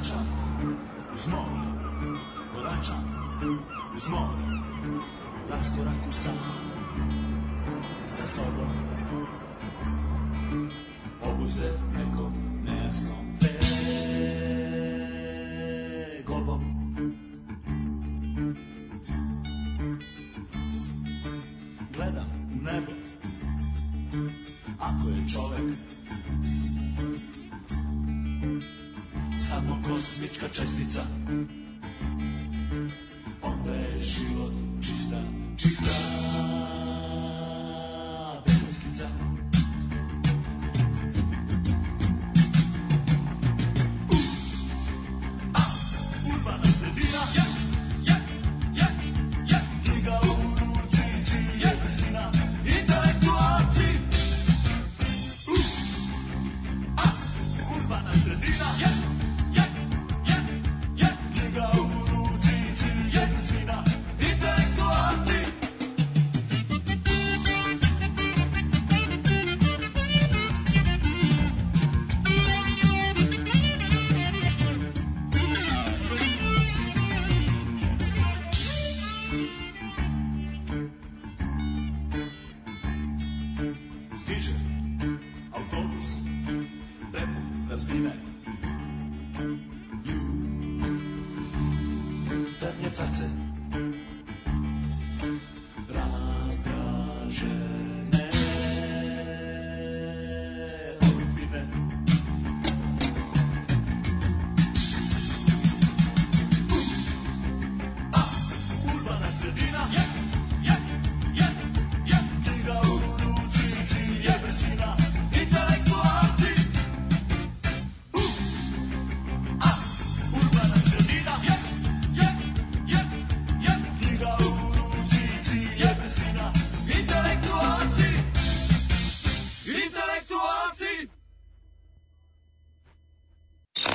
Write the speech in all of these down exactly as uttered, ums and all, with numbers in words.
koračam uz more, koračam uz more, raskoraku sam sa sobom, obuzet nekom nejasnom tegobom. Gledam u nebo, ako je čovek samo kosmička čestica, onda je život čista, čista besmislica. A, urbana sredina, je, je, je, je, knjiga u rucici, je brzina, intelektualci. A, urbana sredina, je,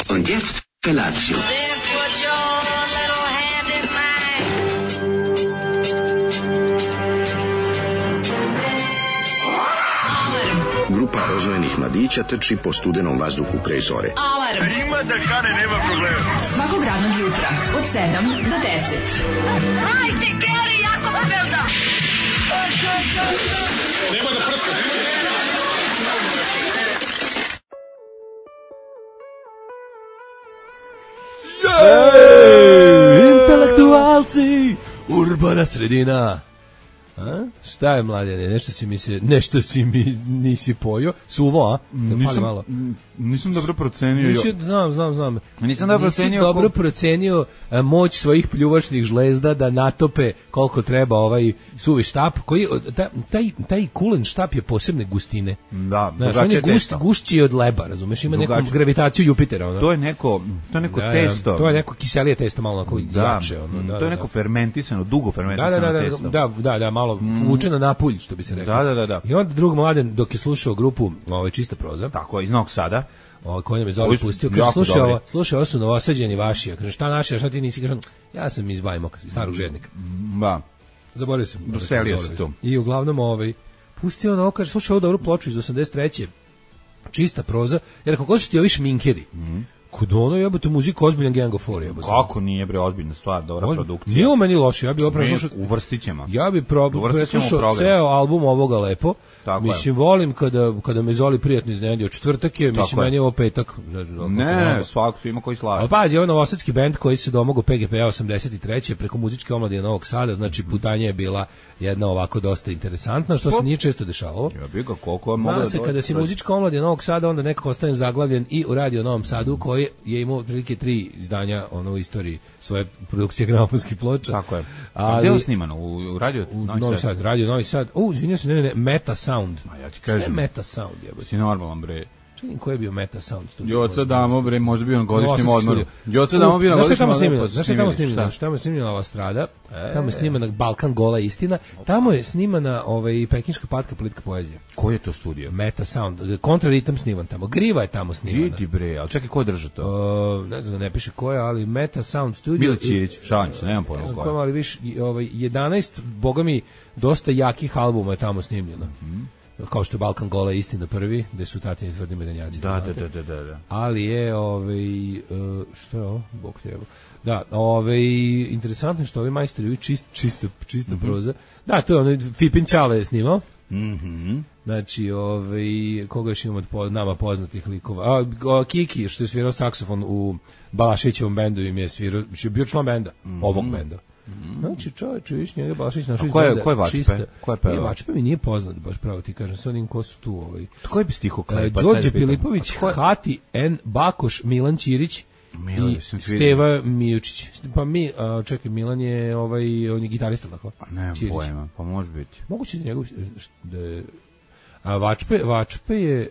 Und jetzt Felatio. Grupa rozvojenih mladića trči po studenom vazduhu pre zore. Alarm! Ima da kane, nema problema. Svakog radnog jutra, od sedam do deset. Hajde, Geri, jako se velda! Nema da prska, nema da prska! Intelektualci, urbana sredina. A? Šta je, mladene? Nešto si mi se, nešto si mi nisi pojio. Suvo, a? Nisam, malo. nisam dobro procenio. Nisi, znam, znam, znam. Nisam dobro nisi procenio. dobro ko... procenio a, moć svojih pljuvačnih žlezda da natope koliko treba ovaj suvi štap. Koji, taj, taj, taj kulen štap je posebne gustine. Da, znaš, on je gust, gušći od leba, razumeš? Ima neku gravitaciju Jupitera. Ono. To je neko, to je neko da, testo. To je neko kiselije testo, malo onako da, jače. Ono, da, to je neko da, fermentisano, dugo fermentisano da, da, da, testo. Da, da, da, malo mm. vuče na napulj, što bi se rekao. Da, da, da, da. I onda drug mladen, dok je slušao grupu ovaj, Čista proza. Tako, iz Novog Sada. Ovaj koji nam je Zoli pustio, kaže slušaj ovo, slušaj, ovo su novosađeni vaši. Ja kažem šta naši, a šta ti nisi? Kažem ja sam iz Bajmoka, iz Starog Žednika. Da. Zaboravio sam. Doselio se tu. I uglavnom ovaj pustio ono, kaže slušaj ovo dobru ploču iz osamdeset treće. Čista proza. Jer kako su ti ovi šminkeri? Mhm. Kod ono jebote muziku ozbiljan Gang of Four jebote. Kako nije bre ozbiljna stvar, dobra Ozbilj... produkcija. Nije meni loše, ja bih opravo slušao. Uvrstićemo. Ja bih probao slušao ceo album ovoga lepo. Tako mislim, je. Volim kada, kada me Zoli prijatno iznenadio. Četvrtak je, mislim, meni je ovo petak. Ne, svako su ima koji slavi. Ali pazi, ovo novosadski bend koji se domogao P G P-a osamdeset treće preko muzičke omladine Novog Sada, znači putanja je bila jedna ovako dosta interesantna, što se nije često dešavalo. Ja bih ga koliko Zna se, kada si muzička omladina Novog Sada, onda nekako ostane zaglavljen i u Radio Novom Sadu, koji je imao otprilike tri izdanja ono, u istoriji svoje produkcije gramofonskih ploča. Tako je. A gde je snimano? U, u Radio u Novi, Novi Sad? Radio Novi Sad. U, izvinjam se, ne, ne, ne, Meta Sound. Ma ja ti kažem. Šta je Meta Sound, jebote? Si normalan, bre. Čini koji je bio Meta Sound studio? Joca Damo, bre, možda bio na godišnjem odmoru. Joca Damo bio na godišnjem odmoru. Znaš šta tamo snimljeno? Šta tamo je snimljena ova strada? Tamo je snimana Balkan Gola istina. Tamo je snimana ovaj, Pekinška patka politika poezija. Koji je to studio? Meta Sound. Kontraritam sniman tamo. Griva je tamo snimana. Vidi, bre, ali čekaj, ko drža to? Uh, ne znam, ne piše ko je, ali Meta Sound studio. Mile Ćirić, šalim se, nemam pojma ko je. Ali viš, ovaj, jedanaest, boga mi, dosta jakih albuma je tamo snimljeno. Mm. kao što je Balkan Gola istina prvi, gde su tatini tvrdi medenjaci. Da, da, da, da, da, da. Ali je, ovaj, uh, što je ovo? Bog treba. Da, ovaj, interesantno je što ovi majstori, ovi čist, čista, čista mm-hmm. proza. Da, to je ono, Fipin Čale je snimao. Mhm. Znači, ovaj, koga još imamo od nama poznatih likova? A, a Kiki, što je svirao saksofon u Balašićevom bendu, im je svirao, je bio član benda, mm-hmm. ovog benda. Mm-hmm. Znači, čovječe, viš njega Balašić našao iz ko je, benda. Ko je Vačpe? Ko je pevao? Vačpe mi nije poznat, baš pravo ti kažem, sve onim ko su tu. Ovaj. Koji bi stiho klepac? Đorđe Pilipović, Hati, N. Bakoš, Milan Ćirić, Milan, i Steva Mijučić. Pa mi, a, čekaj, Milan je ovaj, on je gitarista, tako? Ne, pojma, pa može biti. Moguće da njegov, da je, a Vačpe, Vačpe je,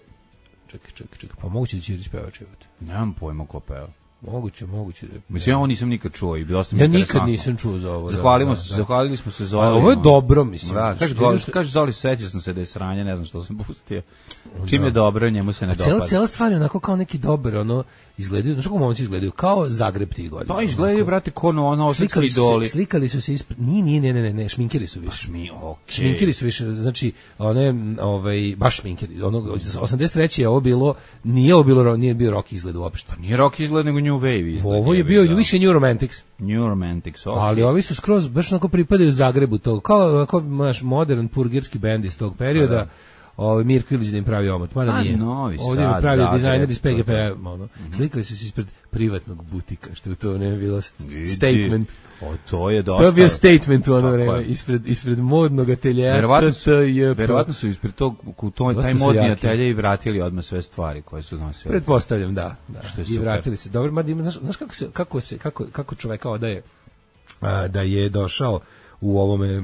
čekaj, čekaj, čekaj, pa moguće da Ćirić peva čevati. Nemam pojma ko peva. Moguće, moguće. Da mislim, ja ovo nisam nikad čuo i bilo sam ja nikad nisam čuo za ovo. Zahvalimo da, se, da. zahvalili smo se Zoli. Ovo je dobro, mislim. Da, kaže, što... kaže Zoli, sećao sam se da je sranje, ne znam što sam pustio. Čim da. je dobro, njemu se ne dopada. Cijela, cijela stvar je onako kao neki dobar, ono, izgledaju, znaš kako momci izgledaju, kao Zagreb tih godina. Pa izgledaju, brate, ko ono, ono osvetski idoli. Slikali su se ispred, nije, nije, ne, ne, ne, ne, šminkeri su više. Pa šmi, okay. Šminkeri su više, znači, one, ovaj, baš šminkeri, ono, osamdeset treće je ovo bilo, nije ovo bilo, nije bio rock izgled uopšte. Pa nije rock izgled, nego New Wave izgled. Ovo je bio da. više New Romantics. New Romantics, ok. Ali ovi su skroz, baš onako pripadaju Zagrebu, to, kao, kao naš modern purgirski bend iz tog perioda. Da. Ovaj Mirko Ilić da im pravi omot, mada nije. Novi ovdje im pravi dizajner iz P G P, ono. Mm-hmm. Slikali su se ispred privatnog butika, što je to ne bilo statement. O, to je dosta. To je bio statement u ono vreme, ispred, ispred modnog ateljea. Verovatno su, verovatno su ispred tog, u toj, taj modni atelje i vratili odmah sve stvari koje su nosili. Pretpostavljam, da. da. Što je I vratili se. Dobro, mada ima, znaš, znaš kako, se, kako, se, kako, kako čoveka odaje a, da je došao u ovome,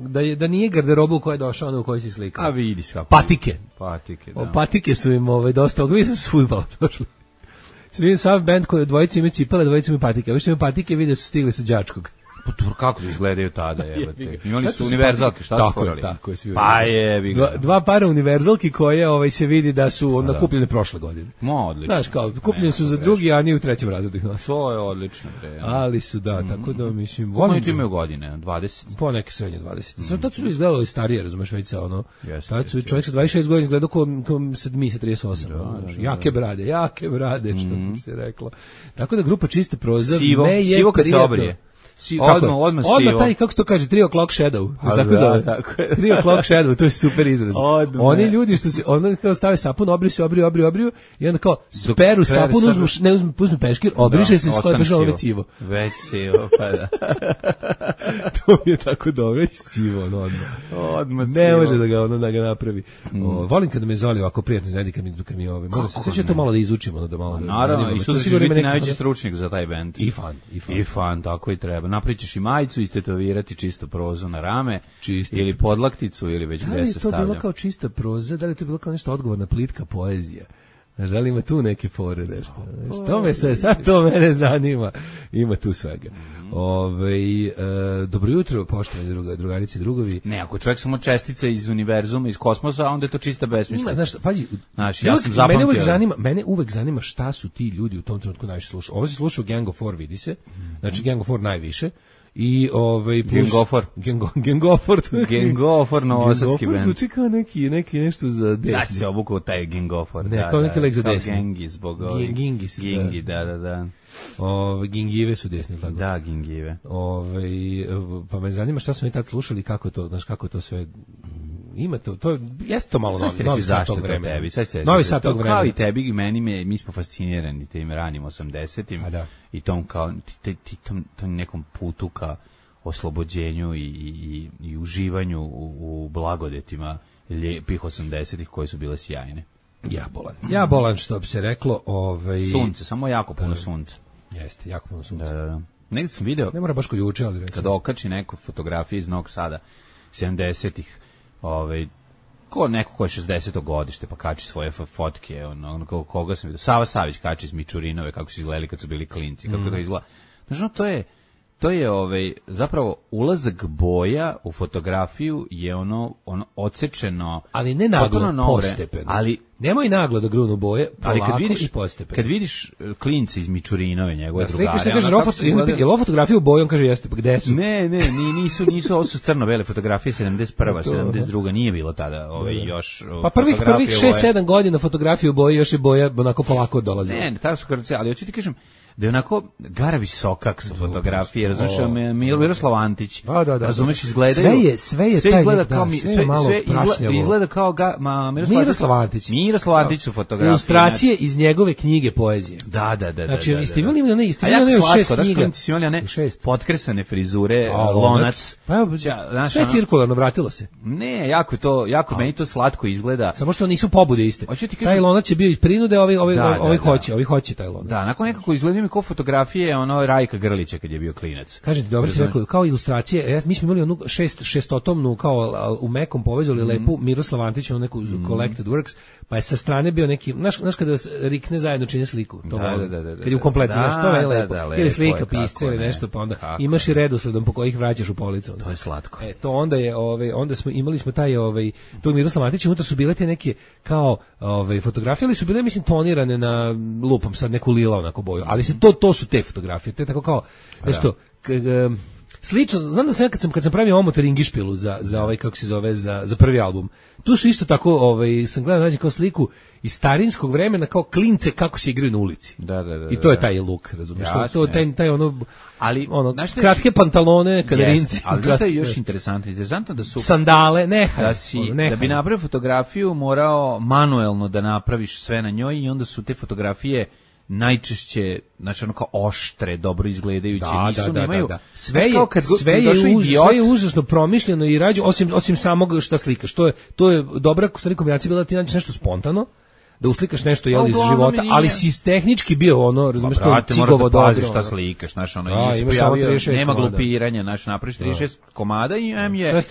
da je da nije garderoba u kojoj je došao, ono u kojoj si slikao. A vidi kako. Patike. Patike, da. O, patike su im ovaj dosta, vi su s fudbala došli. Svi sav bend koji dvojice imaju cipele, dvojice imaju patike. Vi što imaju patike, vide su stigli sa đačkog. Pa kako da izgledaju tada, jebote. Imali su univerzalke, šta su furali? Tako je, svi. Pa je, dva, dva para univerzalki koje ovaj se vidi da su onda kupljene prošle godine. Mo, odlično. Znaš, kao kupljene su za drugi, a nije u trećem razredu ih nosi. To je odlično, bre. Ali su da, tako da mislim, volim da imaju godine, dvadeset. Po neke srednje dvadeset. Sad to su izgledalo i starije, razumeš, već sa ono. Tad su čovjek sa dvadeset šest godina izgledao kao mi sa trideset osam. Jake brade, jake brade, što bi se reklo. Tako da grupa Čista proza me je sivo kad se obrije. Si, odmah, odmah, odmah taj, kako se to kaže, three o'clock shadow. Tako da, tako je. three o'clock shadow, to je super izraz. Odmah. Oni ljudi što se, onda kao stave sapun, obriju se, obriju, obriju, obriju, i onda kao speru sapun, uzmu, ne uzmu, uzmu peškir, obriše da, se i skoje bežalo već sivo. Već sivo, pa da. To mi je tako dobro, već sivo, ono, odmah. Odmah ne sivo. Može da ga, ono, da ga napravi. Mm. O, volim kada me Zoli ovako prijatno znadi kad mi, kad mi ove. Moram se, sve će to malo da izučimo, ono, da malo. Naravno, i sutra će biti najveći stručnjak za taj bend. I fan, i fan. I fan, tako i treba. Napričeš i majicu, istetovirati Čisto prozu na rame, čisto. Ili podlakticu, ili već gde se stavlja. Da li je to bilo kao čista proza, da li je to bilo kao nešto odgovorna plitka poezija? Znaš, da li ima tu neke fore nešto? Znaš, to me sve, sad to mene zanima. Ima tu svega. Mm-hmm. Ove, e, dobro jutro, poštovani druga, drugarici, drugovi. Ne, ako čovjek samo čestice iz univerzuma, iz kosmosa, onda je to čista besmislica. Znaš, pađi, znaš, ja sam zapamtio. Mene uvek zanima, mene uvek zanima šta su ti ljudi u tom trenutku najviše slušali. Ovo se slušao Gang of Four, vidi se. Znači, Gang of Four najviše. I ovaj plus Gengofor Gengo Gengofor Gengofor novosadski bend. Zvuči kao neki neki nešto za desni. Da se obukao taj Gengofor. Ne, da, kao neki lek za desni. Gengis bogovi. Gingis. Gingi, da, da, da. Ove gingive su desni, tako. Da, gingive. Ove, pa me zanima šta su oni tad slušali, kako to, znaš kako to sve ima to, to jeste to malo novi, novi sat tog vremena. Tebi, novi sat tog vremena. Kao i tebi i meni, me, mi smo fascinirani tim ranim osamdesetim da. I tom kao ti, ti, tom, tom nekom putu ka oslobođenju i, i, i uživanju u, u blagodetima lijepih osamdesetih koje su bile sjajne. Ja bolan. Ja bolan, što bi se reklo. Ovaj... Sunce, samo jako puno sunca. Jeste, jako puno sunca. Da, da, da. Negdje sam video, ne mora baš ko juče, ali recimo, kada okači neku fotografiju iz Novog Sada sedamdesetih, ovaj, ko neko ko je šezdeseto godište pa kači svoje fotke, ono, ono koga sam vidio, Sava Savić kači iz Mičurinove kako su izgledali kad su bili klinci, kako mm. to izgleda. Znači, no, to je to je ovaj zapravo ulazak boja u fotografiju je ono ono odsečeno, ali ne naglo, postepeno. Ali nemoj naglo da grunu boje, polako ali kad vidiš, i postepeno. Kad vidiš klince iz Mičurinove, njegove ja, drugare, se kaže, rofot, je li ovo fotografija u boji? On kaže, jeste, pa gde su? Ne, ne, nisu, nisu, ovo su crno-bele fotografije, sedamdeset prva, sedamdeset druga, nije bilo tada ovaj, još pa prvih, prvih šest sedam godina fotografije u boji, još je boja onako polako dolazi. Ne, tada su karce, ali hoću ti kažem, da je onako gara visokak su fotografije, razumiješ, Miroslav Antić, da, da, da, razumiješ, izgledaju, sve je, sve je sve taj izgleda nek, kao, da, mi, sve, sve, malo sve izgleda, prašnjavo. izgleda kao ga, ma, Miroslav, Miroslav Antić. Miroslav Antić su fotografije. Ilustracije iz njegove knjige poezije. Da, da, da. Znači, da, da, ste imali da. one, ste imali one šest knjiga. Da, ste imali one potkresane frizure, A, lonac. Pa, ja, sve je cirkularno, vratilo se. Ne, jako je to, jako A. meni to slatko izgleda. Samo što nisu pobude iste. Taj lonac je bio iz prinude, ovi, ovi, da, ovi da, hoće, da. ovi hoće taj lonac. Da, nakon nekako izgleda mi kao fotografije, ono, Rajka Grlića kad je bio klinac. Kažete, dobro si rekao, kao ilustracije, ja, mi smo imali onu šest, šestotomnu, kao u mekom povezali mm. lepu Miroslav Antić, onu neku mm. collected works, pa je sa strane bio neki, znaš, znaš kada rikne zajedno čini sliku, to da, da, da, da, kad je u kompletu, da, znaš, to je da, lepo, da, lepo ili slika, je, pisce ili nešto, pa onda kako imaš ne. i redosledom po kojih vraćaš u policu. To je slatko. E, to onda je, ovaj, onda smo, imali smo taj, ovaj, tog Miroslav Antić, unutra su bile te neke, kao, ovaj, fotografije, ali su bile, mislim, tonirane na lupom, sad neku lila onako boju, ali se to, to su te fotografije, te tako kao, nešto, slično, znam da sam kad sam kad sam pravio omot Ringišpilu za za ovaj kako se zove za za prvi album. Tu su isto tako, ovaj sam gledao nađe kao sliku iz starinskog vremena kao klince kako se igraju na ulici. Da, da, da. I to je taj look, razumiješ? To, to taj taj ono ali ono kratke pantalone, kaderinci. Ali znaš šta je još interesantno? Interesantno da su sandale, ne, da si da bi napravio fotografiju morao manuelno da napraviš sve na njoj i onda su te fotografije najčešće, znači ono kao oštre, dobro izgledajuće, da, nisu, da, da, nemaju, da, da. Sve je, kad, sve, je uz, sve je užasno promišljeno i rađeno, osim, osim samog šta slikaš, to je, to je dobra kombinacija bila da ti nađeš nešto spontano, da uslikaš nešto jel, iz života, ali si tehnički bio ono, razumiješ, to cigovo dobro. Pazi šta slikaš, znaš, ono, da, i pojavio, nema glupiranja, znaš, napraviš trideset šest komada i M je,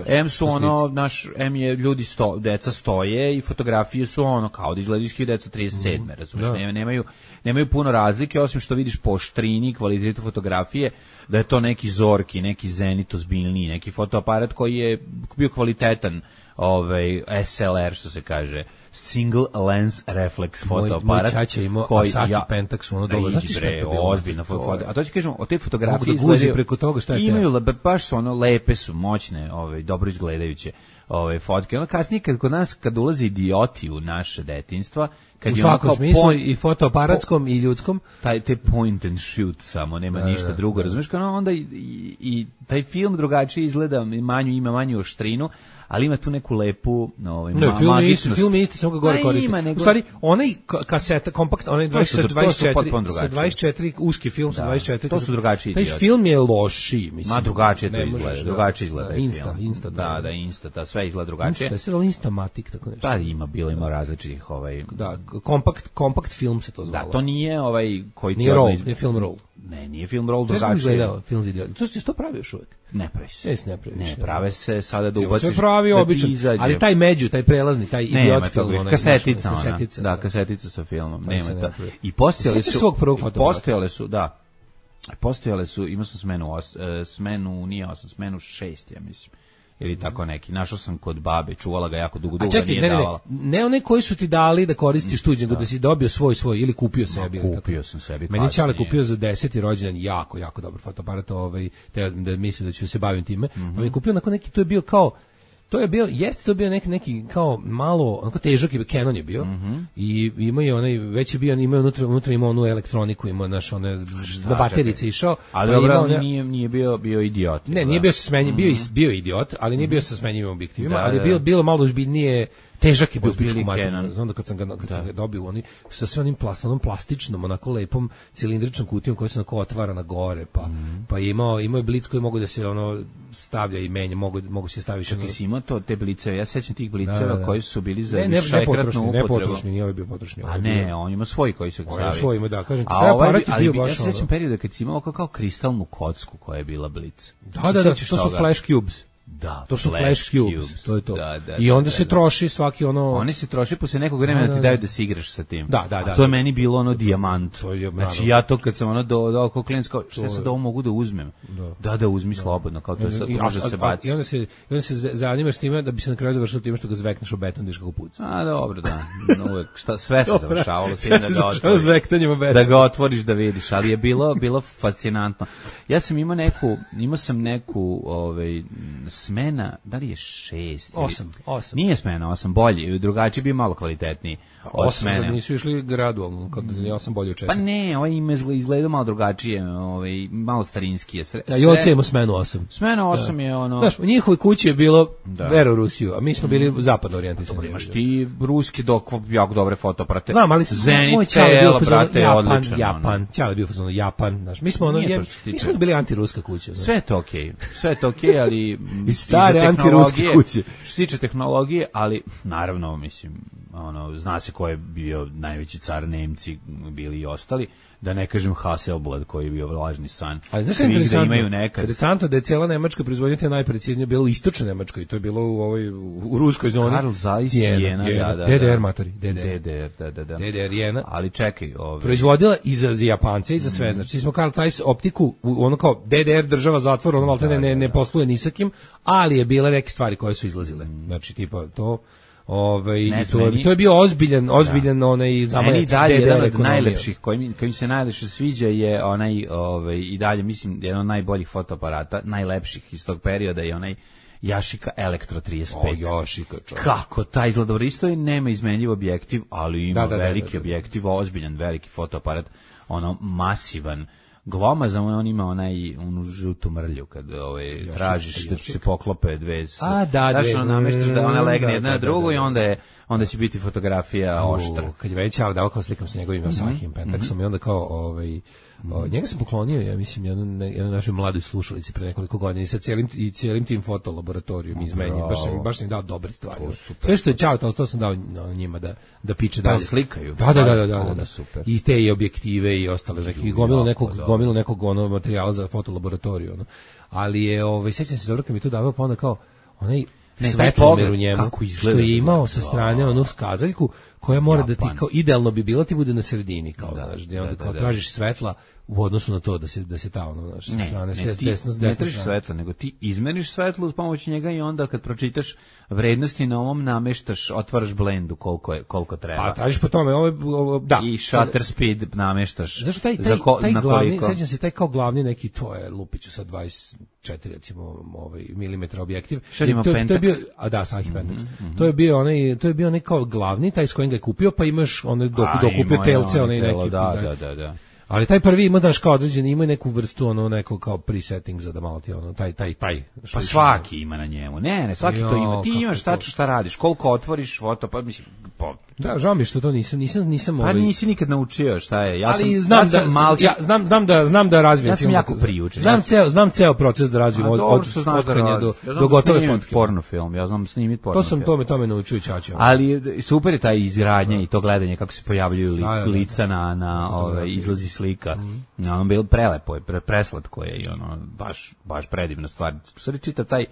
M su ono, naš, M je ljudi sto, deca stoje i fotografije su ono, kao da izgledaju iz hiljadu devetsto trideset sedme, razumiješ, da. nemaju, nemaju puno razlike, osim što vidiš po štrini, kvalitetu fotografije, da je to neki Zorki, neki Zenit ozbiljniji, neki fotoaparat koji je bio kvalitetan, ovaj, S L R, što se kaže, single lens reflex fotoaparat. Moj čača imao Asahi ja, Pentax, ono dobro, znaš ti šta je to bilo? Ozbiljna foto. A to ću kažem, o te fotografije da izgledaju, preko toga šta je imaju, baš su ono, lepe su, moćne, ovaj, dobro izgledajuće ove fotke. Ono kasnije, kad kod nas, kad ulaze idioti u naše detinjstva, kad u je svakom ono smislu, point, i fotoaparatskom po, i ljudskom, taj te point and shoot samo, nema da, ništa drugo, razumiješ, kao onda i, i, i taj film drugačije izgleda, manju, ima manju oštrinu, ali ima tu neku lepu, ovaj, no, ma, film je magičnost. isti, film je isti, samo ga gore koristi. Nego... U stvari, onaj kaseta, kompakt, onaj dvadeset četiri, sa dvadeset četiri, uski film sa da, dvadeset četiri. To su drugačiji taj idioti. Film je loši, mislim. Ma drugačije to izgleda, drugačije izgleda. Da, Insta, Insta. Da, da, Insta, ta sve izgleda drugačije. Insta, je Instamatic, tako nešto. Da, ima, bilo ima različitih, ovaj... Da, kompakt, kompakt film se to zvalo. Da, to nije ovaj koji... Nije roll, nije film roll. Ne, nije film roll drugačije. Sve sam gledao, film za idioti. To se to pravi još uvijek. Ne pravi se. Jes ne pravi. Ne, prave se sada da ubaciš. Se pravi običan, ali taj među, taj prelazni, taj idiot film, ona kasetica, ona, kasetica, da, kasetica sa filmom, nema to. I postojale su svog prvog fotoaparata. Postojale su, da. Postojale su, imao sam smenu, os, smenu, nije osam, smenu šest, ja mislim. Ili tako neki. Našao sam kod babe, čuvala ga jako dugo, dugo čekaj, nije ne, ne, davala. Ne, ne one koji su ti dali da koristiš tuđe, nego da. da si dobio svoj svoj ili kupio sebi. No, kupio sam sebi. Meni Čale kupio za deseti rođendan jako, jako dobar fotoaparat, ovaj, te, da mislim da ću se baviti time. Mm -hmm. Ali kupio onako neki, to je bio kao, to je bio, jeste to bio neki, neki kao malo, onako težak je, Canon je bio, mm -hmm. i imao je onaj, već je bio, imao unutra, unutra imao onu elektroniku, imao naš, one, na baterice išao. Ali pa dobro, imao, nije, nije bio, bio idiot. Ne, nije bio sa smenjivim, bio, bio idiot, ali nije bio sa smenjivim objektivima, da, ali je bilo, bilo malo ozbiljnije, težak je bio pičku materiju. Znam da kad sam ga, kad sam ga dobio, oni sa sve onim plasanom, plastičnom, onako lepom cilindričnom kutijom koja se onako otvara na gore, pa, mm. pa je imao, imao je blic koji mogu da se ono stavlja i menja, mogu, mogu se staviti. Čekaj, si imao to, te bliceve, ja sećam tih bliceva da, da, da. koji su bili za ne, ne, višekratnu upotrebu. Ne potrošni, nije ovaj bio potrošni. A ne, on ima svoj koji se ga stavi. On svoj ima, da, kažem ti, taj aparat je bio baš ja se sećam perioda kad si imao kao kristalnu kocku koja je bila blic. Da, da, da, to su flash cubes. Da, to su Flash, flash cubes, cubes. to je to. Da, da, I onda da, se da. troši svaki ono... Oni se troši posle nekog vremena da ti daju da se igraš sa tim. Da, da, da. A to je meni bilo ono dijamant. To je, znači ja to kad sam ono do do oko klinac kao šta sad ovo mogu da uzmem. Da, da, da uzmi slobodno, kao to sad može se baciti. I onda se i onda se zanimaš time da bi se na kraju završilo time što ga zvekneš u beton diš kako puca. A dobro, da. Uvek šta sve se završavalo s tim da ga otvoriš. Zvektanjem beton. Da ga otvoriš da vidiš, ali je bilo bilo fascinantno. Ja sam imao neku, imao sam neku ovaj smena, da li je šest osam, osam. Nije smena, osam bolji, drugačiji bio malo kvalitetniji. Osam, sad nisu išli gradualno, kad ja sam bolje učetio. Pa ne, ovaj im izgleda malo drugačije, ovaj, malo starinski je. Sre, ja, i ocemo smenu osam. Smena osam je ono... Znaš, u njihovoj kući je bilo da. Vero Rusiju, a mi smo bili mm. zapadno orijentisani. Dobro, imaš ti ruski dok jako dobre fotoaparate. Znam, ali Zenit, Tela, brate, je odličan. Japan, Ćale je bio fazonu Japan, znaš, mi smo ono, je, mi smo bili antiruska kuća. Sve je to okej, okay. sve je to okej, okay, ali... I stare antiruske kuće. Što se tiče tehnologije, ali naravno, mislim, ono, zna se ko je bio najveći car, Nemci bili i ostali, da ne kažem Hasselblad koji je bio lažni san. Ali znaš svih da imaju nekad. Interesantno da je cijela Nemačka proizvodnja te najpreciznije bilo u istočnoj Nemačkoj i to je bilo u ovoj u ruskoj zoni. Karl Zeiss, Jena, da, da, D D R matori, D D R. D D R, da, da, da. D D R Jena. Ali čekaj, ovaj proizvodila i za Japance i za sve. Znači smo Karl Zeiss optiku, ono kao D D R država zatvor, ono maltene ne ne posluje ni sa kim, ali je bila neke stvari koje su izlazile. Znači tipa to Ovaj i to, to je bio ozbiljan, ozbiljan da. onaj zamajac. Dalje jedan od najlepših koji mi koji mi se najlepše sviđa je onaj ovaj i dalje mislim jedan od najboljih fotoaparata, najlepših iz tog perioda je onaj Yashica Elektro trideset pet. O, Yashica, čovjek. Kako taj izgleda dobro, isto je nema izmenljiv objektiv, ali ima da, da, veliki da, da, da. objektiv, ozbiljan veliki fotoaparat, ono masivan. Glomazan, on ima onaj onu žutu mrlju kad ovaj tražiš da ti se poklope dve. A da, da, da nameštaš da ona legne da, jedna na drugu i onda je onda će biti fotografija oštra. Kad je već ali da kao slikam sa njegovim Asahim Pentaxom i onda kao ovaj o, njega sam poklonio, ja mislim, jednu, jednu našoj mladoj slušalici pre nekoliko godina i sa cijelim, i cijelim tim fotolaboratorijom izmenjen, baš sam, baš sam im dao dobre stvari. Sve što je čao, to, to sam dao njima da, da piče dalje. Da slikaju. Da, da, da, da, da, da. Super. I te i objektive i ostale, neki, gomilo nekog, gomilo nekog ono materijala za fotolaboratoriju. Ono. Ali je, ovaj, sećam se dobro kad mi to davao, pa onda kao, onaj svetlomer u njemu, što je imao sa strane onu skazaljku, koja mora Japan. Da ti kao idealno bi bilo ti bude na sredini kao da, znaš, da, onda kao da, da, tražiš svetla u odnosu na to da se da se ta ono znaš sa strane ne, ti, desno desno ne tražiš svetla nego ti izmeriš svetlo uz pomoć njega i onda kad pročitaš vrednosti na ovom nameštaš otvaraš blendu koliko je koliko treba. A tražiš po tome ovo, ovo da i shutter speed nameštaš. Zašto taj taj, ko, taj glavni sećam se taj kao glavni neki to je lupiću sa dvadeset četiri recimo ovaj milimetra objektiv. Što ima Pentax? To je bio a da Sahim Pentax. Mm -hmm. To je bio onaj to je bio onaj kao glavni taj s kojim ga je kupio pa imaš onaj dok dokupio telce onaj neki da da da da. Ali taj prvi ima daš kao određeni, ima neku vrstu ono neko kao presetting za da malo ti ono taj taj taj. Pa svaki ima na njemu. Ne, ne, svaki jo, to ima. Ti imaš tačno šta radiš, koliko otvoriš foto, pa mislim po da, žao mi je što to nisam, nisam, nisam ovaj... Pa nisi nikad naučio šta je. Ja ali sam, znam ja sam da, malki... ja znam, znam da, znam da razvijem. Ja sam jako priučen. Znam ceo, znam ceo proces da razvijem od, od fotkanja do, ja do gotove fotke. Porno film, ja znam snimiti porno To sam film. tome, tome naučio Ćaća. Ali super je taj izradnja i to gledanje, kako se pojavljuju li, da, da, lica na, na ove, izlazi slika. Mm. Ono bilo prelepo je, pre, preslatko je i ono, baš, baš predivna stvar. Stvari čita taj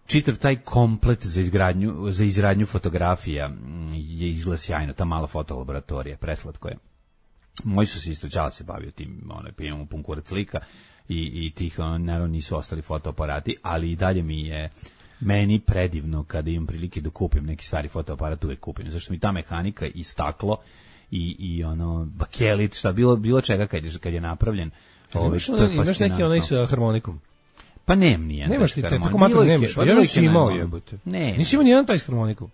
čitav taj komplet za izgradnju za izradnju fotografija je izgleda sjajno, ta mala fotolaboratorija, preslatko je. Moji su se isto Ćala se bavio tim, onaj imamo pun kurac slika i i tih ono, naravno nisu ostali fotoaparati, ali i dalje mi je meni predivno kada imam prilike da kupim neki stari fotoaparat, uvek kupim, zašto mi ta mehanika i staklo i i ono bakelit, šta bilo bilo čega kad je kad je napravljen. Ovaj to je imaš neki onaj sa harmonikom. Pa nem nije. Nemaš ti te, tako matro nemaš. Ja nisam imao jebote. Ne. Nisi imao nijedan taj s harmonikom.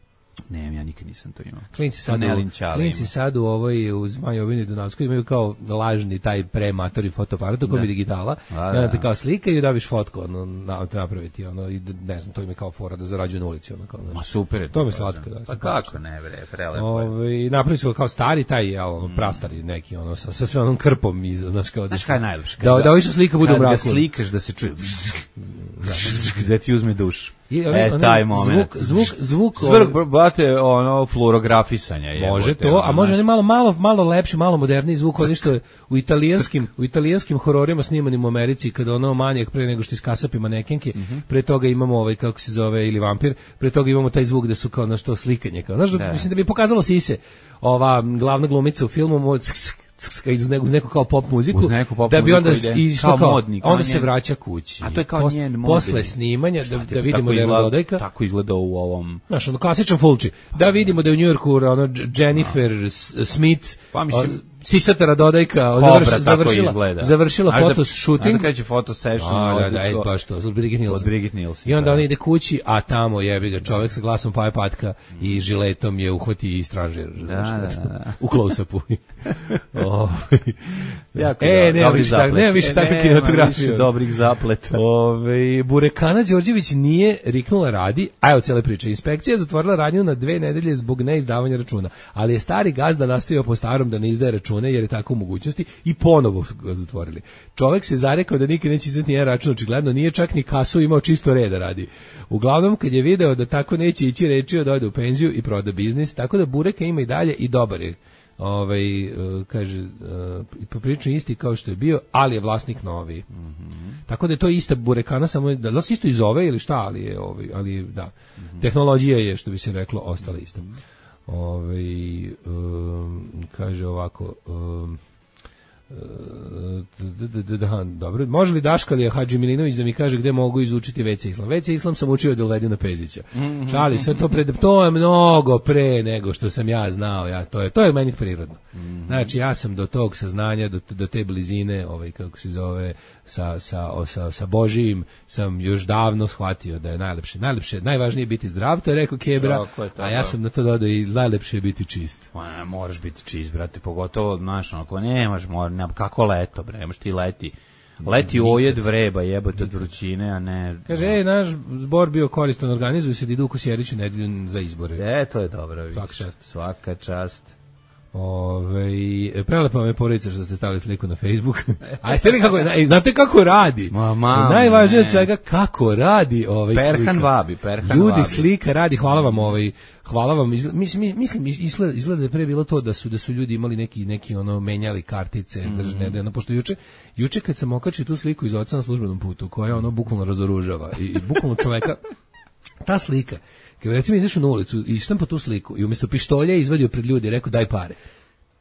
Ne, ja nikad nisam to imao. Klinci sad, u, klinci sad u ovoj u Zmajovini Dunavskoj imaju kao lažni taj prematori fotoaparat u kojem je digitala. A, da. I onda te kao slika i dobiš fotku ono, na, napraviti ono, i ne znam, to im je kao fora da zarađuju na ulici. Ono, kao, ma super je to. To mi je slatko. Da, pa kako ne, bre, prelepo. Ove, napravili su kao stari taj, ja, ono, prastari neki, ono, sa, sa sve onom krpom iza, znaš kao da... Znaš kaj je najlepše? Da, da, da, da slika bude u mraku. Da slikaš da se čuje... Gde ti uzme duš. I onaj, e, taj moment. Zvuk, zvuk, zvuk. Svrh, brate, ono, fluorografisanja je. Može to, a može ne malo, malo, malo lepši, malo moderniji zvuk, ono što je u italijanskim, u italijanskim hororima snimanim u Americi, kada ono manijak pre nego što iskasapi manekenke, mm-hmm. pre toga imamo ovaj, kako se zove, ili vampir, pre toga imamo taj zvuk da su kao na što slikanje. Kao, znaš, da. Mislim da bi pokazalo sise, ova glavna glumica u filmu, uz neku, uz neku kao pop muziku, pop da bi onda išlo kao, kao modnik, onda se vraća kući. A to je kao Pos, njen modnik. Posle snimanja, da, da vidimo da je Dodajka. Tako izgleda u ovom... Znaš, ono klasičan fulči. Da vidimo da je u Njujorku ono, Jennifer no. Smith, pa mislim... Sisatara Dodajka završ, završila, završila foto shooting. A kreće foto session. A, da, da, da, baš to, od Brigitte Nielsen. Od Brigitte Nielsen. I onda on ide kući, a tamo jebi ga čovjek sa glasom Paja Patka mm. i žiletom je uhvati i stražer. Da, da, da. U close-upu. Jako e, nema više, tak, nema više takve kinematografije. Dobrih zapleta. Ove, Burekana Đorđević nije riknula radi, a evo cijela priča. Inspekcija je zatvorila radnju na dve nedelje zbog neizdavanja računa, ali je stari gazda nastavio po starom da ne izdaje račune jer je tako u mogućnosti i ponovo su ga zatvorili. Čovjek se zarekao da nikad neće izdati nijedan račun, očigledno nije čak ni kasu imao, čisto reda radi. Uglavnom, kad je video da tako neće ići, rečio da ode u penziju i proda biznis, tako da Bureka ima i dalje i dobar je. Ovaj, uh, kaže, uh, poprilično isti kao što je bio, ali je vlasnik novi. Mm-hmm. Tako da je to ista Burekana, samo da li se isto iz ove ili šta, ali je, ovaj, ali da, mm-hmm. tehnologija je, što bi se reklo, ostala ista. Ove, um, kaže ovako um, da, dobro, može li Daškalija Hadži Milinović da mi kaže gde mogu izučiti ve ce Islam? ve ce Islam sam učio od Ledina Pezića. Šalim se, to, pred, to je mnogo pre nego što sam ja znao, ja, to, je, to je meni prirodno. Znači, ja sam do tog saznanja, do, do te blizine, ovaj, kako se zove, sa, sa, sa, sa Božijim, sam još davno shvatio da je najlepše, najlepše, najvažnije biti zdrav, to je rekao Kebra, a ja sam na to dodao i najlepše je biti čist. Ma, moraš biti čist, brate, pogotovo, znaš, ako nemaš, mora, nema, kako leto, bre, nemaš ti leti. Leti ojed vreba, jebote od vrućine, a ne... Kaže, ej, naš zbor bio koristan, organizuju se da idu u Kosjeriću nedelju za izbore. E, to je dobro. Svaka čast. Svaka čast. Ove, prelepa me porodica što ste stavili sliku na Facebook. A jeste li kako, znate kako radi? Ma, ma, najvažnije od svega kako radi ovaj Perhan slika. Vabi, Perhan Ljudi, Vabi. slika radi, hvala vam ovaj, hvala vam. Mislim, mislim izgleda, izgleda da je pre bilo to da su da su ljudi imali neki neki ono menjali kartice, mm-hmm. držne, ono pošto juče juče kad sam okačio tu sliku iz oca na službenom putu, koja ono bukvalno razoružava i, i bukvalno čoveka ta slika. Kad recimo izašao na ulicu i štampa tu sliku i umjesto pištolja izvadio pred ljudi i rekao daj pare.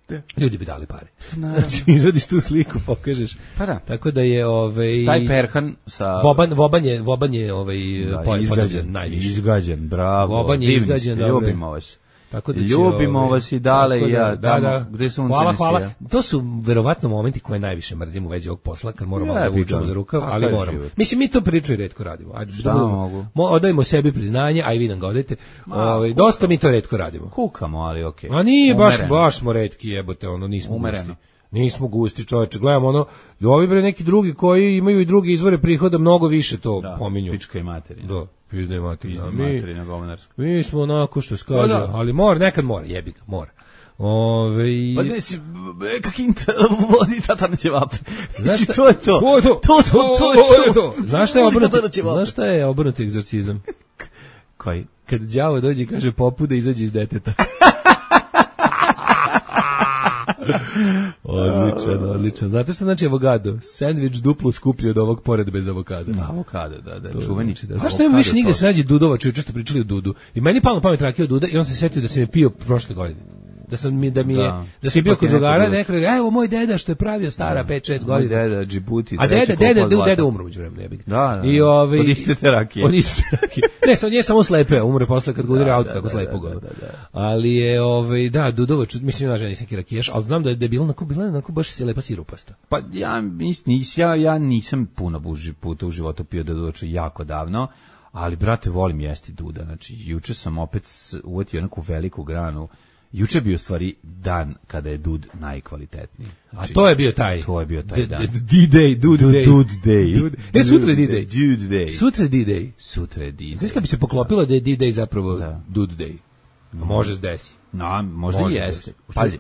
Da. Ljudi bi dali pare. Znači, izvadiš tu sliku, pokažeš. Pa da. Tako da je ovaj taj Perhan sa Voban Voban je Voban je ovaj da, izgađen, najviše. Izgađen, bravo. Voban je izgađen, ljubimo vas. Tako da ljubimo ovaj, vas i dale i ja, da, da, da. Gde su hvala, hvala. To su verovatno momenti koje najviše mrzim u vezi ovog posla, kad moramo ja, da vučemo za rukav, ali moramo. Mislim, mi to priču i retko radimo. Ajde, šta da mogu? Odajmo sebi priznanje, a i vi nam ga odajte. Ovaj, dosta mi to retko radimo. Kukamo, ali okej. Okay. A nije, baš, baš smo retki, jebote, ono, nismo gusti. Nismo gusti, čoveče. Gledamo ono, ovi bre neki drugi koji imaju i druge izvore prihoda, mnogo više to da, pominju. Pička i materina. Da. Pizda i materina. Pizda i materina, govnarska. Mi smo onako što skaže, da, da. Ali mora, nekad mora, jebi ga, mora. Ove... Pa ne si, kakinta vodi tata na ćevape. Znaš to je to. To je to. To, to, to, to je to. Znaš šta je obrnuti, znaš šta je obrnuti egzorcizam? Koji? Kad đavo dođe i kaže popu da izađe iz deteta. Odličan, odličan. Znate što znači avokado? Sandvič duplo skuplji od ovog pored bez avokada. Avokado, da, da, čuveni. Da. Zašto nema više nigde se nađe Dudova, čuju često pričali o Dudu. I meni palo na pamet rakija od Duda i on se setio da se mi pio prošle godine. Da sam mi da mi je da, da sam bio kod drugara, neko rekao, evo moj deda što je pravio stara pet šest godina. Moj deda Džibuti. A deda, deda, deda, deda umro uđe vremena, jebi. Da, da. I ovaj od iste rakije. Od iste rakije. Ne, sam je samo slepe, umre posle kad ga udari auto tako slepo ga. Ali je ovaj da, Dudovac, mislim da žena nisam rakijaš, al znam da je bilo onako bila onako baš se lepa sirupasta. Pa ja mislim ja ja nisam puno buži puta u životu pio Dudovac jako davno. Ali, brate, volim jesti Duda. Znači, juče sam opet uvatio neku veliku granu. Juče je bio stvari dan kada je Dud najkvalitetniji. Znači, a to je bio taj. To je bio taj dan. D-Day, Dud Day. Dud Day. Ne, sutra je D-Day. Dud Day. Sutra je D-Day. Sutra je D-Day. Znaš kada bi se poklopilo da je D-Day zapravo da. Dud Day? A može se desi. No, možda i jeste. Pazi.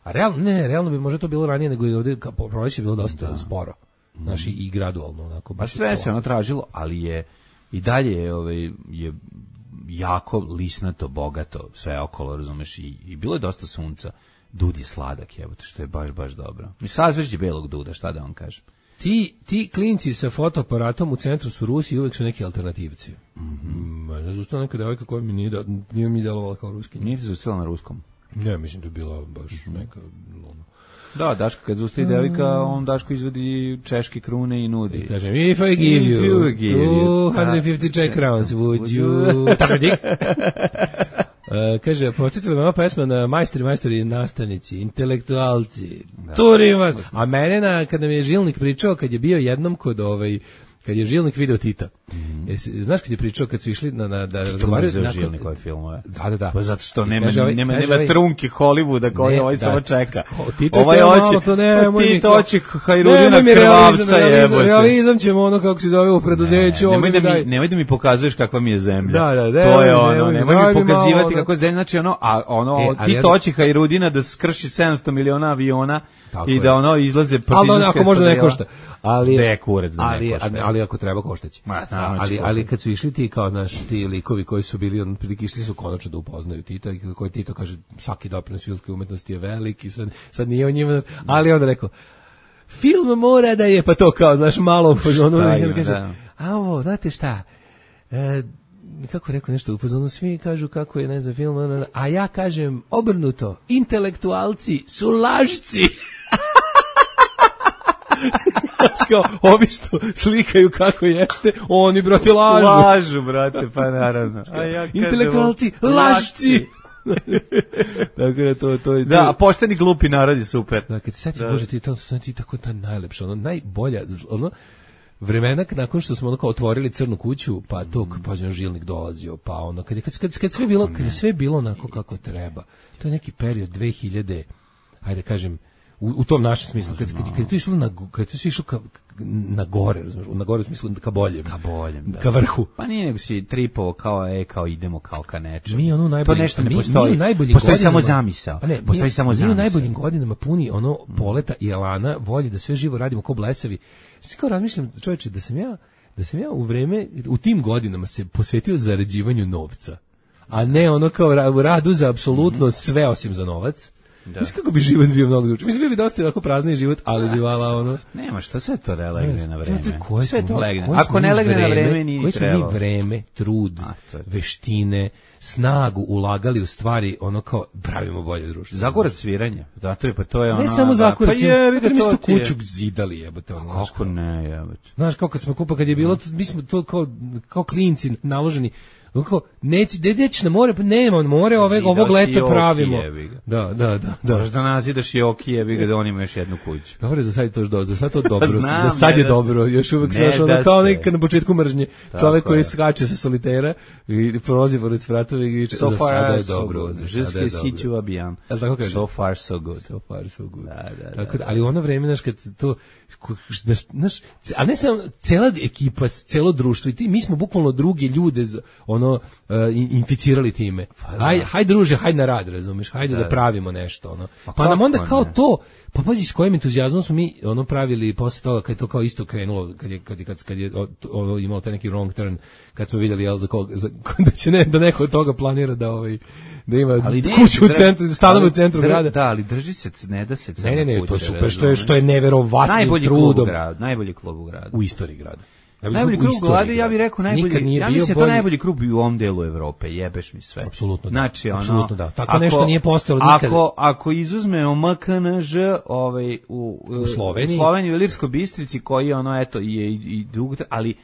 A realno, ne, realno bi možda to bilo ranije nego i ovdje, proleće je bilo dosta da. sporo. Znaš, i, i gradualno onako. Pa sve se ono tražilo, ali je i dalje je, ovaj, je jako lisnato, bogato, sve okolo, razumeš, i, i bilo je dosta sunca. Dud je sladak, jebote, što je baš, baš dobro. Mi sazvežđe belog duda, šta da vam kažem. Ti, ti klinci sa fotoaparatom u centru su Rusi i uvek su neki alternativci. Mm-hmm. Ne znam, ustala neka devojka koja mi nije, da, nije mi delovala kao ruski. Nije ti zaustila na ruskom? Ne, mislim da je bila baš neka... Ono. Da, Daško, kad zustavi devojka, on Daško izvodi češke krune i nudi. I kažem, if I give you, you give two hundred fifty Czech crowns, would you... Tako dik? Uh, kaže, podsjetila me ova pesma na majstori, majstori, nastavnici, intelektualci, da. Turim vas. A mene, na, kad nam je Žilnik pričao, kad je bio jednom kod ovaj, kad je Žilnik video Tita. Mm. Jesi, znaš kad je pričao kad su išli na, na da razgovaraju za Žilnikove filmove? Da, da, da. Pa zato što nema, ovaj, nema, nema ovaj, trunke Hollywooda koji ovaj da, samo čeka. Tito ovaj hoće, to ne, Tito hoće Hajrudina krvavca jebote. Realizam ćemo ono kako se zove u preduzeću. Ne, nemoj, da mi, nemoj da mi pokazuješ kakva mi je zemlja. Da, da, da, to je ono, nemoj mi pokazivati kako je zemlja, znači ono, a ono, Tito hoće Hajrudina da skrši sedamsto miliona aviona i da ono izlaze partizanske. Ali ako možda ne košta. Ali je kurac da ali, ali, ali ako treba koštać. Ali ali kad su išli ti kao naš ti likovi koji su bili on prilike išli su konačno da upoznaju Tita i koji Tito kaže svaki doprinos filmske umetnosti je veliki, sad sad nije on njima, ali on rekao film mora da je pa to kao znaš malo ono da kaže a ovo znate šta e, kako rekao nešto upozorno, svi kažu kako je ne znam film, a ja kažem obrnuto, intelektualci su lažci. Kao, ovi što slikaju kako jeste, oni, brate, lažu. Lažu, brate, pa naravno. A ja intelektualci, lažci. Tako da to, to je... Da, a pošteni glupi narod je super. Da, kad se sad da. Bože, ti to su ti tako ta najlepša, ono, najbolja, ono, vremena nakon što smo ono kao otvorili crnu kuću, pa to, pa je Žilnik dolazio, pa ono, kad je, kad, kad, kad sve bilo, kad je sve bilo onako kako treba. To je neki period dve hiljade, hajde kažem, U, u tom našem smislu, kad, kad, kad je to išlo na, kad je to išlo ka, na gore, razumiješ, na gore u smislu ka boljem, ka boljem, da. Ka vrhu. Pa nije nego si tripovo kao, e, kao idemo kao ka nečemu. Mi ono najbolji, to nešto ne mi, postoji, mi postoji samo zamisao, pa ne, postoji mi, samo mi zamisao. Mi u najboljim godinama puni ono poleta i elana, volji da sve živo radimo ko blesavi. Sve kao razmišljam, čovječe, da sam ja, da sam ja u vreme, u tim godinama se posvetio zarađivanju novca, a ne ono kao u radu za apsolutno mm-hmm. sve osim za novac. Da. Mislim kako bi život bio mnogo drugačiji. Mislim bio bi dosta ovako prazni život, ali bi vala ono. Nema što sve to legne na vreme. Sve, sve to legne. Ako ne legne na vreme nije trebalo. Koji smo mi vreme, trud, A, veštine, snagu ulagali u stvari ono kao pravimo bolje društvo. Zagorac sviranje. Zato je pa to je ono. Ne samo zagorac. Pa je, vidi mi smo kuću zidali jebote ono. Kako ne, jebote. Znaš kako kad smo kupali kad je bilo mi smo to kao kao klinci naloženi. Kako neći dedeć na more, pa nema more, ove ovog leta pravimo. Da, da, da, da. Možeš da nazidaš i oki, jebi ga da on ima još jednu kuću. Dobro, za sad je to do, za sad to dobro, Znam, za sad je da dobro. Još uvek se ono kao nekad na početku mržnje. Čovjek koji skače sa solitera i prolazi pored spratova i so za sada je dobro. Jusque si tu abijan. So far so good. So far so good. Da, da, tako da, ali ono vreme naš kad to znaš, a ne samo cela ekipa, celo društvo i ti mi smo bukvalno drugi ljude ono uh, inficirali time. Haj, haj druže, haj na rad, razumeš? Hajde da, da pravimo nešto, ono. Pa, pa nam onda kao ne? To, pa pazi s kojim entuzijazmom smo mi ono pravili posle toga kad je to kao isto krenulo, kad je kad je kad, kad je ovo imalo taj neki wrong turn, kad smo vidjeli jel za kog za, da će ne da neko od toga planira da ovaj da ima ali kuću u centru, stanove u centru grada. Da, ali drži se, ne da se. Ne, ne, ne, to je super, što je što je neverovatno trudom. Najbolji klub u gradu. U istoriji grada. Ja najbolji klub u gradu, ja bih rekao najbolji. Ja mislim da to najbolji klub u ovom delu Evrope, jebeš mi sve. Apsolutno. Znači, ono, apsolutno da. Tako ako, nešto nije postojalo nikada. Ako ako izuzmemo M K N Ž, ovaj u, u Sloveniji, u Sloveniji, u Ilirskoj Bistrici koji ono eto je i dugo, ali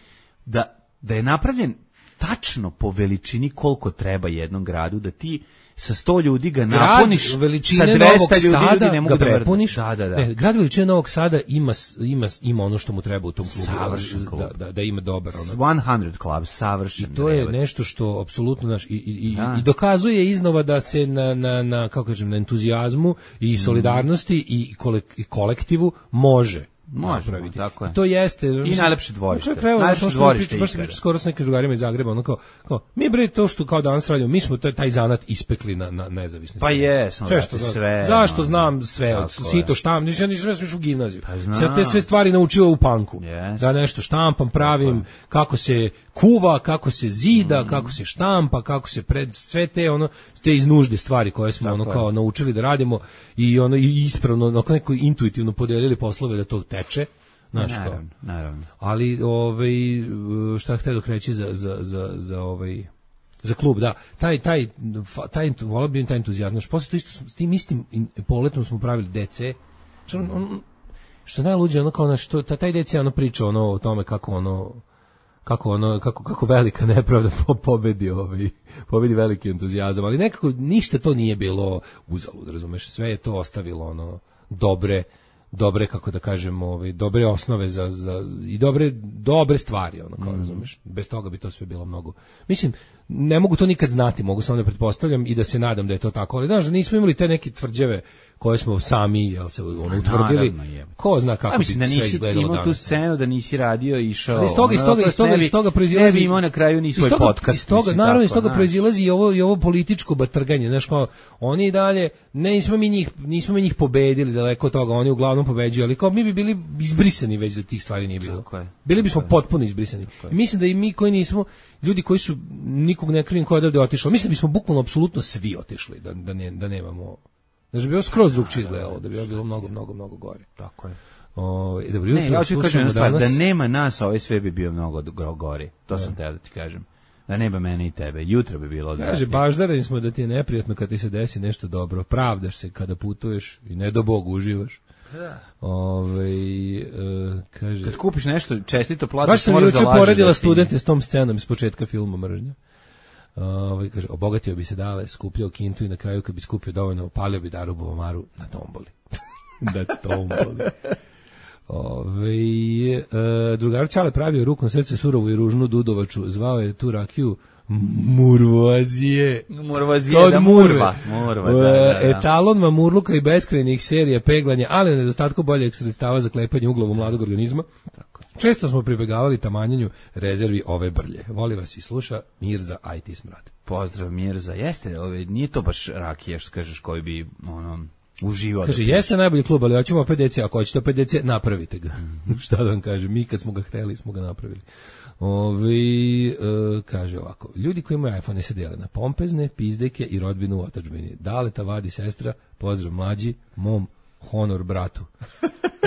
da da je napravljen tačno po veličini koliko treba jednom gradu da ti sa sto ljudi ga napuniš, sa dvesta ljudi, Sada ljudi ne mogu ga da prepuniš. Da, da, da. Ne, grad veličine Novog Sada ima ima ima ono što mu treba u tom klubu, savršen klub. Da, da, da ima dobar ono. sto klub, savršen. I to je nešto što apsolutno naš i, i, i, i dokazuje iznova da se na na na kako kažem na entuzijazmu i solidarnosti mm. i, kolek, i kolektivu može. Možemo, tako je. To jeste. I najlepše dvorište. Najlepše dvorište. Baš sam pričao skoro s nekim drugarima iz Zagreba, ono kao, kao, mi bre to što kao danas radimo, mi smo taj, taj zanat ispekli na, na nezavisnosti. Pa jesmo, sve što sve. Zašto znam sve, od sito štam, nisam nisam sve u gimnaziju. Sad te sve stvari naučio u panku. Da nešto štampam, pravim, kako se kuva, kako se zida, kako se štampa, kako se pred sve te ono te iz nužde stvari koje smo ono kao naučili da radimo i ono i ispravno onako neko intuitivno podelili poslove da to teče, znaš kao. Naravno, naravno. Ali ovaj šta hteo da reći za za za za ovaj za klub, da. Taj taj taj volio bih taj entuzijazam. Znaš, posle to isto s tim istim poletom smo pravili D C. Što on što najluđe ono kao na što taj D C ono priča ono o tome kako ono kako ono kako kako velika nepravda pobedi ovaj pobedi veliki entuzijazam, ali nekako ništa to nije bilo uzalud, razumeš, sve je to ostavilo ono dobre dobre kako da kažem, ovaj dobre osnove za za i dobre dobre stvari, ono kao, mm. razumeš, bez toga bi to sve bilo mnogo. Mislim, ne mogu to nikad znati, mogu samo da pretpostavljam i da se nadam da je to tako, ali znaš, da nismo imali te neke tvrđave koje smo sami, jel se ono utvrdili. Ko zna kako bi sve izgledalo danas. Imao tu scenu da nisi radio i išao. Ali iz toga, iz toga, iz toga, iz toga proizilazi. Ne bi imao na kraju ni svoj podcast. Iz toga, naravno, iz toga proizilazi i ovo, i ovo političko batrganje. Znaš, kao, oni i dalje, ne, nismo mi njih, nismo mi njih pobedili daleko od toga, oni uglavnom pobeđuju, ali kao mi bi bili izbrisani već da tih stvari nije bilo. Bili bismo potpuno izbrisani. I mislim da i mi koji nismo, ljudi koji su nikog ne krivim koji je odavde otišao, mislim da bismo bukvalno apsolutno svi otišli, da, da, ne, da nemamo. Znači, bi bilo skroz drugčije izgledalo, da bi bilo mnogo, mnogo, mnogo gore. Tako je. O, dobro jutro, ne, ja ću kažem danas... da nema nas, ovaj sve bi bio mnogo gori. To ja. sam teo da ti kažem. Da nema mene i tebe. Jutro bi bilo odvratnije. Kaže, baždareni smo da ti je neprijatno kad ti se desi nešto dobro. Pravdaš se kada putuješ i ne do Bog uživaš. Da. Ove, e, kaže... Kad kupiš nešto čestito platiš, moraš da lažeš. Baš sam juče poredila da studente s tom scenom iz početka filma Mržnja. Ovaj kaže, obogatio bi se dale, skupljao kintu i na kraju kad bi skupio dovoljno, opalio bi Daru Bovamaru na tomboli. na tomboli. Ove, e, drugar Čale pravio rukom srce surovu i ružnu dudovaču, zvao je tu rakiju Murvazije. Murvazije, da murva. murva da, da, da. Etalon mamurluka i beskrajnih serija peglanja, ali u nedostatku boljeg sredstava za klepanje uglovu mladog organizma. Tako. Često smo pribegavali tamanjenju rezervi ove brlje. Voli vas i sluša Mirza I T Smrad. Pozdrav Mirza. Jeste, ove, nije to baš rakija što kažeš koji bi ono uživao. Kaže, jeste piš. Najbolji klub, ali hoćemo opet D C, ako hoćete opet D C, napravite ga. Mm-hmm. Šta da vam kažem, mi kad smo ga hteli, smo ga napravili. Ovi, e, kaže ovako, ljudi koji imaju iPhone se dijele na pompezne, pizdeke i rodbinu u otadžbini. Daleta, vadi, sestra, pozdrav mlađi, mom, honor bratu.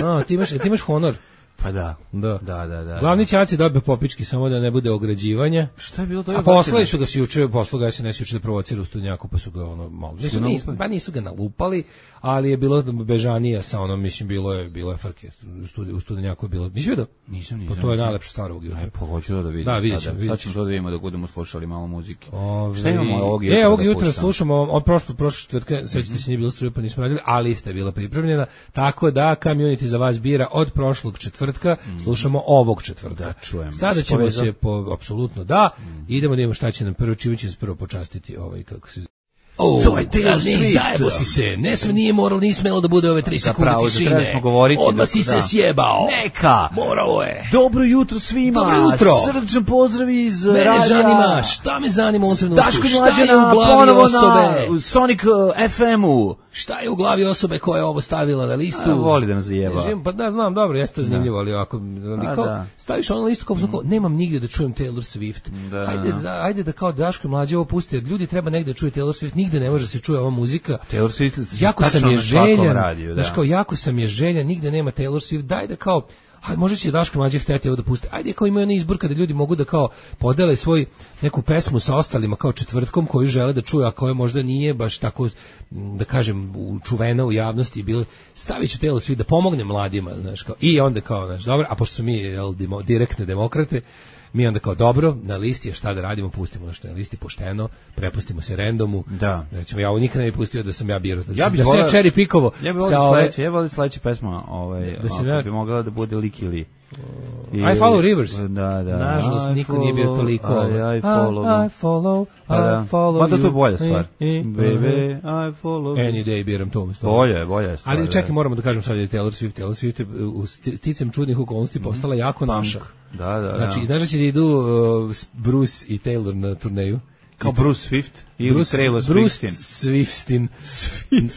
A, ti imaš, ti imaš honor? Pa da. Da. Da, da, da. Glavni ćaci dobio popički samo da ne bude ograđivanja. Šta je bilo to? A poslali su ga se juče, poslali ga se ne juče da provocira u Studnjaku, pa su ga ono malo. Nisu, nisu, pa nisu ga nalupali, ali je bilo bežanija sa onom, mislim, bilo je bilo je frke. U Studnjaku, u Studnjaku je bilo. Nisi vidio? Nisam, nisam. Pa to je najlepša stvar ovog jutra. Aj, pa hoću da vidim. Da, vidjet ćemo. Sad ćemo to da vidimo dok budemo slušali malo muzike. Ove, šta imamo ovog jutra? E, ovog jutra slušamo, od prošle prošle četvrtke, sećate se, nije bilo struje, pa nismo radili, ali ste bila pripremljena, tako da Community za vas bira od prošlog četvrtka, slušamo ovog četvrtka. Da, čujem. Sada ćemo se po apsolutno da, mm. idemo da imamo šta će nam prvo, čime će se prvo počastiti ovaj kako se Oh, to je Taylor Swift. Zajebo si se. Ne sme, nije moralo, nije smelo da bude ove tri sekunde tišine. Zapravo, smo govoriti. Odmah si se sjebao. Neka. Moralo je. Dobro jutro svima. Dobro jutro. Srdačan pozdrav iz Mene radija. zanima, šta me zanima u ovom trenutku? Daško Mlađana, ponovo na Sonic F M-u. Šta je u glavi osobe koja je ovo stavila na listu? A, voli da nas zajeba. Pa da, znam, dobro, jeste zanimljivo, ali ovako, kao, da. Staviš ono listu kao, mm. kao, nemam nigdje da čujem Taylor Swift. Da. Hajde, da, ajde da kao Daško Mlađe ovo pusti, jer ljudi treba negdje da čuje Taylor Swift, nigde ne može se čuje ova muzika. Taylor Swift jako sam je željan, radiju, da. Znaš, kao, jako sam je željan, nigde nema Taylor Swift, daj da kao, a može će Daško Mlađe hteti ovo da pusti. Ajde, kao imaju onaj izbor kada ljudi mogu da kao podele svoj neku pesmu sa ostalima kao četvrtkom koju žele da čuju, a koja možda nije baš tako, da kažem, čuvena u javnosti, bile stavit ću Taylor Swift da pomogne mladima, znaš, kao, i onda kao, znaš, dobro, a pošto su mi jel, demo, direktne demokrate, mi onda kao dobro, na listi je šta da radimo, pustimo ono što je na listi pošteno, prepustimo se randomu. Da. Recimo, ja ovo nikada ne bi pustio da sam ja birao. Da, ja da se ja cherry pickovo. Ja bih volio sledeće, ja bih volio sledeće pesma, ovaj, da ako ja, bi mogla da bude Lik ili I, I follow rivers. Da, da. Nažalost, niko nije bio toliko. I, I follow. I, I follow, pa da. I follow. Ma da to je bolja stvar. I, I, Baby, I follow. Any day biram to umjesto. Bolje je, bolja je stvar. Ali čekaj, moramo da kažem sad je Taylor Swift. Taylor Swift je u sticem čudnih okolnosti postala jako naša. Da, da, znači, da. znaš da će da idu uh, Bruce i Taylor na turneju? Kao Bruce Swift ili Bruce, Taylor Bruce Swiftin.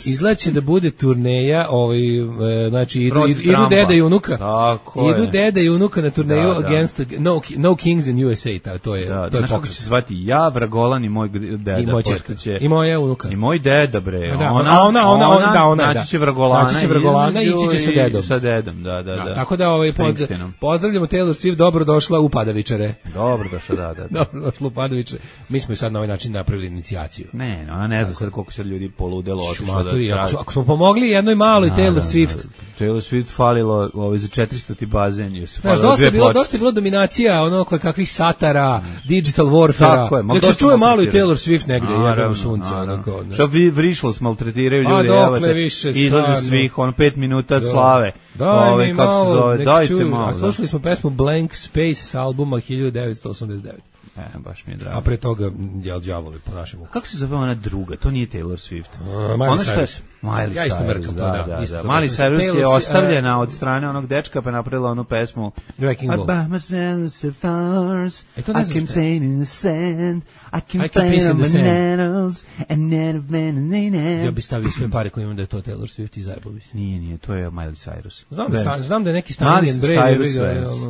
Izlaće da bude turneja, ovaj, e, znači idu, idu, idu deda i unuka. Tako idu je. deda i unuka na turneju da, da. against no, no Kings in U S A, ta, to je da, to je pokret. Znaš kako će se zvati ja, Vragolan i moj deda. I moj čerka. Će... I moja unuka. I moj deda, bre. Da, ona, ona, ona, ona, da, ona, naći će Vragolana, naći će Vragolana i ići će sa dedom. Sa dedom, da, da, da. da tako da ovaj, pozdrav, pozdravljamo Taylor Swift, dobro došla u Padavičare. Dobro došla, da, da. da. Dobro došla u Padavičare. Mi smo sad na ovaj način napravili inicijaciju. Ne, ona ne zna sad koliko sad ljudi poludelo otišlo da traži. Ako, ako smo pomogli jednoj maloj da, Taylor Swift. Da, Taylor Swift falilo ovaj, za četiristo ti bazen. Znaš, dosta je bilo, dosta je bilo dominacija ono koje kakvih satara, digital warfare. Nek se čuje malo i Taylor Swift negde, jebeno sunce. Onako, što vi vrišlo maltretiraju ljudi, evo te, izlaze svih, ono, pet minuta slave. Daj mi malo, dajte malo. A slušali smo pesmu Blank Space s albuma hiljadu devetsto osamdeset devet. E, baš mi je drago. A pre toga jel đavoli po našem uku. Kako se zove ona druga? To nije Taylor Swift. Uh, Miley Cyrus. Miley ja isto mrkam to, da. da, isto da. Miley Cyrus je ostavljena od strane onog dečka pa je napravila onu pesmu Wrecking Ball. I can paint in the sand, I can paint on bananas, and then of bananas. Ja bi stavio sve pare koje imam da je to Taylor Swift i zajebo bi. Nije, nije, to je Miley Cyrus. Znam da, stan, znam da je neki Stunning and Brave.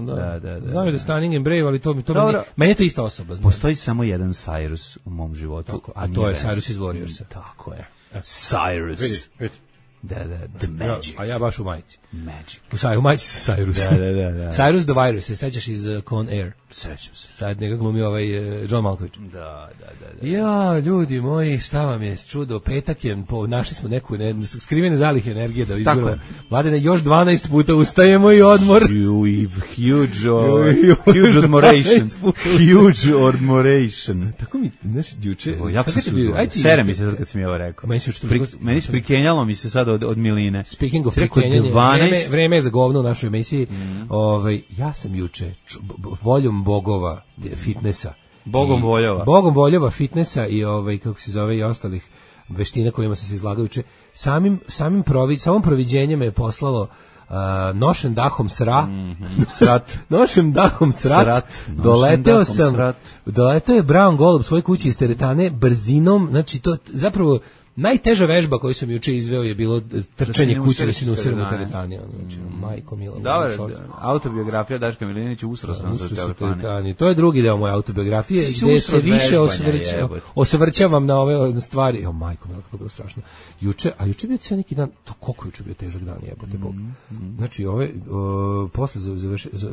Da, da, da. Znam da je Stunning and Brave, ali to mi to meni je to ista osoba. Postoji samo jedan Cyrus u mom životu. Tako, a to je Cyrus iz Warriorsa. Tako je. Cyrus. Vidi, vidi. Da, da, the magic. A ja baš u majici. Magic. U, saj, u majici sa Cyrus. Da, da, da, da. Cyrus the Virus, se sećaš iz uh, Con Air? Sećam se. Sad njega glumi ovaj uh, John Malkovich. Da, da, da, da. Ja, ljudi moji, šta vam je čudo, petak je, po, našli smo neku ne, skrivene zalihe energije da izgledamo. Mladene, još dvanaest puta ustajemo i odmor. You huge, uh, huge admiration. Huge admiration. Tako mi, znaš, juče... Jako se sudio. Sere mi se sad kad sam je ovo rekao. Meni se, Pri, meni se prikenjalo mi se sad od, od miline. Speaking of prikenjanje, vreme, vreme je za govno u našoj emisiji. Mm. Ovaj, ja sam juče č, voljom bogova fitnessa. Bogom voljova. Bogom voljova fitnessa i ovaj, kako se zove, i ostalih veština kojima sam se izlagao juče. Samim, samim provi, samom proviđenjem me je poslalo Uh, nošen dahom sra mm-hmm. srat nošen dahom srat, srat. doleteo sam srat. Doleteo je Brown Golub svoj kući iz teretane brzinom, znači to zapravo najteža vežba koju sam juče izveo je bilo trčanje kuće da se ne userem u teretani. Znači, mm. majko mila. Dobro, autobiografija Daška Milinovića usro sam se u teretani. To je drugi deo moje autobiografije gde se više osvrća, osvrćavam na ove stvari. O, majko mila, kako je bilo strašno. Juče, a juče bio cijel neki dan, to koliko juče bio težak dan, jebote Bog. Mm. Znači, ove, o, posle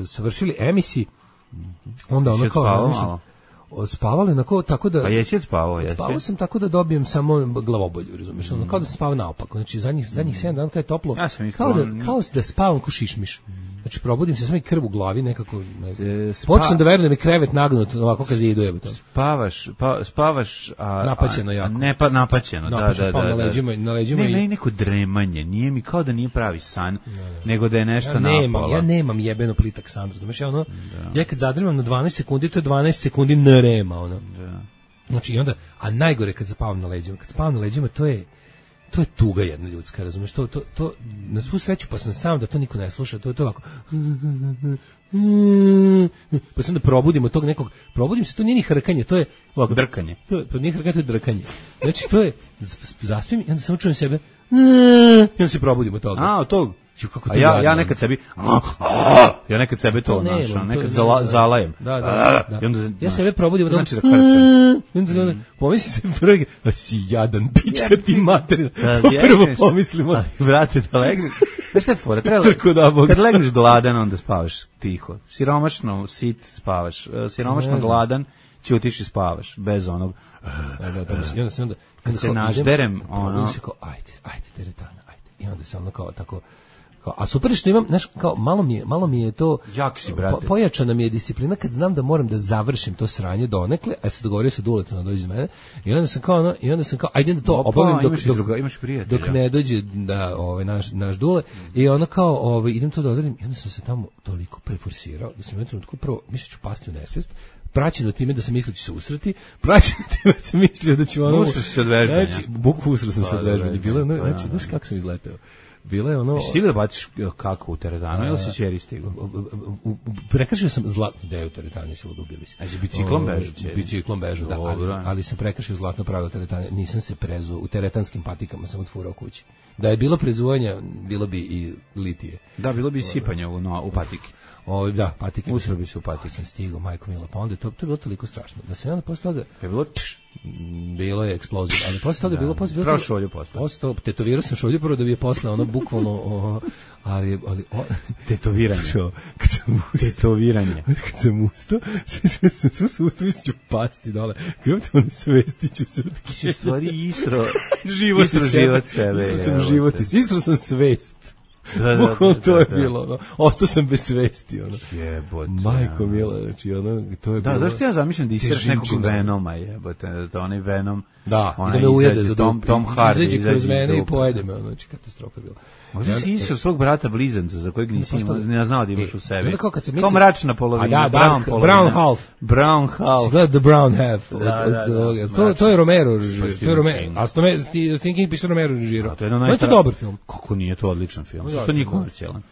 završili emisiji, onda ono kao... Spavali na ko tako da. Pa jesi spavao, jesi. Spavao sam tako da dobijem samo glavobolju, razumiješ? Mm. Kao da sam spavao naopako. Znači zadnjih zadnjih sedam dana kad je toplo. Ja kao da kao da spavam ko šišmiš. Znači probudim se samo i krv u glavi nekako. Ne Spa... Počnem da verujem da mi krevet nagnut ovako kad ide jebote. Spavaš, pa spavaš a napaćeno jako. Ne pa napaćeno, da, da, da. Na leđima, na leđima ne, i neko dremanje, nije mi kao da nije pravi san, ne, ne. nego da je nešto ja nemam, napalo. Ja nemam jebeno plitak san, razumeš? Ja ono, da. Ja kad zadremam na dvanaest sekundi, to je dvanaest sekundi nerema, ono. Da. Znači i onda, a najgore kad spavam na leđima, kad spavam na leđima, to je to je tuga jedna ljudska, razumeš? To to to na svu sreću pa sam sam da to niko ne sluša, to je to ovako. Pa sam da probudimo tog nekog, probudim se, to nije ni hrkanje, to je ovako drkanje. To, to nije hrkanje, to je drkanje. Znači to je zaspim i onda samo čujem sebe i onda se probudimo od toga. A, od tog. Kako a ja, ja nekad sebi ja nekad sebe to, to našao, nekad zala, zalajem. Da, da, da. I onda, ja sebe probudim od znači da hrčem. I onda mm. pomisli se prvi, a si jadan, pička ti materina. Da, to prvo pomislimo. Vrate da legneš. Znaš šta je fora? Treba, kad legneš gladan, onda spavaš tiho. Siromašno, sit, spavaš. Siromašno gladan, ćutiš i spavaš. Bez onog... Da, da, da, I onda se onda... Kad se nažderem, ono... Kao, ajde, ajde, teretana, ajde. I onda se ono kao tako... Kao, a super što imam, znaš, kao malo mi je, malo mi je to jak si, brate. Po, pojačana mi je disciplina kad znam da moram da završim to sranje donekle, a se dogovorio sa Duletom da dođe iz mene. I onda sam kao ono, i onda sam kao ajde da to Opa, obavim dok imaš dok, druga, imaš dok ne dođe da ovaj naš naš Dule i ono kao ovaj idem to da odradim i onda sam se tamo toliko preforsirao da sam u jednom trenutku prvo mislio ću pasti u nesvest. Praćeno time da sam mislio da ću se usrati, praćeno time da sam mislio da ću ono... Usro si se od vežbanja. Znači, bukvu usro sam se od vežbanja. Bilo je ono, znači, znaš kako sam izleteo. Bilo je ono... Jesi stigao da baciš kako u teretanu ili si ćeri stigao? Prekršio sam zlatno, da je u teretanu, si ludubio bi se. A si biciklom bežu ćeri? Biciklom bežu, da, ali, ali sam prekršio zlatno pravilo teretane. Nisam se prezuo, u teretanskim patikama sam otfurao kući. Da je bilo prezuvanja, bilo bi i litije. Da, bilo bi i sipanje u, no, u patike. O, da, patike. Usro bi se u patike. Sam stigao, majko mila, pa onda to, to je bilo toliko strašno. Da se onda posle toga... Je bilo tš? Bilo je eksplozija, ali posle toga je bilo... Posle, Pravo šolju posle. Posle toga, tetovirao sam šolju prvo da bi je posle, ono, bukvalno... O, ali, ali o, tetoviranje. Čo, kad sam ustao, tetoviranje. Kad sam ustao, sve sam sve sam ustao, mislim ću pasti dole. Kako te ono svestiću se. Ti si stvari istro, život istro život sebe. Istro sam život, istro sam svest. Da, da, Bukvalno da, to je da, bilo, ono. Ostao sam bez svesti, ono. Jebote. Majko mila, znači, ono, to je da, bilo... Da, zašto ja zamišljam da isiraš nekog Venoma, jebote, da onaj Venom... Da, i da me ujede za Tom, Tom Hardy. Izađe kroz mene i pojede me, znači, katastrofa je bila. Možda si isao svog brata blizanca za kojeg nisi imao, ne znao da imaš u sebi. Kao, kad se misliš, kao mračna polovina, da, da, brown polovina. Brown half. Brown half. Si gleda The Brown half. Da, da, da, to, to je Romero režirao. To je Romero. A Stephen King pisao Romero režirao. To je, to je to dobar film. Kako nije to odličan film? Što nije komercijalan?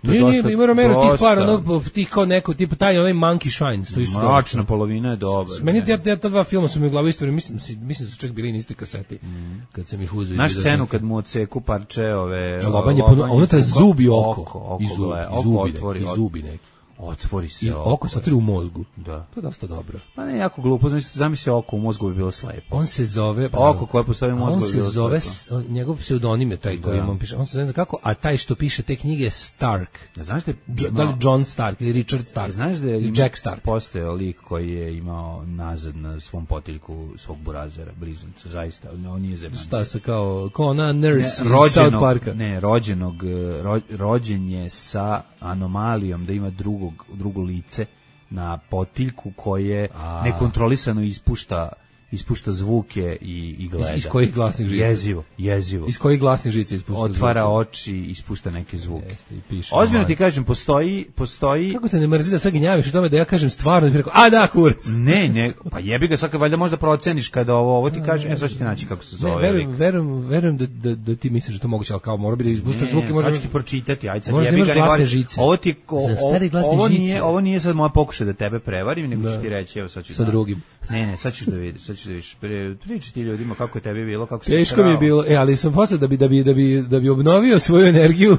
Nije, nije, ima Romero tih par, ono, tih kao neko, tipa taj onaj Monkey Shines, to isto. Mračna polovina je dobra. Meni ja, ja ta dva filma su mi u glavi istorije, mislim, mislim da su čak bili na istoj kaseti, mm. kad sam ih uzeo. Naš scenu kad mu odseku parče ove... Lobanje, unutra zubi oko. Oko, oko, i zubi, oko, zubi, otvori, i zubi neki. Otvori se I oko. Oko se otvori u mozgu. Da. To je dosta dobro. Pa ne, jako glupo, znači zamisli oko u mozgu bi bilo slepo. On se zove... Oko koje postoji u mozgu bi bilo slepo. On se zove, njegov pseudonim je taj koji on piše. On se zove kako, a taj što piše te knjige je Stark. Znaš da je... Da li John Stark ili Richard Stark? Znaš da je Jack Stark. Postojao lik koji je imao nazad na svom potiljku svog burazera, blizanca, zaista. On nije zemanci. Šta se kao, kao ona nurse ne, iz South Parka? Ne, rođenog, ro, rođen je sa anomalijom da ima drugog, drugo lice na potiljku koje A. nekontrolisano ispušta ispušta zvuke i, i gleda. Iz, iz kojih glasnih žica? Jezivo, jezivo. Iz kojih glasnih žica ispušta Otvara zvuke? oči, ispušta neke zvuke. Jeste, i piše. Ozbiljno ti kažem, postoji, postoji... Kako te ne mrzi da sad gnjaviš o tome da ja kažem stvarno i preko, a da, kurac. Ne, ne, pa jebi ga sad, valjda možda proceniš kada ovo, ovo ti kažem, e, sad ću ti naći kako se zove. Ne, verujem, verujem, verujem da, da, da ti misliš da to moguće, ali kao mora bi da ispušta zvuke. Ne, sad ću ti pročitati, ajde sad možda jebi ga. Možda imaš žice. Ovo ti, o, o, ovo, nije, ovo nije sad moja pokušaj da tebe prevarim, nego ću ti reći, evo sad ću... Sa drugim. Ne, ne, sad ćeš da vidiš, sad ćeš da vidiš. Priči ti ljudima kako je tebi bilo, kako se teško mi je bilo, e, ali sam posle da bi, da bi, da bi, da bi obnovio svoju energiju,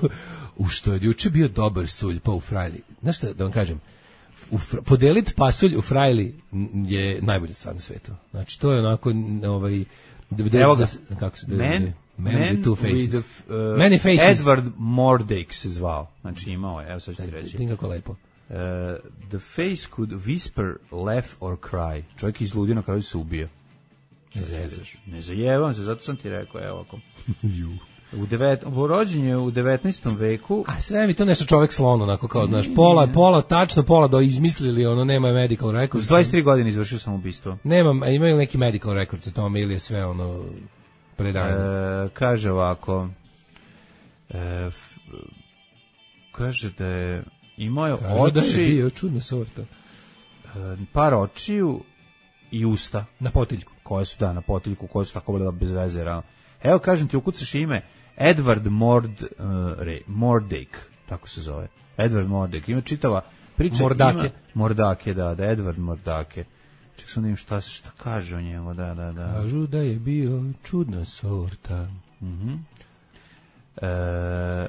u što je juče bio dobar sulj, pa u frajli. Znaš šta, da vam kažem, u, podelit pasulj u frajli je najbolja stvar na svetu. Znači, to je onako, ovaj, da, evo ga, da, kako se da, man, man, man with two faces. With the, uh, Many faces. Edward Mordake se zvao. Znači, imao je, evo sad ću ti reći. Dinga ko lepo. Uh, the face could whisper, laugh or cry. Čovjek izludio, na kraju se ubio. Ne zajebaš. Ne zajebavam se, zato sam ti rekao, evo ako. U devet, rođen je u devetnaestom veku. A sve mi to nešto čovjek slon, onako kao, znaš, pola, pola, tačno pola do izmislili, ono, nema medical records. S dvadeset tri godine izvršio sam ubistvo. Nemam, a imaju neki medical records o tome ili je sve, ono, predanje. E, kaže ovako, e, f, kaže da je imao je kaže oči. Da je bio čudna sorta. E, par očiju i usta. Na potiljku. Koje su, da, na potiljku, koje su tako bile bez veze. Evo, kažem ti, ukucaš ime Edward Mord, uh, Re, Mordake, tako se zove. Edward Mordake. Ima čitava priča. Mordake. Ima, Mordake, da, da, Edward Mordake. Ček sam da im šta, šta kaže o njemu, da, da, da. Kažu da je bio čudna sorta. Mhm. E,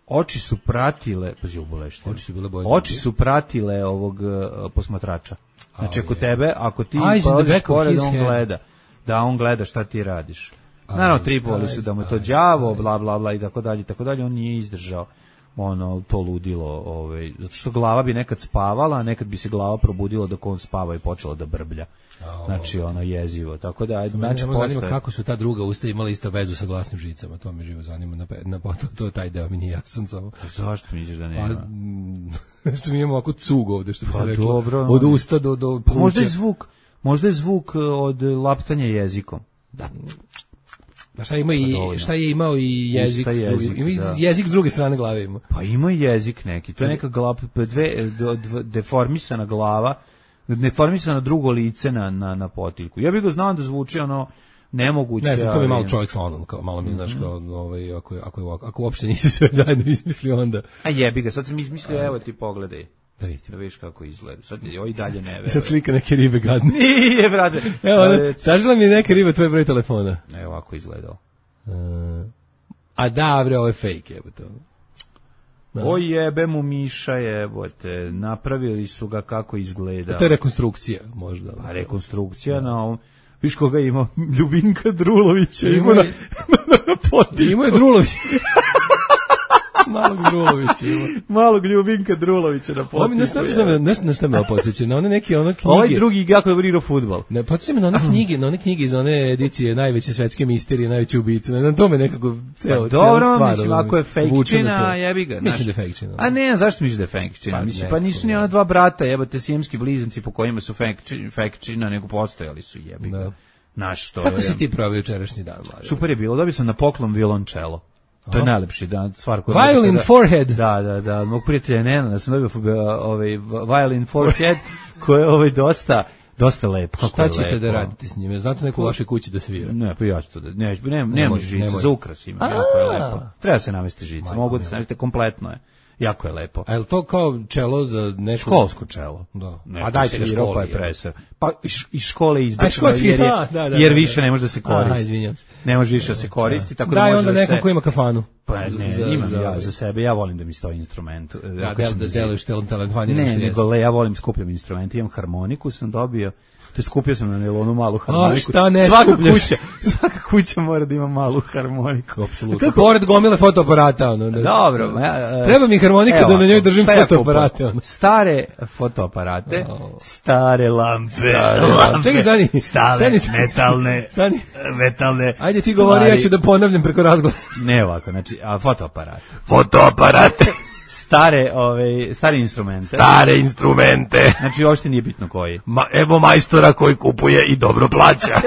oči su pratile, pazi ubolešte. Oči su bile boje. Oči su pratile ovog uh, posmatrača. Znači, ako tebe, ako ti polaziš pored, on gleda. Da, on gleda šta ti radiš. Naravno, tripovali su da mu to đavo, bla, bla, bla, i tako dalje, i tako dalje, on nije izdržao. ono to ludilo, ovaj zato što glava bi nekad spavala, a nekad bi se glava probudila dok on spava i počela da brblja. Znači ono jezivo. Tako da znači zanima kako su ta druga usta imala isto vezu sa glasnim žicama. To me živo zanima na na to, to taj deo mi nije jasan samo. Zašto misliš da nema? Pa što mi imamo ovako cug ovde što bi se reklo. Dobro, od usta do do pluća. Možda je zvuk, možda je zvuk od laptanja jezikom. Da. Pa šta ima i šta je imao i jezik, jezik, drugi, ima da. jezik s druge strane glave ima. Pa ima i jezik neki. To je neka glava, dve, dve deformisana glava, deformisano drugo lice na na na potiljku. Ja bih ga znao da zvuči ono nemoguće. Ne znam, to mi malo čovjek slonon, kao malo mi znaš kao ovaj ako je ako je ako uopšte nisi sve zajedno izmislio onda. A jebi ga, sad sam izmislio, evo ti pogledaj. Da vidim, da vidiš kako izgleda. Sad joj dalje ne veruje. Sad slika neke ribe gadne. Nije, brate. Evo, tražila mi neka riba tvoj broj telefona. Evo ovako izgledao. Uh, a da, bre, ovo je fake, jebote. O jebe mu Miša, jebote. Napravili su ga kako izgleda. To je rekonstrukcija, možda. Pa rekonstrukcija na ovom. Viš koga ima? Ljubinka Drulovića. Ima na, na potiljku. Ima je Drulović. Malog Drulovića ima. Malog Ljubinka Drulovića na potiljku. Ovo mi nešto nešto me podsjeća na one neke ono knjige. Ovaj drugi jako dobro igra fudbal. Ne, podsjeća me na one knjige, na one knjige iz one edicije najveće svetske misterije, najveće ubice. Na tome nekako ceo pa, dobro, stvar, mislim, ako je fejkčina, jebi ga. Mislim da je fejkčina. A ne, zašto misliš da je fejkčina? Pa, mislim, pa nisu ni ona dva brata, jebote, sijemski blizanci po kojima su fejkčina, nego postojali su, jebi ga. Naš to. Kako si ti proveo jučerašnji dan, mlađe? Super je bilo, dobio sam na poklon violončelo. To je najlepši dan, stvar koja... Violin forehead. Da, da, da, mog prijatelja Nena, da sam dobio ovaj violin forehead, koji je ovaj dosta, dosta lep. Šta ćete da radite s njime? Znate neku u vašoj kući da svira? Ne, pa ja ću to da... Ne, ne, ne može žica, za ukras ima, jako je lepo. Treba se navesti žica, mogu da se navesti, kompletno je. Jako je lepo. A je li to kao čelo za neko... Školsko čelo. Da. A dajte ga školi. Pa, je presar. Pa iz škole izbacimo, jer, je, da, da, jer više ne može da se koristi. A, ne može više da se koristi. Tako da, daj može onda da nekom se... ko ima kafanu. Pa ne, za, imam za, ja za sebe, ja volim da mi stoji instrument. Da, da, da deluješ talent vanje. Ne, nego le, ja volim skupljam instrumente, imam harmoniku, sam dobio... Te skupio sam na nelonu malu harmoniku. A šta ne svaka skupljaš? Kuća, svaka kuća mora da ima malu harmoniku. Apsolutno. Pored gomile fotoaparata. Ono, da, dobro. Ja, treba mi harmonika evo, da na njoj držim fotoaparate. Ono. Stare fotoaparate, oh. stare lampe, stare lampe. Čekaj, stani. Stare stani, metalne, stani. metalne. Ajde ti govori, ja ću da ponavljam preko razglasa. Ne ovako, znači, a fotoaparate. Fotoaparate. Stare, ove, stare instrumente. Stare instrumente. Znači, uopšte nije bitno koji. Ma, evo majstora koji kupuje i dobro plaća.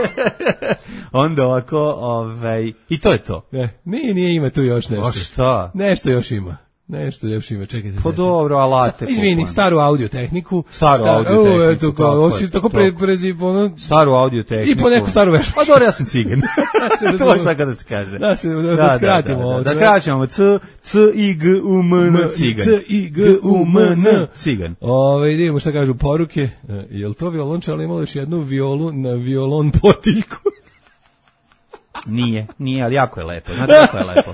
Onda ovako, ovaj, i to je to. Ne, nije, nije ima tu još nešto. O šta? Nešto još ima. Nešto još ima, čekaj se. Pa dobro, alate. Izvini, staru audio tehniku. Staru star, audio tehniku. O, eto, kao, ovo si tako pre, prezi, ono... Staru audio tehniku. I po neku staru vežbu. Pa dobro, ja sam cigan. To je tako da se kaže. Da, se, da, da skratimo. Da, da, da kraćemo, c, c, i, g, u, m, n, cigan. C, i, g, u, m, n, cigan. Ove, vidimo šta kažu poruke. Je li to violončelo imalo još jednu violu na violon potiljku? Nije, nije, ali jako je lepo. Znate kako je lepo.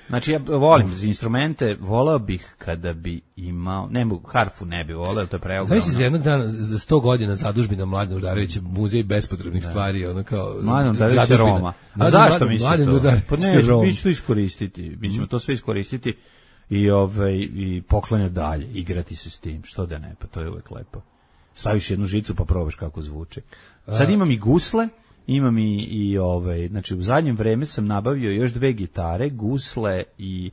Znači, ja volim za instrumente, voleo bih kada bi imao, ne mogu, harfu ne bi voleo, to je preogromno. Znači, za jednog dana, za sto godina zadužbina Mladena Udarevića, muzej bespotrebnih da. stvari, ono kao... Mladen Udarević Roma. A zašto mislite to? Pa ne, mi ćemo to iskoristiti, mi ćemo to sve iskoristiti i, ovaj, i poklonjati dalje, igrati se s tim, što da ne, pa to je uvek lepo. Staviš jednu žicu pa probaš kako zvuči. Sad imam i gusle, imam i, i ovaj, znači u zadnjem vreme sam nabavio još dve gitare, gusle i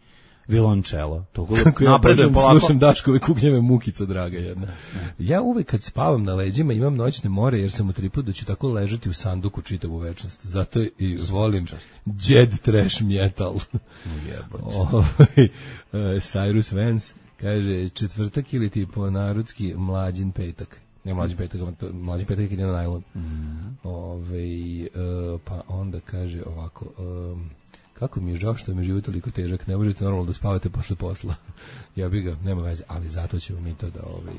violončelo. To kako ja predam, slušam Daškove kuknjeve mukica, draga jedna. Ne. Ja uvek kad spavam na leđima imam noćne more, jer sam u tripu da ću tako ležati u sanduku čitavu večnost. Zato i volim Jed Trash Metal. Ovaj, Cyrus Vance kaže, četvrtak ili ti po narodski mlađin petak. Ne, mlađi petak, mlađi petak ide na najlon. Mm. Ove, uh, pa onda kaže ovako, um, kako mi je žao što mi je život toliko težak, ne možete normalno da spavate posle posla. Ja bi ga, nema veze, ali zato ćemo mi to da... Ovaj,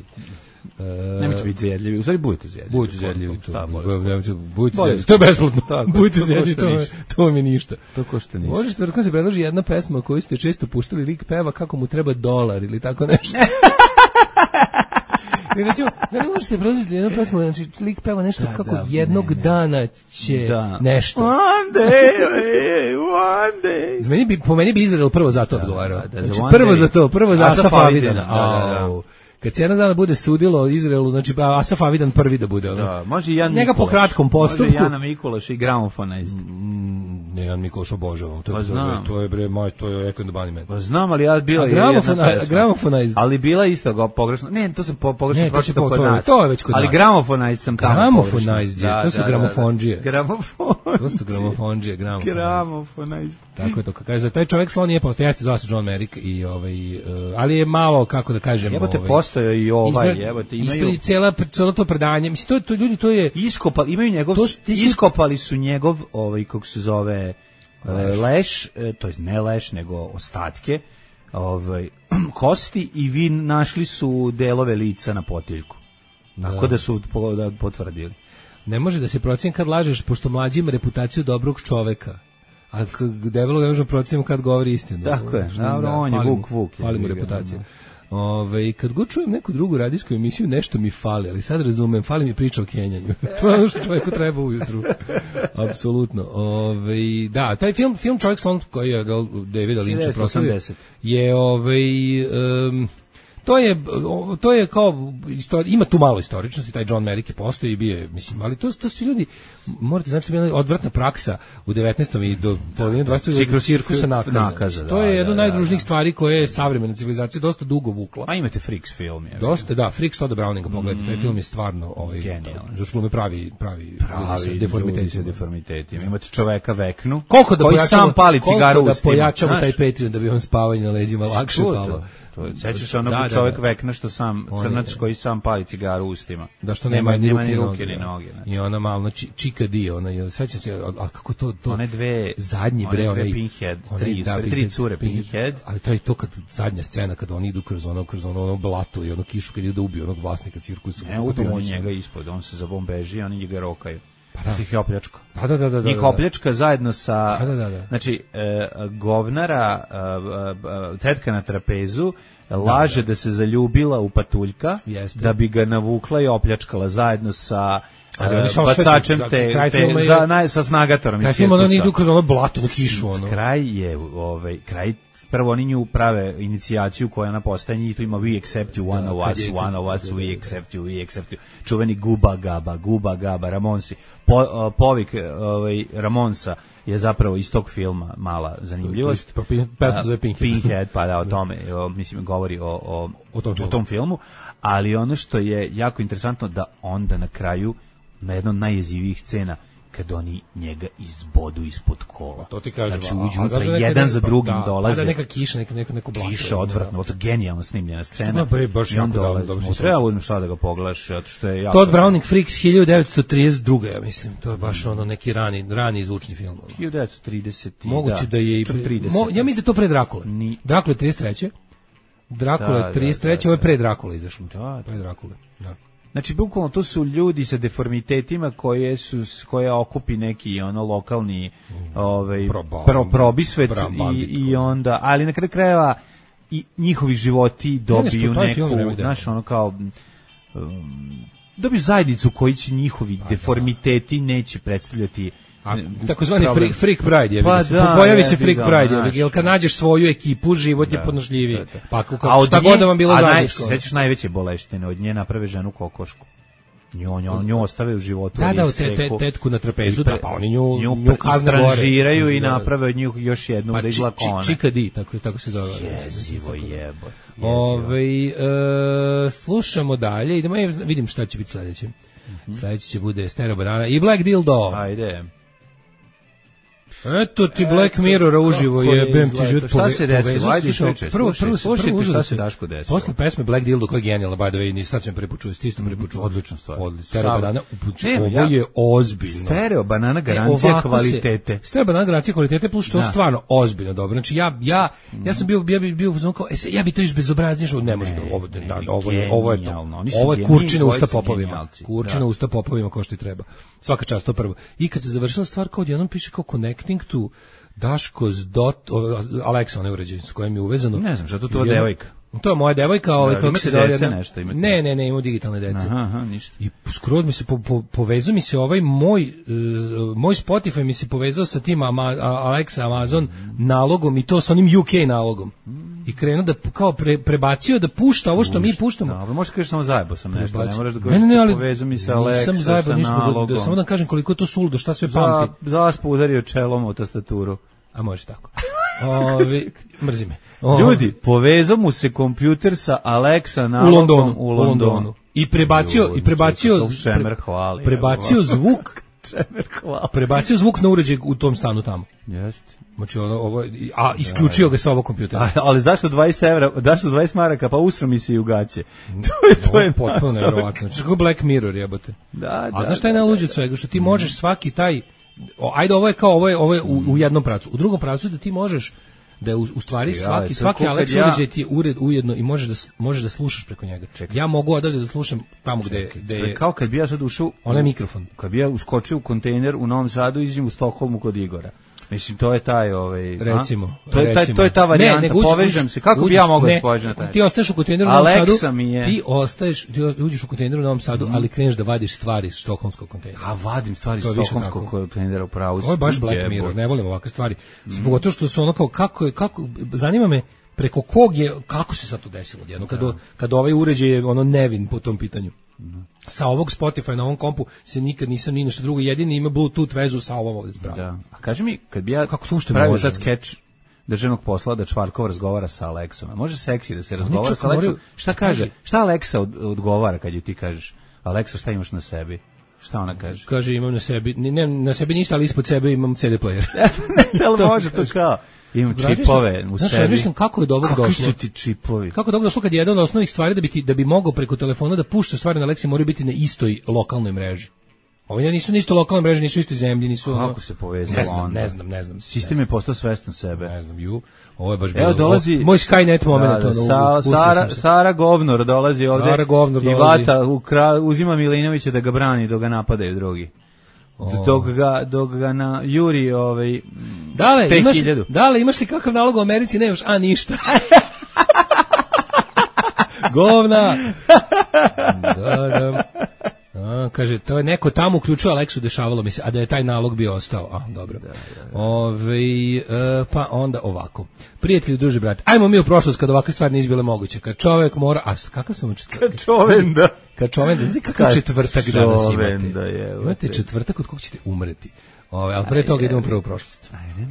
uh, nemojte biti zjedljivi, u stvari budete zjedljivi. Budete zjedljivi, to, budete zjedljivi, to je besplatno. Budete zjedljivi, to, to mi ništa. To košta ništa. Možeš tvrtkom se predloži jedna pesma koju ste često puštali, lik peva kako mu treba dolar ili tako nešto. Recimo, da ne možete proziti jednu pesmu, znači lik peva nešto da, kako da, jednog ne, ne. dana će da. nešto. One day, one day. Meni bi, po meni bi Izrael prvo za to da, odgovarao. Da, da, znači, za prvo day. za to, prvo za Asaf Avidan. Da, da, da. Kad se jednog dana bude sudilo Izraelu, znači Asaf Avidan prvi da bude. Da, može i Jan Njega Mikulaš. Po kratkom postupku. Može Jana Mikulaš i gramofona isto. Mm, ne, Jan Mikulaš obožavam. To je, pa to je bre, moj, to je Echo and the Bunnymen. Pa znam, ali ja bila je jedna pesma. Gramofona isto. Ali bila isto go pogrešno. Ne, to sam po, pogrešno pročitao kod to, nas. To je već kod ali nas. Gramofona isto sam tamo pogrešno. Gramofona isto, to su gramofondžije. Gramofon. To su gramofondžije, gramofona. Gramofona isto. Tako je to. Kaže, taj čovjek slon nije postao, jeste zvao se John Merrick i ovaj, uh, ali je malo, kako da kažem, jebote ovaj, postoje i ovaj, jebote, imaju ispred cela celo to predanje. Mislim to, to ljudi to je iskopali, imaju njegov to, iskopali su njegov ovaj kako se zove leš, leš to je ne leš nego ostatke ovaj kosti i vi našli su delove lica na potiljku. Tako da, da su da potvrdili. Ne može da se proceni kad lažeš, pošto mlađi ima reputaciju dobrog čoveka. A debelo ne može proceniti kad govori istinu. Tako je, dobro, on je Vuk Vuk. Fali mu reputacija. Ove, kad god čujem neku drugu radijsku emisiju, nešto mi fali, ali sad razumem, fali mi priča o kenjanju. To je ono što čovjeku treba ujutru. Apsolutno. Ove, da, taj film, film Čovjek slon koji je Davida Lyncha proslavio je ovaj... Um, To je, to je kao, ima tu malo istoričnosti, taj John Merrick je postoji i bio je, mislim, ali to, to su ljudi, morate znati, to je odvratna praksa u devetnaestom i do polovine dvadesetog cirkusa nakaza. nakaza to je da, jedna od najružnijih da, stvari koje je savremena civilizacija dosta dugo vukla. A imate Freaks film. Je, dosta, da, Freaks Toda Browninga, pogledajte, taj film je stvarno ovaj, genijalan. Zašto me pravi, pravi, pravi deformitetima. deformitetima. Imate čoveka Veknu, koliko da koji sam pali cigaru u da pojačamo taj Patreon da bi vam spavanje na leđima lakše palo. To je, sećaš se onog da, čovjek da, da. Vekna što sam, crnac je, koji sam pali cigaru ustima. Da što nema, nema, nema ni ruke ni noge. Znači. I ona malo, znači, Čika Di, ona je, sećam se, a kako to, to one dve, zadnji bre, one dve Pinhead, tri, da, tri cure Pinhead. Ali to je to kad, zadnja scena, kad oni idu kroz ono, kroz ono, ono blato i ono kišu, kad idu da ubiju onog vlasnika cirkusa. Ne, ubiju on njega ispod, on se zabombeži, oni njega rokaju. Pa da. Ih je opljačka. Da, da, da, da, njih opljačka zajedno sa, da, da, da, da. znači, e, govnara, e, e, tetka na trapezu, laže da, da. da se zaljubila u patuljka, Jeste. da bi ga navukla i opljačkala zajedno sa uh, bacačem te, te je, za, naj, sa snagatorom. Kraj filma oni idu kroz ono blato u kišu. Ono. Kraj je, ovaj, kraj, prvo oni nju prave inicijaciju koja na postaje i tu ima we accept you, one da, of us, je, one of us, we accept you, we accept you. Čuveni Guba Gaba, Guba Gaba, Ramonsi. Po, uh, povik ovaj, Ramonsa je zapravo iz tog filma mala zanimljivost. Pesma Pinhead. Pinhead, pa da, o tome, o, mislim, govori o, o, o, tom, o tom filmu, ali ono što je jako interesantno da onda na kraju, na jednom najjezivijih scena, kad oni njega izbodu ispod kola. To ti kažem. Znači, uđu unutra, jedan za drugim da, dolaze. Da, neka kiša, neka, neko, neko blato. Kiša odvratno, to je genijalno snimljena scena. Bre, baš jako dobro. dobro treba uzmem šta da ga pogledaš, zato što je jako... Todd Browning Freaks hiljadu devetsto trideset druge, ja mislim. To je baš ono neki rani, rani zvučni film. hiljadu devetsto trideset Moguće da je i... Mo, ja mislim da je to pre Drakule. Ni... Drakule je trideset treće Drakule je trideset treće ovo je pre Drakule izašlo. Da, pre Drakule, da. Znači, bukvalno, to su ljudi sa deformitetima koje su, koje okupi neki ono lokalni ovaj, pro, probisvet i, i onda, ali na kraju krajeva i njihovi životi dobiju ne, neku, znaš, ono kao, um, dobiju zajednicu koji će njihovi A, deformiteti da. neće predstavljati. A, takozvani freak, freak pride je, pa da, pojavi je, se freak da, pride, je, jer kad nađeš svoju ekipu, život da, je podnošljiviji. Da, da. Pa kako, šta god da vam bilo zajedničko. A sećaš najveće boleštine, od nje naprave ženu kokošku. Nju, nju, nju ostave u životu. Da, da, te, te, tetku na trapezu, da, pa oni nju, nju, nju stranžiraju i naprave od nju još jednu pa, da izgleda kone. Čika Di, tako, tako se zove. Jezivo jebot. Ove, e, slušamo dalje, idemo, ja vidim šta će biti sledeće. Mm-hmm. Sledeće će bude Stereo Banana i Black Dildo. Ajde. Eto ti Black Mirror uživo je bem ti život. Šta se desilo? Ajde slušaj, prvo prvo slušajte šta se Daško desilo. Posle pesme Black Dildo koja je genijalna, by the way, ni sad ćemo prepočuti, isto prepočuti. Odlična stvar. Odlično. Stereo Banana, ovo je ozbiljno. Stereo Banana garancija kvalitete. Stereo Banana garancija kvalitete plus što stvarno ozbiljno dobro. Znači ja ja ja sam bio ja bi bio uzmano kao ja bi to iš bezobraznije što ne može da ovo ovo je ovo je to. Ovo je kurčina usta popovima. Kurčina usta popovima kao što i treba. Svaka čast to prvo. I kad se završila stvar kao odjednom piše kao connecting to Daško's dot Alexa onaj uređaj s kojim je uvezano. Ne znam šta to to devojka. To je moja devojka, ovaj, kako se zove jedna... nešto, imate ne, ne, ne, imamo digitalne dece. Aha, aha, ništa. I skroz mi se po, po, povezao mi se ovaj moj uh, moj Spotify mi se povezao sa tim Ama, Alexa Amazon mm. nalogom i to sa onim U K nalogom. Mm. I krenuo da kao pre, prebacio da pušta ovo što Ušta, mi puštamo. Da, možeš kažeš samo zajebo sam nešto, Prebaci. ne moraš da kažeš ne, ne, ali, povezao mi se Alexa zajebo, sa nalogom. Da, da, samo da kažem koliko je to suludo, šta sve pamti. Za, zaspu udario čelom u tastaturu. A može tako. Ovi, mrzi me. O, ljudi, povezao mu se kompjuter sa Alexa nalogom u Londonu, u Londonu. U Londonu. I prebacio Ljudi, i prebacio Čemer hvali. Prebacio zvuk Čemer hvali. Prebacio zvuk na uređaj u tom stanu tamo. Jeste. Znači ovo, ovo a isključio ga sa ovog kompjutera. Ali zašto dvadeset evra, zašto dvadeset maraka, pa usro mi se i u gaće. To je to je potpuno neverovatno. Znači kako Black Mirror jebote. Da, da. A znaš šta je najluđe od svega, što ti možeš svaki taj o, ajde ovo je kao ovo je ovo je u, u jednom pravcu. U drugom pravcu da ti možeš da je u, u stvari svaki svaki Alexa ja... uređaj ti je ured ujedno i možeš da možeš da slušaš preko njega. Čekaj. Ja mogu odavde da slušam tamo gde gde je kao kad bi ja sad ušao onaj mikrofon. Kad bi ja uskočio u kontejner u Novom Sadu i iđem u Stokholmu kod Igora. Mislim to je taj ovaj recimo to je taj to je ta varijanta ne, povežem se kako uđiš, bi ja mogao da spođem na taj. Ti ostaješ u kontejneru u Novom Sadu. Ti ostaješ ti uđeš u kontejner u Novom Sadu, mm. ali kreneš da vadiš stvari iz stokholmskog kontejnera. A vadim stvari iz stokholmskog kontejnera upravo. Ovo je baš Black Mirror, ne volim ovakve stvari. Zbog toga što su ono kao kako je kako zanima me preko kog je kako se sad to desilo jedno kad kad ovaj uređaj je ono nevin po tom pitanju. Mm. Sa ovog Spotify na ovom kompu se nikad nisam ni nešto drugo, jedini ima Bluetooth vezu sa ovom ovdje spravo. Da. A kaži mi, kad bi ja kako slušate pravio sad skeč državnog posla da Čvarkov razgovara sa Alexom, može seksi da se razgovara sa Alexom? Moraju... Šta kaže? Šta Alexa od, odgovara kad ju ti kažeš Alexa šta imaš na sebi? Šta ona kaže? Kaže imam na sebi, ne, na sebi ništa, ali ispod sebe imam C D player. Ne, ali može to kao... Imam čipove u znaš, sebi. Mislim kako je do ovog došlo. Kako su ti čipovi? Kako je do ovog došlo kad je jedan od osnovnih stvari da bi, ti, da bi mogao preko telefona da pušta stvari na Alexi moraju biti na istoj lokalnoj mreži. Ovi nisu na istoj lokalnoj mreži, nisu istoj zemlji, nisu... Kako ono, se povezalo ne znam, onda? Ne znam, ne znam. Sistem je postao svestan sebe. Ne znam, ju. Ovo je baš bilo... Evo dolazi... Moj Skynet moment. Da, da, sa, Sara, Sara Govnor dolazi ovde. Sara Govnor i vata, ukra, uzima Milinovića da ga brani, dok ga napadaju drugi. Oh. Dok ga, dok ga na Juri ovaj, dale, imaš, dale, imaš li kakav nalog u Americi? Nemaš, a ništa. Govna. Da, da. A, kaže, to je neko tamo uključio Alexu, dešavalo mi se, a da je taj nalog bio ostao. A, dobro. Da, da, da. Ove, e, pa onda ovako. Prijatelji, druži, brate, ajmo mi u prošlost kad ovakve stvari nisu bile moguće. Kad čovjek mora... A, kakav sam u četvrtak? Kad čovenda. Kad čovenda. Znači, kakav kad četvrtak danas imate? Je, imate četvrtak od kog ćete umreti. Ove, ali pre toga idemo prvo u prošlost. Ajde.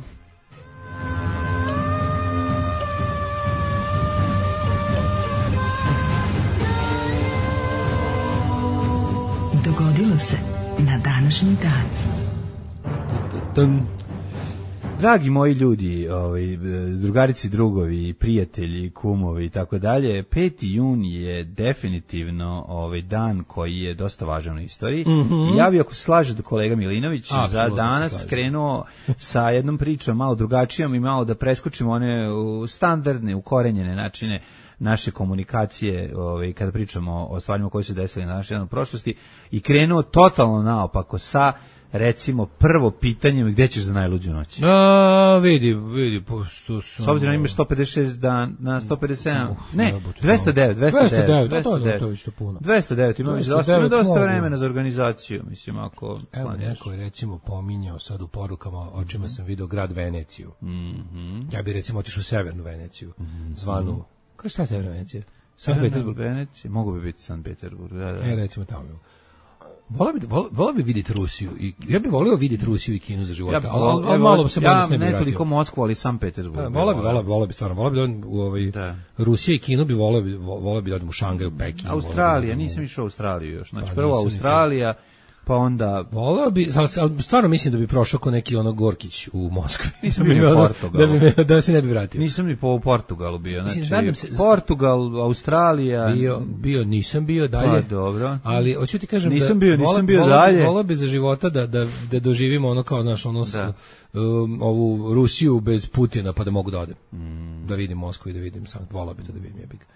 Dogodilo se na današnji dan. Dragi moji ljudi, ovaj, drugarici, drugovi, prijatelji, kumovi i tako dalje, peti jun je definitivno ovaj dan koji je dosta važan u istoriji. Mm-hmm. I ja bih, ako se slaže da kolega Milinović, absolutno za danas krenuo sa jednom pričom malo drugačijom i malo da preskočimo one standardne, ukorenjene načine naše komunikacije, ovaj, kada pričamo o stvarima koje su desili na našoj prošlosti, i krenuo totalno naopako sa, recimo, prvo pitanjem gde ćeš za najluđu noć. A, vidi, vidi, pošto sam... S obzirom imaš sto pedeset šest dan, na sto pedeset sedam, uh, ne, dvesta devet, dvesta devet, dvesta devet, to je isto puno. dvesta devet, imaš dosta, dosta vremena za organizaciju, mislim, ako... Evo, neko je, recimo, pominjao sad u porukama, o čima sam vidio grad Veneciju. Mm-hmm. Ja bih, recimo, otišao u Severnu Veneciju, mm-hmm. zvanu... Kako šta je Severna Venecija? Sankt Petersburg. Venecija, mogu bi biti Sankt Petersburg, da, da. E, recimo tamo. Volao bi, volao bi vidjeti Rusiju. I, ja bih volio vidjeti Rusiju i Kinu za života, ja, ali, ali malo se bolje ja, s ne bi vratio. Ja ne toliko Moskvu, ali Sankt Petersburg. Volao bi, volao bi, volao bi stvarno. Volao bi da u ovaj, da. Rusija i Kinu bi volao bi, volao bi da odem u Šangaj, u Peking. Australija, nisam išao u Australiju još. Znači, pa, prvo Australija, pa onda... Volao bi, ali stvarno mislim da bi prošao ko neki ono Gorkić u Moskvi. Nisam bio u Portugalu. Da, da, da se ne bi vratio. Nisam ni po Portugalu bio. Znači, mislim, se, Portugal, Australija... Bio, bio, nisam bio dalje. Pa, dobro. Ali, hoću ti kažem nisam da... bio, nisam vola, bio vola, dalje. Volao bi za života da, da, da doživimo ono kao, znaš, ono... Da. Um, ovu Rusiju bez Putina, pa da mogu da odem. Mm. Da vidim Moskvu i da vidim Sankt, volao bi to da vidim jebik.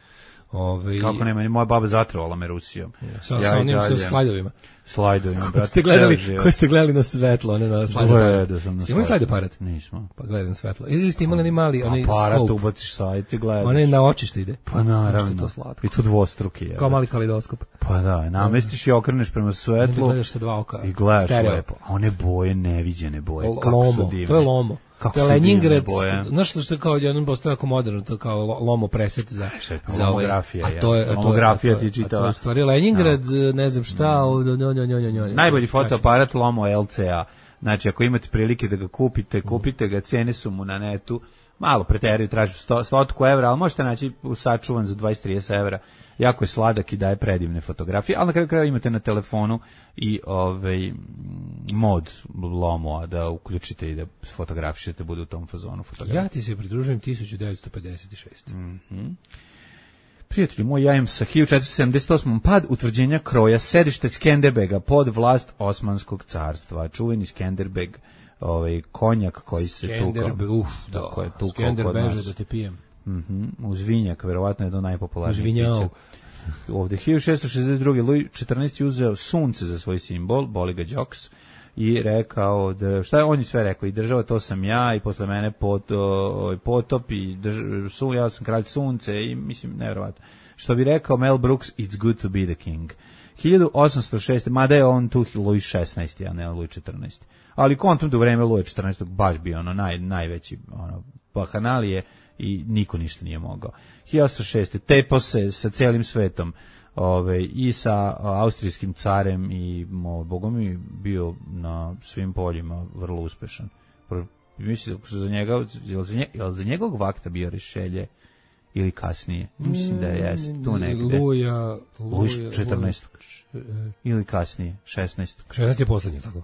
Ove, kako nema, moja baba zatrovala me Rusijom. Ja, sa, ja sa onim sa slajdovima. slajdovima, brate. Ste gledali, ko ste gledali na svetlo, one na slajdu. Da sam na imali slajdu aparat? Nismo. Pa gledam svetlo. Ili ste imali ni mali, onaj aparat, ubaciš sajt i gledaš. Onaj na očište ide. Pa naravno. To slatko. I to dvostruki je. Kao mali kalidoskop. Pa da, namestiš i okreneš prema svetlu. I gledaš sa dva oka. I gledaš stereo. Lepo. A one boje, neviđene boje. L- lomo, to je lomo. Kako to je Leningrad, znaš što je kao jednom postao jako moderno, to kao lomo preset za, za lomografija. A to je, lomografija ti čitava. A to je stvari Leningrad, no. ne znam šta. No, no, no, no, no. Najbolji fotoaparat Lomo L C A. Znači, ako imate prilike da ga kupite, kupite ga, cene su mu na netu, malo preteraju, tražu sto evra, ali možete naći sačuvan za dvadeset do trideset evra. Jako je sladak i daje predivne fotografije, ali na kraju kraja imate na telefonu i ovaj mod Lomo da uključite i da fotografišete, bude u tom fazonu fotografije. Ja ti se pridružujem tisuću devetsto pedeset šeste. Mhm. Prijatelji moj, ja im sa hiljadu četiristo sedamdeset osam pad utvrđenja kroja, sedište Skenderbega pod vlast Osmanskog carstva. Čuveni Skenderbeg, ovaj konjak koji se tukao. Skenderbeg, uf, da, je tukao Skenderbeže da te pijem. Mhm, uz vinjak, verovatno je to najpopularniji piće. Ovde hiljadu šessto šezdeset druge Luj četrnaesti uzeo sunce za svoj simbol, boli ga Đoks, i rekao da, šta je on je sve rekao, i država to sam ja, i posle mene pot, o, potop, i drž, su, ja sam kralj sunce, i mislim, nevjerovatno. Što bi rekao Mel Brooks, it's good to be the king. hiljadu osamsto šeste mada je on tu Luj šesnaesti, a ne Luj četrnaesti. Ali kontum da u vreme Luja četrnaestog baš bio ono naj, najveći ono, bahanalije i niko ništa nije mogao. hiljadu osamsto šeste tepao se sa celim svetom, ove, i sa austrijskim carem i mo, bogom mi bio na svim poljima vrlo uspešan. Mislim da za njega, jel za, nje, jel za njegovog vakta bio Rišelje ili kasnije? Mislim da je jest tu negde. Luja, Luja četrnaestog ili kasnije, šesnaestog šesnaesti je poslednji, tako?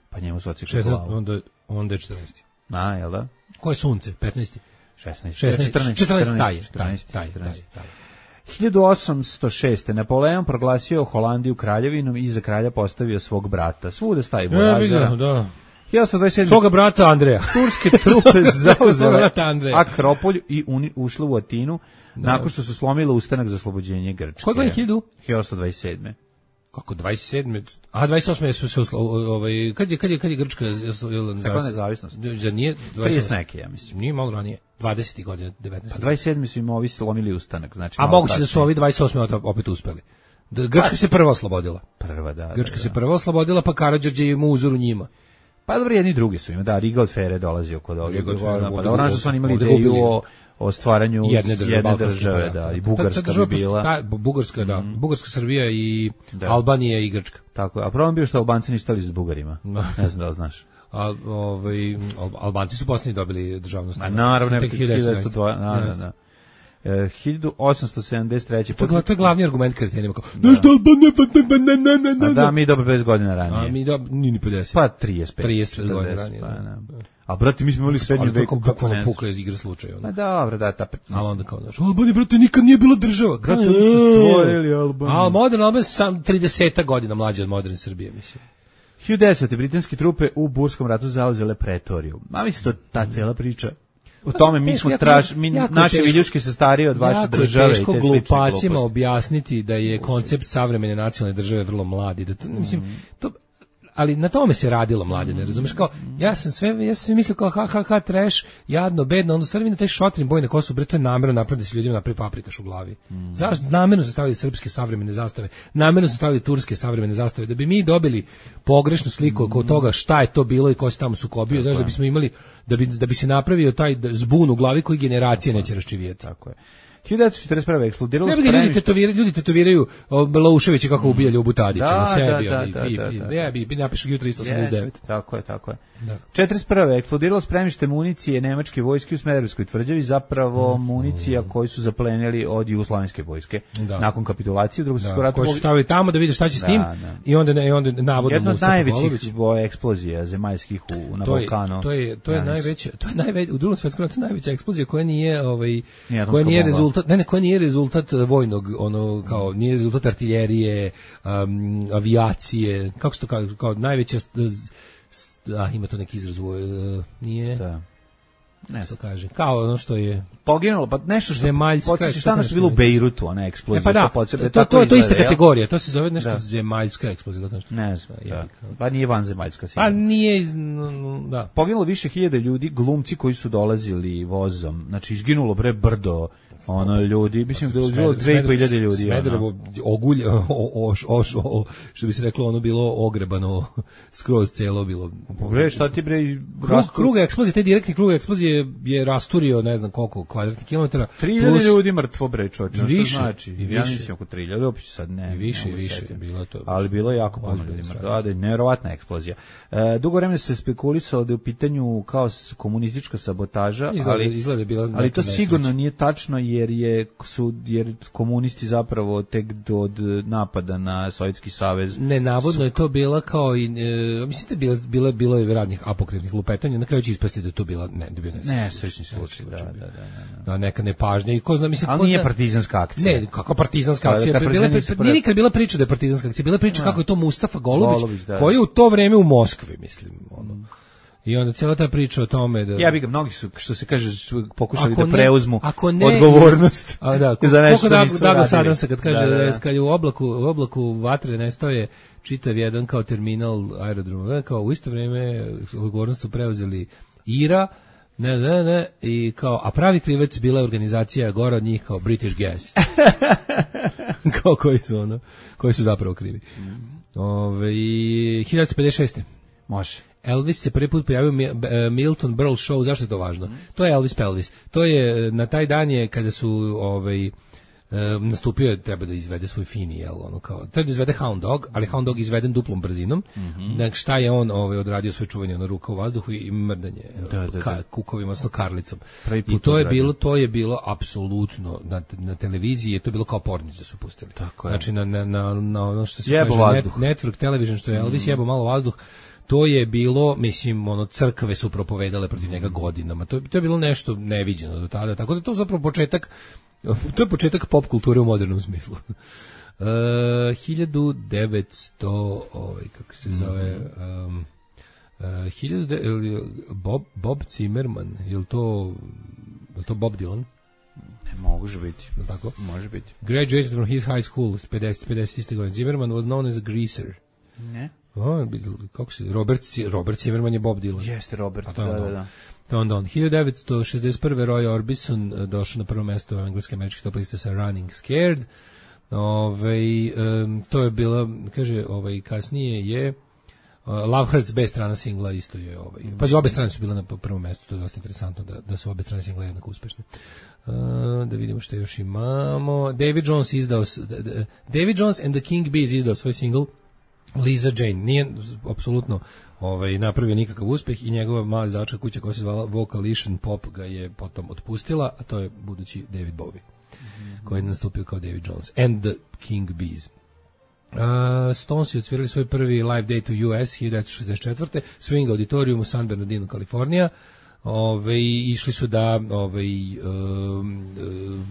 Pa njemu su ocikli glavu. Onda, onda je četrnaesti. A, jel da? Ko je sunce? petnaesti šesnaesti četrnaesti četrnaesti taj, taj, taj, taj, taj. hiljadu osamsto šeste Napoleon proglasio Holandiju kraljevinom i za kralja postavio svog brata. Svuda stavi Borazera. Ja, da. hiljadu osamsto dvadeset sedme Svoga brata Andreja. Turske trupe zauzele Akropolj i uni, ušle u Atinu, da, nakon što su slomile ustanak za oslobođenje Grčke. Koje godine hiljadu? hiljadu osamsto dvadeset sedme Kako dvadeset sedme A dvadeset osme su se ovaj kad je kad je kad je Grčka Kako nezavisnost? Za nije trideset neke, ja mislim. Nije malo ranije. dvadesetih godina, devetnaeste Pa dvadeset sedme su im ovi slomili ustanak, znači. A moguće da su ovi dvadeset osme opet uspeli. Da Grčka pa, se prva oslobodila. Prva, da. Grčka da, da. se prva oslobodila, pa Karađorđe je mu uzoru njima. Pa dobro, jedni drugi su ima, da, Riga od Fere dolazio kod ovih. Pa da, ono što su oni imali ideju o o stvaranju jedne države, jedne države da, i Bugarska bi bila. Ta, Bugarska, da. Mm. Bugarska, Srbija i da. Albanija i Grčka. Tako je. A problem bio što Albanci nisu stali s Bugarima. Ne znam da li znaš. A, ovaj, Albanci su posljednji dobili državnost. A naravno, tek hiljadu devetsto dva Da, da. Uh, hiljadu osamsto sedamdeset treće To, to je glavni argument kretenima. Nešto Albanija, a da, mi dobro pedeset godina ranije. A mi dobro, ni ni pedeset Pa trideset pet trideset godina ranije. Pa, da. A brate, mi smo imali srednju veku, kako ne puka iz igre slučaja. Ma dobro, da, ta pet. Ali onda kao znaš, Albanija, brate, nikad nije bila država. Brate, oni su stvorili Albaniju. A modern Albanija sam trideset godina mlađa od moderne Srbije, mislim. hiljadu desete britanske trupe u Burskom ratu zauzele Pretoriju. Ma mislim to ta cela priča. U tome mi smo traž, mi, naše viljuške se starije od vaše države. Jako je teško glupacima objasniti da je koncept savremene nacionalne države vrlo mladi. Da to, mislim, to, ali na tome se radilo, mladine, razumeš, kao, ja sam sve, ja sam mislio kao ha, ha, ha, trash, jadno, bedno, onda stvari mi na taj šotrin boj na kosu, bre, to je namerno napraviti da se ljudima napravi paprikaš u glavi. Mm. Zašto? Namerno su stavili srpske savremene zastave, namerno su stavili turske savremene zastave, da bi mi dobili pogrešnu sliku oko toga šta je to bilo i ko se tamo sukobio, znaš, da bismo imali, da bi, da bi se napravio taj zbun u glavi koji generacije neće raščivijeti. Tako je. hiljadu devetsto četrdeset prve eksplodiralo spremište. Ljudi tetoviraju, ljudi tetoviraju Lauševića kako ubija Ljubu Tadića na sebi, da, da, i, da, i, da. ja bi bi napišu U tristo osamdeset devet. Yes, tako je, tako je. Da. četrdeset prve eksplodiralo spremište municije nemačke vojske u Smederevskoj tvrđavi, zapravo mm. municija koju su zaplenili od jugoslovenske vojske da. Nakon kapitulacije drugog svjetskog rata. Koji su stavili tamo da vide šta će s tim, da, da. i onda i onda navodno jedna od najvećih eksplozija zemaljskih u na to je, Balkanu. To je to je najveća, to je najveća u drugom svjetskom ratu najveća eksplozija koja nije ovaj koja nije rezultat, ne, ne, koja nije rezultat vojnog, ono kao nije rezultat artiljerije, um, avijacije, kako se to kao, kao najveća, a ima to neki izraz, uh, nije. Da. Ne što kaže. Kao ono što je poginulo, pa nešto što zemaljska, podsjeća šta ono što je bilo u Bejrutu, ona eksplozija. E pa da, podsjeća, to, to, to je ista kategorija, to se zove nešto da. Zemaljska eksplozija. Nešto. Ne znam, da. Pa nije vanzemaljska. Pa nije, da. Poginulo više hiljada ljudi, glumci koji su dolazili vozom, znači izginulo bre brdo, ono ljudi, mislim da je bilo dve i po hiljade ljudi. Smederevo ogulje, oš, oš, o, što bi se reklo, ono bilo ogrebano, skroz celo bilo. Bre, šta ti bre... Krug, krug eksplozije, taj direktni krug eksplozije je rasturio, ne znam koliko kvadratnih kilometara. tri hiljade ljudi mrtvo bre, čoče, više, što znači? I više. Ja mislim oko tri hiljade, opet sad ne. I više, i više, bilo to. Ali bilo je jako puno ljudi mrtvo, da, da, nevjerovatna eksplozija. E, dugo vremena se spekulisalo da je u pitanju kao komunistička sabotaža, izgleda, ali, izgleda bila ali to sigurno nije tačno, jer je su jer komunisti zapravo tek od napada na Sovjetski savez. Ne, navodno su... je to bila kao i e, mislite bila bila bilo je radnih apokrifnih lupetanja, na kraju će ispasti da je to bila ne, da bio ne. Ne, srećni slučaj, da, da, da, da. Da, neka nepažnja i ko zna, mislim, ali ko nije zna, partizanska akcija. Ne, kako partizanska akcija, bila bila nije nikad bila priča da je partizanska akcija, bila priča kako je to Mustafa Golubić, Golubić da, koji je u to vreme u Moskvi, mislim, ono. Mm. I onda cijela ta priča o tome da... Ja bih ga, mnogi su, što se kaže, pokušali ako da preuzmu ako ne, odgovornost. A da, ko, za nešto da, nisu da, radili. Sadan se kad kaže da, da, da. da kad je u oblaku, u oblaku vatre nestao je čitav jedan kao terminal aerodroma, kao u isto vrijeme odgovornost su preuzeli Ira, ne znam, ne, i kao, a pravi krivac bila je organizacija gore od njih kao British Gas. Kao koji su ono, koji su zapravo krivi. Mm. Ove, hiljadu pedeset šeste Može. Elvis se prvi put pojavio u Milton Berle show, zašto je to važno? Mm. To je Elvis Pelvis. To je, na taj dan je kada su ovaj, nastupio je, treba da izvede svoj fini, jel, ono kao, treba da izvede Hound Dog, ali Hound Dog izveden duplom brzinom. Mm-hmm. Dakle, šta je on ovaj, odradio svoje čuvanje, ono, ruka u vazduhu i mrdanje da, da, ka, da. kukovima, odnosno karlicom. I to je bilo, to je bilo apsolutno, na, na televiziji je to bilo kao pornić da su pustili. Tako je. Znači, na, na, na, na ono što se jebo kaže, net, network television, što je Elvis mm. jebo malo vazduh, to je bilo, mislim, ono, crkve su propovedale protiv njega godinama. To, to je bilo nešto neviđeno do tada. Tako da to je zapravo početak, to je početak pop kulture u modernom smislu. Uh, hiljadu devetsto, ovaj, kako se zove, um, uh, hiljadu de, Bob, Bob Zimmerman, je li to, je li to Bob Dylan? Ne, može biti. Je li tako? Može biti. Graduated from his high school, pedeset, pedeset godine. Zimmerman was known as a greaser. Ne. O, kako se, Robert, Robert Zimmerman je Bob Dylan. Jeste Robert, da, da, da, da. To onda on. hiljadu devetsto šezdeset prve. Roy Orbison došao na prvo mesto engleske američke top liste sa Running Scared. Ove, um, to je bila, kaže, ovaj, kasnije je uh, Love Hurts, bez strana singla isto je ovaj. Pa obe strane su bile na prvom mestu, to je dosta interesantno da, da su obe strane singla jednako uspešne. Uh, da vidimo što još imamo. David Jones izdao, David Jones and the King Bees izdao svoj single Lisa Jane. Nije apsolutno ovaj, napravio nikakav uspeh i njegova mala izdavačka kuća koja se zvala Vocalition Pop ga je potom otpustila, a to je budući David Bowie, mm-hmm. koji je nastupio kao David Jones and the King Bees. Uh, Stones je odsvirali svoj prvi live day to U S hiljadu devetsto šezdeset četvrte. Swing Auditorium u San Bernardino, Kalifornija. Ove, išli su da ove, um, um,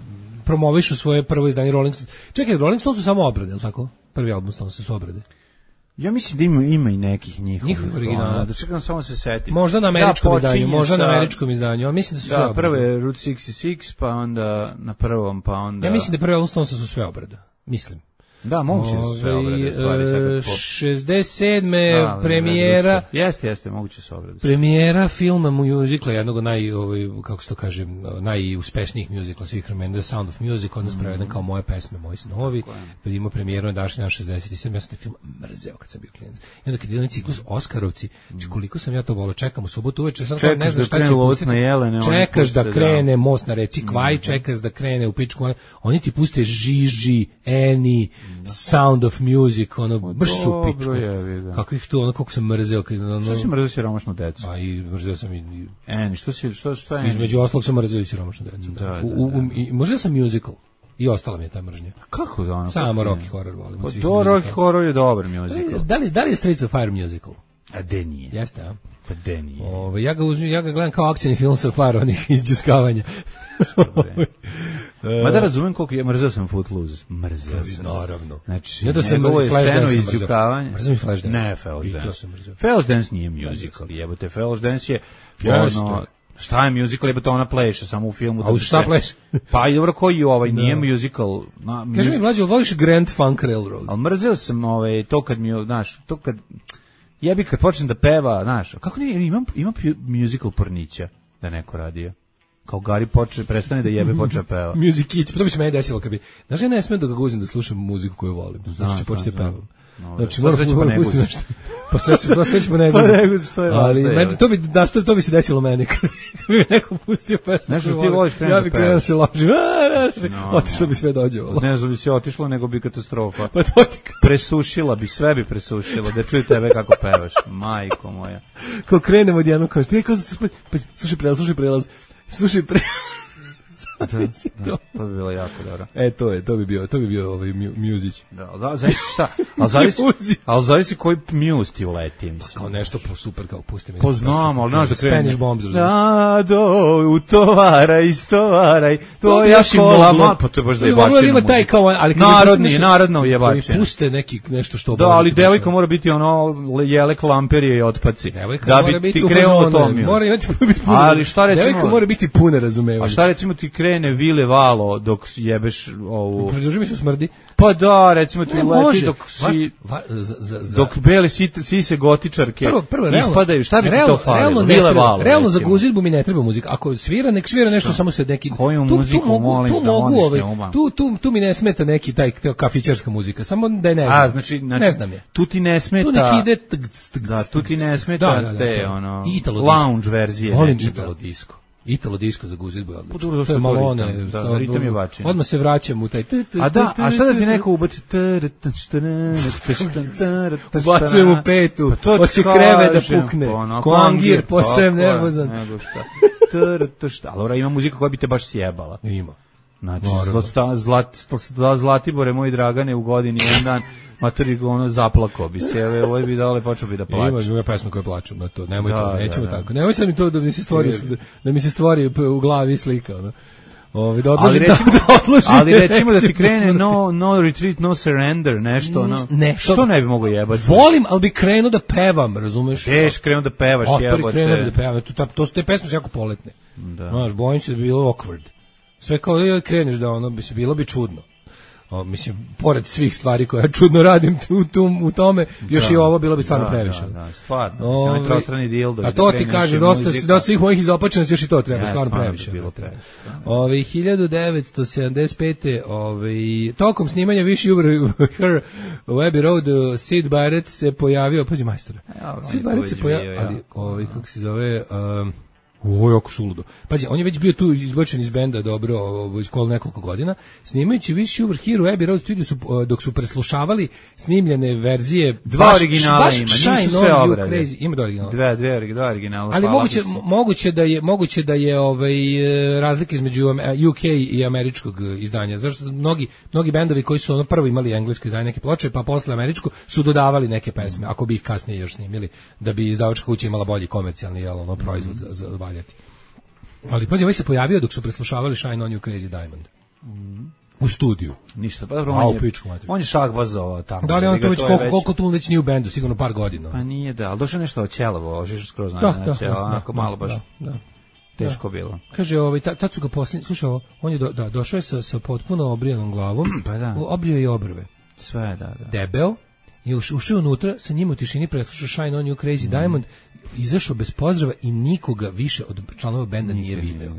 promovišu svoje prvo izdanje Rolling Stones. Čekaj, Rolling Stones su samo obrade, je li tako? Prvi album Stones su obrade. Ja mislim da ima, ima i nekih njihovih. Njihovih originala. Da čekam, samo se setim. Možda na američkom ja izdanju, možda sa... na američkom izdanju, ali mislim da su da, sve obrade. Da, prvo je Route šezdeset šest, pa onda na prvom, pa onda... Ja mislim da prvi album Stonesa su sve obrada, mislim. Da, moguće da su sve obrade, stvari. Sad pop... šezdeset sedme Da, premijera... Jeste, jeste, moguće su obrade. Premijera filma muzikla, jednog od naj, ovaj, kako se to kaže, najuspešnijih muzikla svih vremena, The Sound of Music, odnosno mm-hmm. preveden kao Moje pesme, Moji snovi. Kad imamo premijeru na današnji šezdeset sedam ja sam taj film mrzeo kad sam bio klinac. I onda kad je onaj ciklus Oskarovci, mm. koliko sam ja to volao, čekam u subotu uveče, sam kao ne znam šta će pustiti. Čekaš da krene Most na reci Kvaj, mm. čekaš da krene u pičku, oni ti puste Žiži, Eni, Sound of Music, ono, baš u pičku. Kakvih tu, ono, koliko sam mrzeo. Ono, što si mrzeo siromašnu decu? A i mrzeo sam i... Eni, što si, što, što je? Između ostalog sam mrzeo i siromašnu decu. Da, da, da. U, u, i, mrzeo sam musical. I ostala mi je ta mržnja. Kako da ono? Samo Rocky Horror volim. Pa to Rocky Horror je dobar musical. Da li, da li je Streets of Fire musical? A de nije. Jeste, a? Pa de nije. Ove, ja, ga uzim, ja ga gledam kao akcijni film sa par onih izđuskavanja. Ma da razumem koliko je, mrzeo sam Footloose. Mrzeo sam. Naravno. Znači, ja da sam scenu izđukavanja. Mrzeo mi Flashdance. Ne, Flashdance. Flashdance nije musical, jebote. Flashdance je ono... Šta je musical, jebote, ona pleše samo u filmu. A u šta pleše? Pa i dobro, koji ovaj, nije musical. Na, Kaži mi, mlađe, voliš Grand Funk Railroad? Ali mrzeo sam ovaj, to kad mi, znaš, to kad, jebi kad počnem da peva, znaš, kako nije, imam, imam musical pornića da neko radio. Kao Gari počne, prestane da jebe, počne peva. Musikić, pa to bi se meni desilo kad bi, znaš, ja ne smijem da ga guzim da slušam muziku koju volim, znači ću početi da pevam. No, znači, moram pustiti nešto. Pa sve ću, sve ću pa ne guzim. Ali, meni, to bi, nastav, to bi se desilo meni, kad bi neko pustio pesmu. Nešto ti voliš krenuti da ja bi krenuo da se ložim, otišlo bi sve dođevalo. Ne znam bi se otišlo, nego bi katastrofa. Pa to ti presušila bi, sve bi presušila, da čuju tebe kako pevaš, majko moja. Ko krenemo odjednom, kao, ti kao, slušaj prelaz, slušaj prelaz, slušaj prelaz. Da, da, to bi bilo jako dobro. E, to je, to bi bio, to bi bio ovaj Music. Da, da, zavisi šta, al zavisi, al zavisi koji Muse ti uleti, mislim. Kao nešto po super, kao pusti mi. Poznam, al znaš da krene. Spanish Bombs. Da, do, utovaraj, istovaraj, to ja kola, pa to je baš zajebačeno. Ima taj kao, ali narodni, narodno jebačeno. Puste neki nešto što. Da, ali devojka mora biti ono jelek lamperije i otpaci. Da bi ti krenuo to mi. Mora imati biti puno. Ali šta recimo? Devojka mora biti puna razumevanja. A šta recimo ti krene Vile Valo dok jebeš ovu... Pridruži mi se smrdi. Pa da, recimo ti leti dok si... Va, za, za, za. Dok beli sise gotičarke prvo, prvo, ispadaju. Šta bi ti to falilo? Vile Valo. Realno za guzidbu mi ne treba muzika. Ako svira, nek svira nešto, samo se neki... Koju muziku molim tu, tu mogu, ovaj, tu, tu, tu mi ne smeta neki taj kafićarska muzika. Samo da je ne znam. A, znači, znači ne znam je. Tu ti ne smeta... Tu nek ide... Da, tu ti ne smeta te, ono... lounge verzije. Volim Italo disco. Italo disco za guzidbu je odlično. To je malo one, da, da, ritam je bačin. Odmah se vraćam u taj... A da, a šta da ti neko ubaci? Ubacujem u petu, hoće kreve da pukne. Ko angir, postajem nervozan. Nego šta. Ali ima muzika koja bi te baš sjebala. Ima. Znači, Zlatibore, moji Dragane, u godini jedan dan, materi ono zaplako bi se, evo, ovaj bi dale, počeo bi da plače. Ima ima pesma koja plaču na to, nemoj da, to, nećemo da, da. tako. Nemoj sad mi to da mi se stvori, da, da mi se stvori u glavi slika, ono. Ovi, da odložim, ali recimo, da, da, ali recimo da ti krene no, no retreat, no surrender, nešto, no. Ne, što ne bi mogo jebati? Volim, ali bi krenuo da pevam, razumeš? Teš, krenuo da pevaš, jebote. Otpori krenuo da pevam, to, to su te pesme su jako poletne. Da. Znaš, bojim se da bi bilo awkward. Sve kao da kreneš da ono, bi se bilo bi čudno. O, mislim, pored svih stvari koje ja čudno radim u, tu, u tome, još da, i ovo bilo bi stvarno da, previše. Da, da, stvarno. O, mislim, trostrani dildo. A to ti kažem, dosta, dosta svih mojih izopačenosti još i to treba, ja, stvarno previše. Bilo previše. Ove, hiljadu devetsto sedamdeset pete. Ove, tokom snimanja Wish You Were Her u Abbey Road, Sid Barrett se pojavio, pazi majstora, ja, Sid Barrett se pojavio, ja. ali, ove, kako se zove... Um, O, jako suludo. Pazi, on je već bio tu izbačen iz benda dobro, iz kola nekoliko godina, snimajući Wish You Were Here u Abbey Road studio su, dok su preslušavali snimljene verzije. Dva baš, originala baš ima, nisu sve obrade. Ima dva originala. Dve, dve, dva originala. Ali moguće, moguće da je, moguće da je ovaj, razlika između U K i američkog izdanja. Zašto mnogi, mnogi bendovi koji su ono prvo imali englesko izdanje neke ploče, pa posle američko, su dodavali neke pesme, ako bi ih kasnije još snimili, da bi izdavačka kuća imala bolji komercijalni jel, ono, proizvod mm. za, za valjati. Ali pazi, ovaj se pojavio dok su preslušavali Shine on You Crazy Diamond. Mm. U studiju. Ništa, pa dobro, on, je, on je šahbazovao tamo. Da li on to već, koliko, već... koliko tu već nije u bendu, sigurno par godina. Pa nije da, ali došao nešto oćelovo, ožiš skroz na način, onako malo baš da, da, teško da. bilo. Kaže, ovaj, tad su ga posljednji, slušaj ovo, on je do, da, došao je sa, sa potpuno obrijanom glavom, pa da. obrio je obrve. Sve, da, da. Debel, je ušao unutra, sa njima u tišini preslušao Shine on You Crazy mm. Diamond, izašao bez pozdrava i nikoga više od članova benda nije video.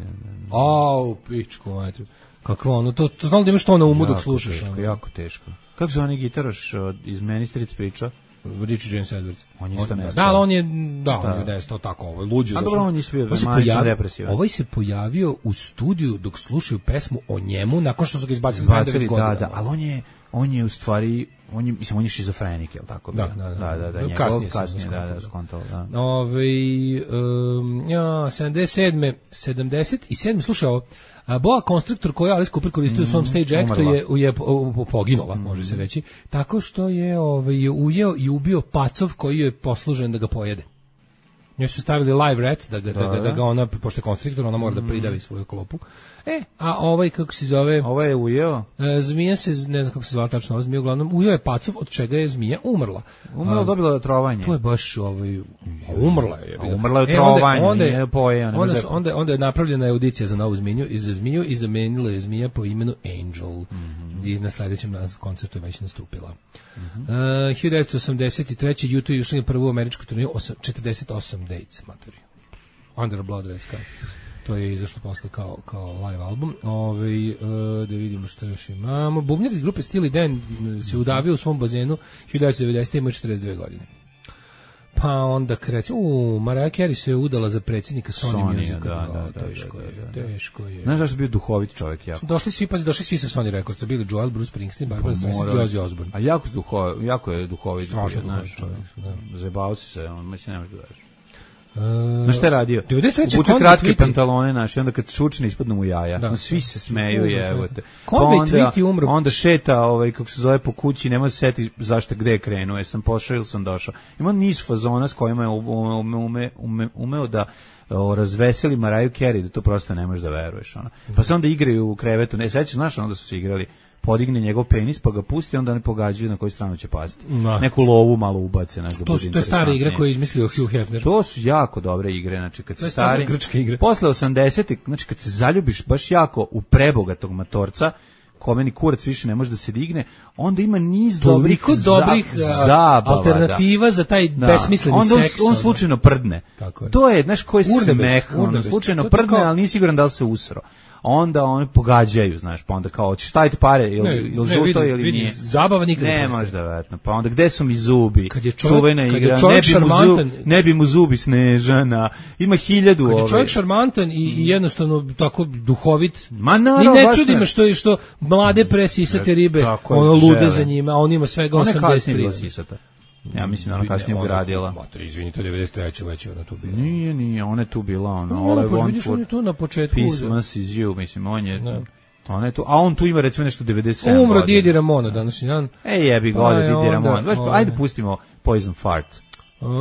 Au, pičku, majte. Kakvo ono, to, to znam da imaš to na umu dok slušaš. Teško, ono. Jako teško. Kako se onaj gitaraš iz Ministric priča? Richard James Edwards. On je isto nestao. Da, ali on je, da, on je nestao tako, ovo je luđe. A dobro, on je bio manje depresivan. Ovaj se pojavio u studiju dok slušaju pesmu o njemu, nakon što su ga izbacili. Izbacili, da, da, ali on je, on je u stvari, on je, mislim, on je šizofrenik, je li tako? Da, da, da. Da, da, da, njegov, kasnije, kasnije da, da, skontao, da. Ove, um, ja, sedamdeset sedme sedamdeset sedme slušao, boa konstruktor koju Alice Cooper koristio u svom stage actu je, je poginula, može se reći, tako što je ovaj, ujeo i ubio pacov koji je poslužen da ga pojede. Njoj su stavili live rat, da ga, da, da, da ga ona, pošto je konstriktor, ona mora da pridavi svoju klopu. E, a ovaj, kako se zove... Ovo je ujeo? E, zmija se, ne znam kako se zvala tačno, ova zmija, uglavnom, ujeo je pacov, od čega je zmija umrla. Umrla, dobila je trovanje. To je baš, ovaj, umrla je. A umrla je trovanje, e, onda, nije poje. Onda, onda, onda, onda je napravljena audicija za novu zmiju i za zmiju i zamenila je zmija po imenu Angel. Mm-hmm. I na sledećem koncertu je već nastupila. Mm-hmm. uh, hiljadu devetsto osamdeset treće. YouTube je ušli na prvu američku turniju, četrdeset osam dates, maturi. Under Blood Red Sky. To je izašlo posle kao, kao live album. Ove, uh, da vidimo što još imamo. Bubnjar iz grupe Steely Dan se udavio u svom bazenu hiljadu devetsto devedesete. ima četrdeset dve godine. Pa onda kreće, u, Mariah Carey se udala za predsjednika Sony, Sony Music. Da, da, da, teško da, da, da, da. je, teško je. Znaš da su bio duhovit čovjek, jako. Došli svi, pazi, došli svi sa Sony Recordsa, bili Joel, Bruce Springsteen, Barbara Streisand i Ozzy Osbourne. A jako, duho, jako je duhovit. Strašno duhovit čovjek. Da. Zajebao si se, on mislim ne možeš da veš. Uh, Znaš šta je radio? Uče kratke pantalone naše, onda kad šučne ispadnu mu jaja. Da, svi se smeju, evo te. Pa onda, onda šeta, ovaj, kako se zove, po kući, nema se seti zašto gde je krenuo, jesam pošao ili sam došao. Ima niz fazona s kojima je ume, ume, ume, umeo da o, razveseli Mariah Carey, da to prosto ne možeš da veruješ. Ona. Pa se onda igraju u krevetu, ne, sećaš, znaš, onda su se igrali, podigne njegov penis, pa ga pusti, onda oni pogađaju na koju stranu će pasti. No. Neku lovu malo ubace. Da to, su, to je stara igra koju je izmislio Hugh Hefner. To su jako dobre igre. Znači, kad to je stari, grčke igre. Posle osamdesetih, znači kad se zaljubiš baš jako u prebogatog matorca, kome ni kurac više ne može da se digne, onda ima niz dobrih, dobrih za, zabava, alternativa da. za taj da. besmisleni onda on, seks. On slučajno prdne. Tako je. To je, znaš, koji smeh, on slučajno prdne, kao... ali nisi siguran da li se usro. Onda oni pogađaju, znaš, pa onda kao, ćeš staviti pare, ili, ili žuto, vidi, ili vidi, nije. Zabava nikad ne možda, vetno. Pa onda, gde su mi zubi? Kad je čovjek, čuvena kad igra, je čovjek ne, bi šarmantan, mu zub, ne bi mu zubi Snežana, ima hiljadu ove. Kad je čovjek šarmantan i, i jednostavno tako duhovit, ma naravno, ni ne čudi me što je što mlade presisate ribe, ono lude za njima, a on ima svega osamdeset tri. Ja mislim da ona kasnije ugradila. Mater, izvini, to je devedeset treće već ona tu bila. Nije, nije, ona je tu bila, ona. No, All I Want for tu na početku. Christmas is you, mislim, on je... Ne. Ona je tu, a on tu ima recimo nešto devedeset sedam. Umro Didi Ramona današnji dan. Ej, jebi ga, ode Didi Ramona. Ajde pustimo Poison Fart.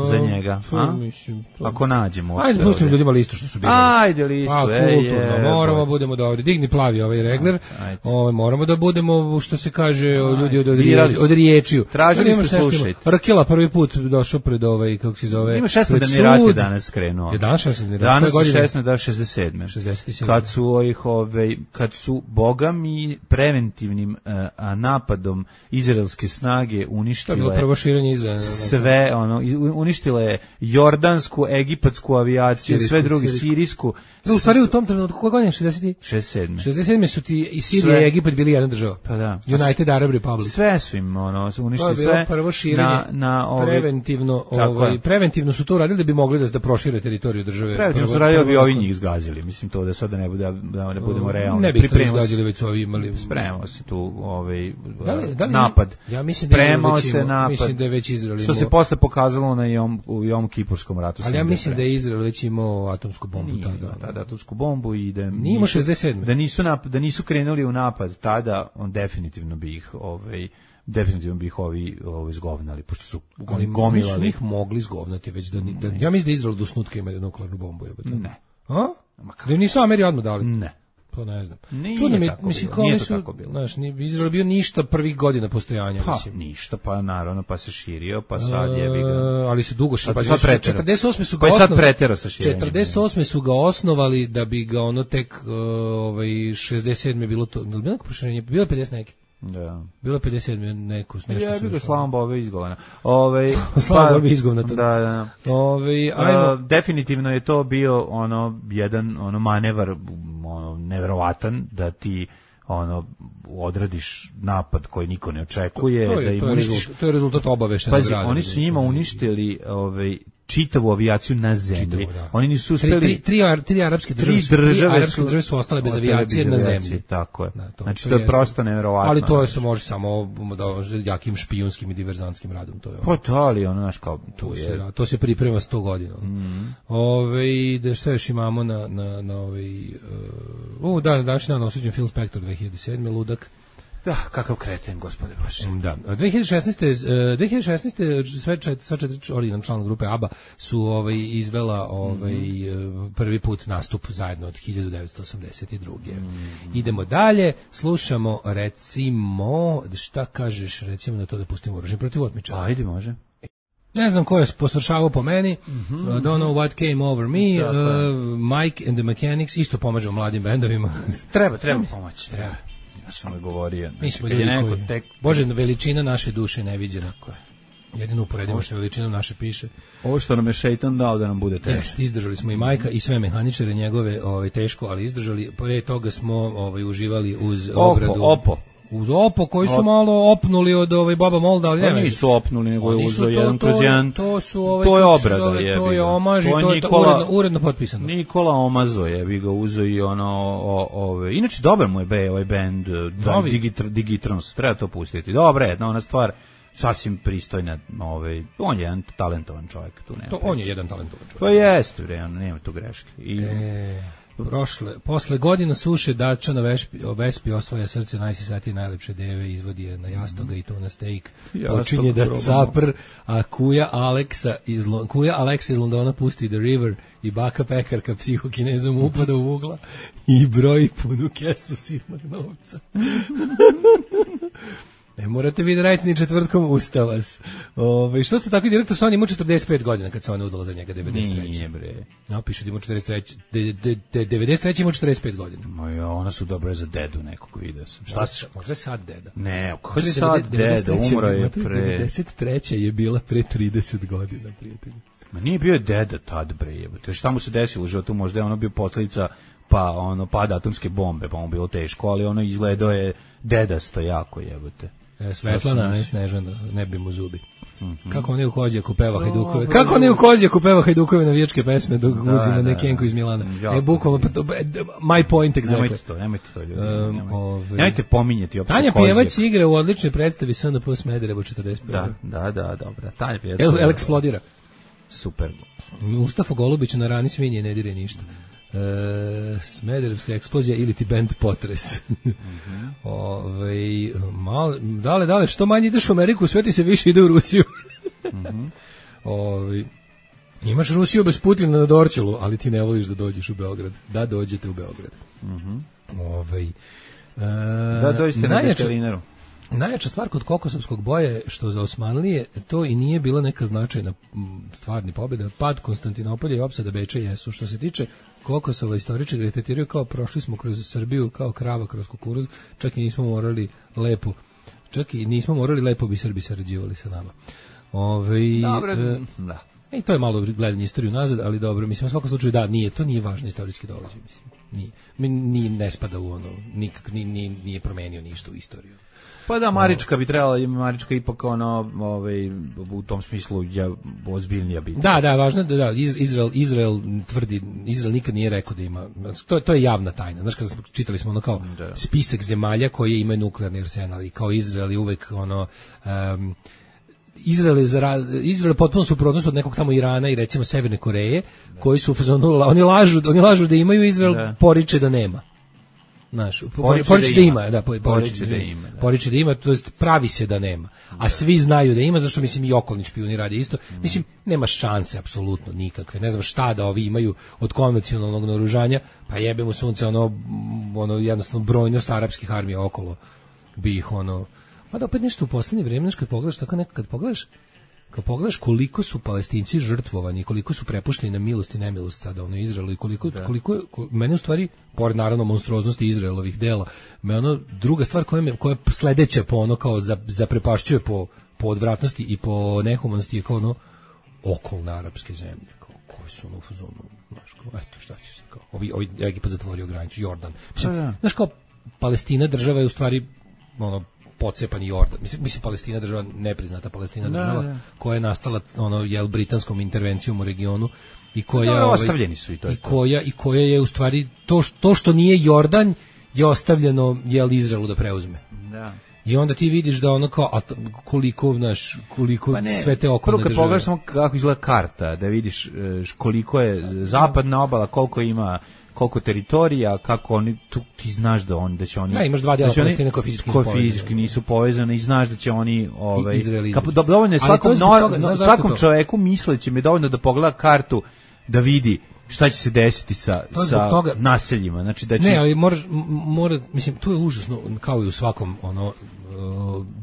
Za njega, a? Mislim, ako nađemo. Ajde, pustimo ljudima listu što su bili. Ajde listu, a, ej, je. Moramo budemo da ovdje digni plavi ovaj regler. Ovaj moramo da budemo što se kaže ljudi od od, od riječiju. Tražili ste slušajte. Rkela prvi put došao pred ovaj kako se zove. Ima šesnaesti rat je danas krenuo. Je danas šesnaesti rat. Danas šesnaesti da šezdeset sedme. šezdeset sedam. Kad su ovih ovaj kad su bogami preventivnim uh, napadom izraelske snage uništile. To je prvo širenje Izraela. Sve ono uništila je jordansku, egipatsku avijaciju, sirijsku, sve drugi, sirijsku. sirijsku. No, u stvari u tom trenutku, koje godine? šezdeset sedam. šezdeset sedam su ti i Sirija i Egipat bili jedna država. Pa da. United Arab Republic. Sve su im, ono, uništili sve. To je bilo prvo širenje, na, na ovaj, preventivno, ovaj, preventivno su to uradili da bi mogli da, da prošire teritoriju države. Preventivno prvo, su radili da bi ovi njih zgazili. Mislim to da sada ne, bude, da ne budemo realni. Ne bi ih zgazili, već su ovi imali. Spremao se tu ovaj, da li, da li, napad. Ja mislim da Spremao se napad. Mislim da je već Izrael imao. Što se posle pokazalo na Jom, u Jom Kipurskom ratu. Ali ja mislim da je Izrael već imao atomsku bombu tada. Tada atomsku bombu i da nisu, šezdeset sedam. Da nisu nap, da nisu krenuli u napad tada, on definitivno bi ih ovaj definitivno bi ih ovi ovaj zgovnali pošto su oni gomilali. Nisu ih mogli zgovnati već da, da ja mislim da Izrael do snutka ima nuklearnu bombu, jebote. Ne. A? Da nisu Ameri odmah dali. Ne. To ne znam. Čudno mi, mislim, kao nisu, znaš, ni Izrael bio ništa prvih godina postojanja, pa, mislim. Ništa, pa naravno, pa se širio, pa sad je bi ga... Ali se dugo širio, pa sad četrdeset osme su ga pa osnovali. Pa sad pretero sa širenjem. četrdeset osme su ga osnovali da bi ga ono tek, uh, ovaj, šezdeset sedme bilo to, bilo neko proširenje, bilo pedeset neke. Da. Bilo pedeset sedme neko nešto ja, su. Ja bih Slavom Bobe izgovana. Ovaj Slavom Bobe izgovana. Da, da. Ovaj ajmo. Uh, definitivno je to bio ono jedan ono manevar ono neverovatan da ti ono odradiš napad koji niko ne očekuje, to je, da im to je uništiš. Rezultat, to je rezultat obaveštenog rada. Pazi, oni su njima uništili ovaj čitavu avijaciju na zemlji. Čitavu, da. Oni nisu uspeli... Tri, tri, tri, tri arapske države, tri države, tri arapske države su ostale bez avijacije na zemlji. Tako je. Da, to, znači, to, to je prosto nevjerovatno. Ali to je se može samo da, jakim špijunskim i diverzantskim radom. To je, pa to, ali ono, znaš, kao... To, je, se, to se priprema sto godina. Mm. Ove, da što još imamo na, na, na ovaj... Uh, da, današnji dan osuđen film Spektor dve hiljade sedme, ludak. Da, kakav kreten, gospode Bože. Da. dve hiljade šesnaeste dve hiljade šesnaeste sve čet, sva četiri originalna člana grupe ABBA su ovaj izvela ovaj mm-hmm. prvi put nastup zajedno od hiljadu devetsto osamdeset druge. Mm-hmm. Idemo dalje, slušamo recimo, šta kažeš, recimo na to da pustimo Oružje protiv otmičara. Ajde, može. Ne znam ko je posvršavao po meni, mm-hmm. uh, Don't Know What Came Over Me, uh, Mike and the Mechanics, isto pomažu mladim bendovima. Treba, treba pomoći, treba. Ja sam joj govorio. Mi smo ljudi koji, tek... Bože, veličina naše duše neviđena. Jedino uporedimo što veličinom naše piše. Ovo što nam je šeitan dao da nam bude teško. Jeste, izdržali smo i Majka i sve mehaničare njegove ovaj, teško, ali izdržali. Pre toga smo ovaj, uživali uz obradu. Opo, opo. Uz Opo, koji su Op. malo opnuli od ovaj Baba Molda, ali ne nisu opnuli, nego je uzeo jedan kroz jedan. To su ovaj, to je obrada, je. To je omaž i to je Nikola, uredno, uredno potpisano. Nikola Omazo je, bi ga uzeo i ono, o, ove. Inače, dobar mu je be, ovaj band, Digitr, Digitrons, treba to pustiti. Dobra je, jedna ona stvar, sasvim pristojna, ovaj, on je jedan talentovan čovjek. Tu nema to, on je jedan talentovan čovjek. To jeste, bre, nema tu greške. I... E... Prošle, posle godina suše Dačana Vespi, Vespi osvaja srce najsisatije najlepše deve, izvodi je na jastoga i to na steak. Počinje da capr, a kuja Aleksa iz, kuja Aleksa iz Londona pusti The River i baka pekarka psihokinezom upada u ugla i broji punu kesu sitnog novca. Ne morate vi da radite ni četvrtkom Ustavas. Ove, što ste tako direktor, on ima četrdeset pet godina kad se ona udala za njega devedeset treće. Nije bre. No, piše da ima četrdeset treće. De, de, de, devedeset treće ima četrdeset pet godina. Moja, ona su dobre za dedu nekog video sam. Šta se? Možda je sad deda. Ne, kako je sad deda, umro je pre... devedeset treće je bila pre trideset godina, prijatelji. Ma nije bio je deda tad bre, jebote. Šta mu se desilo u životu? Možda je ono bio posljedica pa ono pada atomske bombe, pa mu bilo teško, ali ono izgledao je dedasto jako, jebote. E, Svetlana, ne Snežana, ne bi mu zubi. Mm-hmm. Kako oni u Kozjaku peva Hajdukove? No, Kako oni u Kozjaku peva Hajdukove navijačke pesme dok da, guzi na Nekenku iz Milana? Ja, e, bukvalno, my point exactly. Nemojte to, nemojte to ljudi. Um, nemojte. Ove... nemojte pominjati opšte Tanja Pjevac igra u odličnoj predstavi S N P Smederevo četrdeset pet. Da, da, da, dobra. Tanja Pjevac. El, el eksplodira. Super. Mustafa Golubić na rani svinje ne dire ništa. E, Smederevska eksplozija ili ti band Potres. Mm-hmm. Ove, mal, dale, dale, što manje ideš u Ameriku, sve ti se više ide u Rusiju. Mm-hmm. Ove, imaš Rusiju bez Putina na Dorčelu, ali ti ne voliš da dođeš u Beograd. Da dođete u Beograd. Mm-hmm. Ove, e, da dođete na veterinaru. Najjača stvar kod kokosovskog boja je što za Osmanlije to i nije bila neka značajna stvarni pobjeda. Pad Konstantinopolja i opsada Beča jesu. Što se tiče Kokosova, istoričari retetiraju kao prošli smo kroz Srbiju kao krava kroz kukuruz, čak i nismo morali lepo, čak i nismo morali lepo bi Srbi sarađivali sa nama. Ove, Dobre, e, da. I to je malo gledanje istoriju nazad, ali dobro, mislim, u svakom slučaju da, nije, to nije važno istorijski događaj, mislim. Nije, nije, ne spada u ono, nikak, nije, nije promenio ništa u istoriju. Pa da, Marička bi trebala, Marička ipak ono, ovaj, u tom smislu je ozbiljnija biti. Da, da, važno da, da Izrael, Izrael tvrdi, Izrael nikad nije rekao da ima, to, to je javna tajna. Znaš, kada smo, čitali smo ono kao da. spisak zemalja koje imaju nuklearni arsenal i kao Izrael je uvek ono, um, Izrael je, za, Izrael je potpuno suprotnost od nekog tamo Irana i recimo Severne Koreje, da. koji su, oni lažu, oni lažu da imaju, Izrael da. poriče da nema. Znaš, poriče, poriče da ima, da, poriče, poriče da ima, da. Poriče da ima, to jest pravi se da nema. A da. svi znaju da ima, zašto mislim i okolni špijuni rade isto. Mm. Mislim, nema šanse apsolutno nikakve. Ne znam šta da ovi imaju od konvencionalnog naoružanja, pa jebemo sunce ono ono jednostavno brojnost arapskih armija okolo bi ih ono. Pa da opet nešto u poslednje vreme, znaš, kad pogledaš tako nekad, kad pogledaš Kad pogledaš koliko su Palestinci žrtvovani, koliko su prepušteni na milost i nemilost sada ono Izraelu i koliko, da. koliko je, mene u stvari, pored naravno monstruoznosti Izraelovih dela, me ono, druga stvar koja je, koja je sledeća po ono kao zaprepašćuje po, po odvratnosti i po nehumanosti je kao ono okolne arapske zemlje, kao koje su ono u fazonu, znaš, kao, eto šta će se, kao, ovi, ovi Egipat zatvorio granicu, Jordan. Mislim, da, da. Znaš, kao, Palestina država je u stvari, ono, pocepani Jordan. Mislim, mislim Palestina država, nepriznata Palestina država, da, da. koja je nastala ono jel britanskom intervencijom u regionu i koja da, ostavljeni su i to. I koja i koja je u stvari to što, to što nije Jordan je ostavljeno jel Izraelu da preuzme. Da. I onda ti vidiš da ono kao a koliko naš koliko pa ne, sve te okolne države. Prvo kad pogledaš samo kako izgleda karta, da vidiš koliko je zapadna obala, koliko ima koliko teritorija, kako oni, tu, ti znaš da oni, da će oni... Da, imaš dva dela Palestine koji fizički, ko fizički nisu povezani i znaš da će oni... Ovaj, kap, do, dovoljno je svakom, je no, toga, no, svakom čoveku misleći mi je dovoljno da pogleda kartu, da vidi šta će se desiti sa, sa toga, naseljima. Znači da će... Ne, ali moraš, mora, mislim, to je užasno, kao i u svakom ono,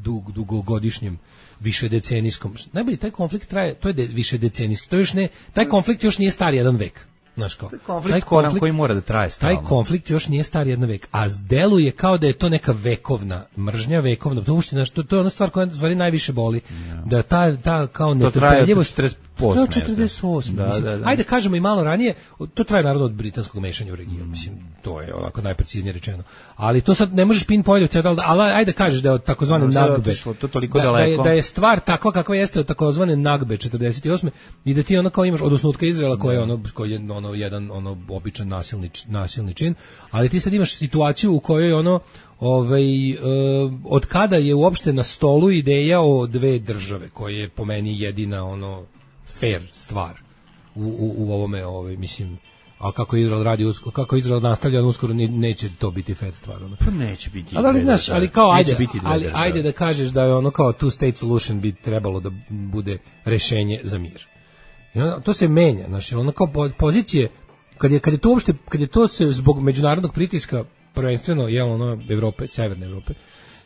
dug, dugogodišnjem višedecenijskom. Najbolje, taj konflikt traje, to je de, višedecenijski, to još ne, taj konflikt još nije star jedan vek. Znaš kao, konflikt, taj konflikt koji mora da traje stalno. Taj konflikt još nije star jedan vek, a deluje kao da je to neka vekovna mržnja, vekovna, to uopšte, znaš, to, to je ona stvar koja stvari najviše boli, ja. Da ta, ta kao netrpeljivost... To traje od četrdeset osme. Da, da, da. Ajde kažemo i malo ranije, to traje naravno od britanskog mešanja u region, mm. mislim, to je onako najpreciznije rečeno. Ali to sad ne možeš pinpointovati, ali ajde kažeš da je od takozvane Nagbe, to toliko da, da, je, da je stvar takva kakva jeste od takozvane Nagbe četrdeset osme i da ti ono kao imaš od osnutka Izraela koji je ono, koji je ono jedan ono običan nasilni, nasilni čin, ali ti sad imaš situaciju u kojoj ono ovaj, e, od kada je uopšte na stolu ideja o dve države, koja je po meni jedina ono fair stvar u, u, u ovome, ovaj, mislim, a kako Izrael radi, kako Izrael nastavlja, uskoro neće to biti fair stvar. Ono. Pa neće biti. Ali, znaš, ali kao, ajde, ali, ajde da kažeš da je ono kao two state solution bi trebalo da bude rešenje za mir. I ono, to se menja, znaš, ono kao pozicije, kad je, kad je to uopšte, kad je to se zbog međunarodnog pritiska, prvenstveno, je ono, Evrope, severne Evrope,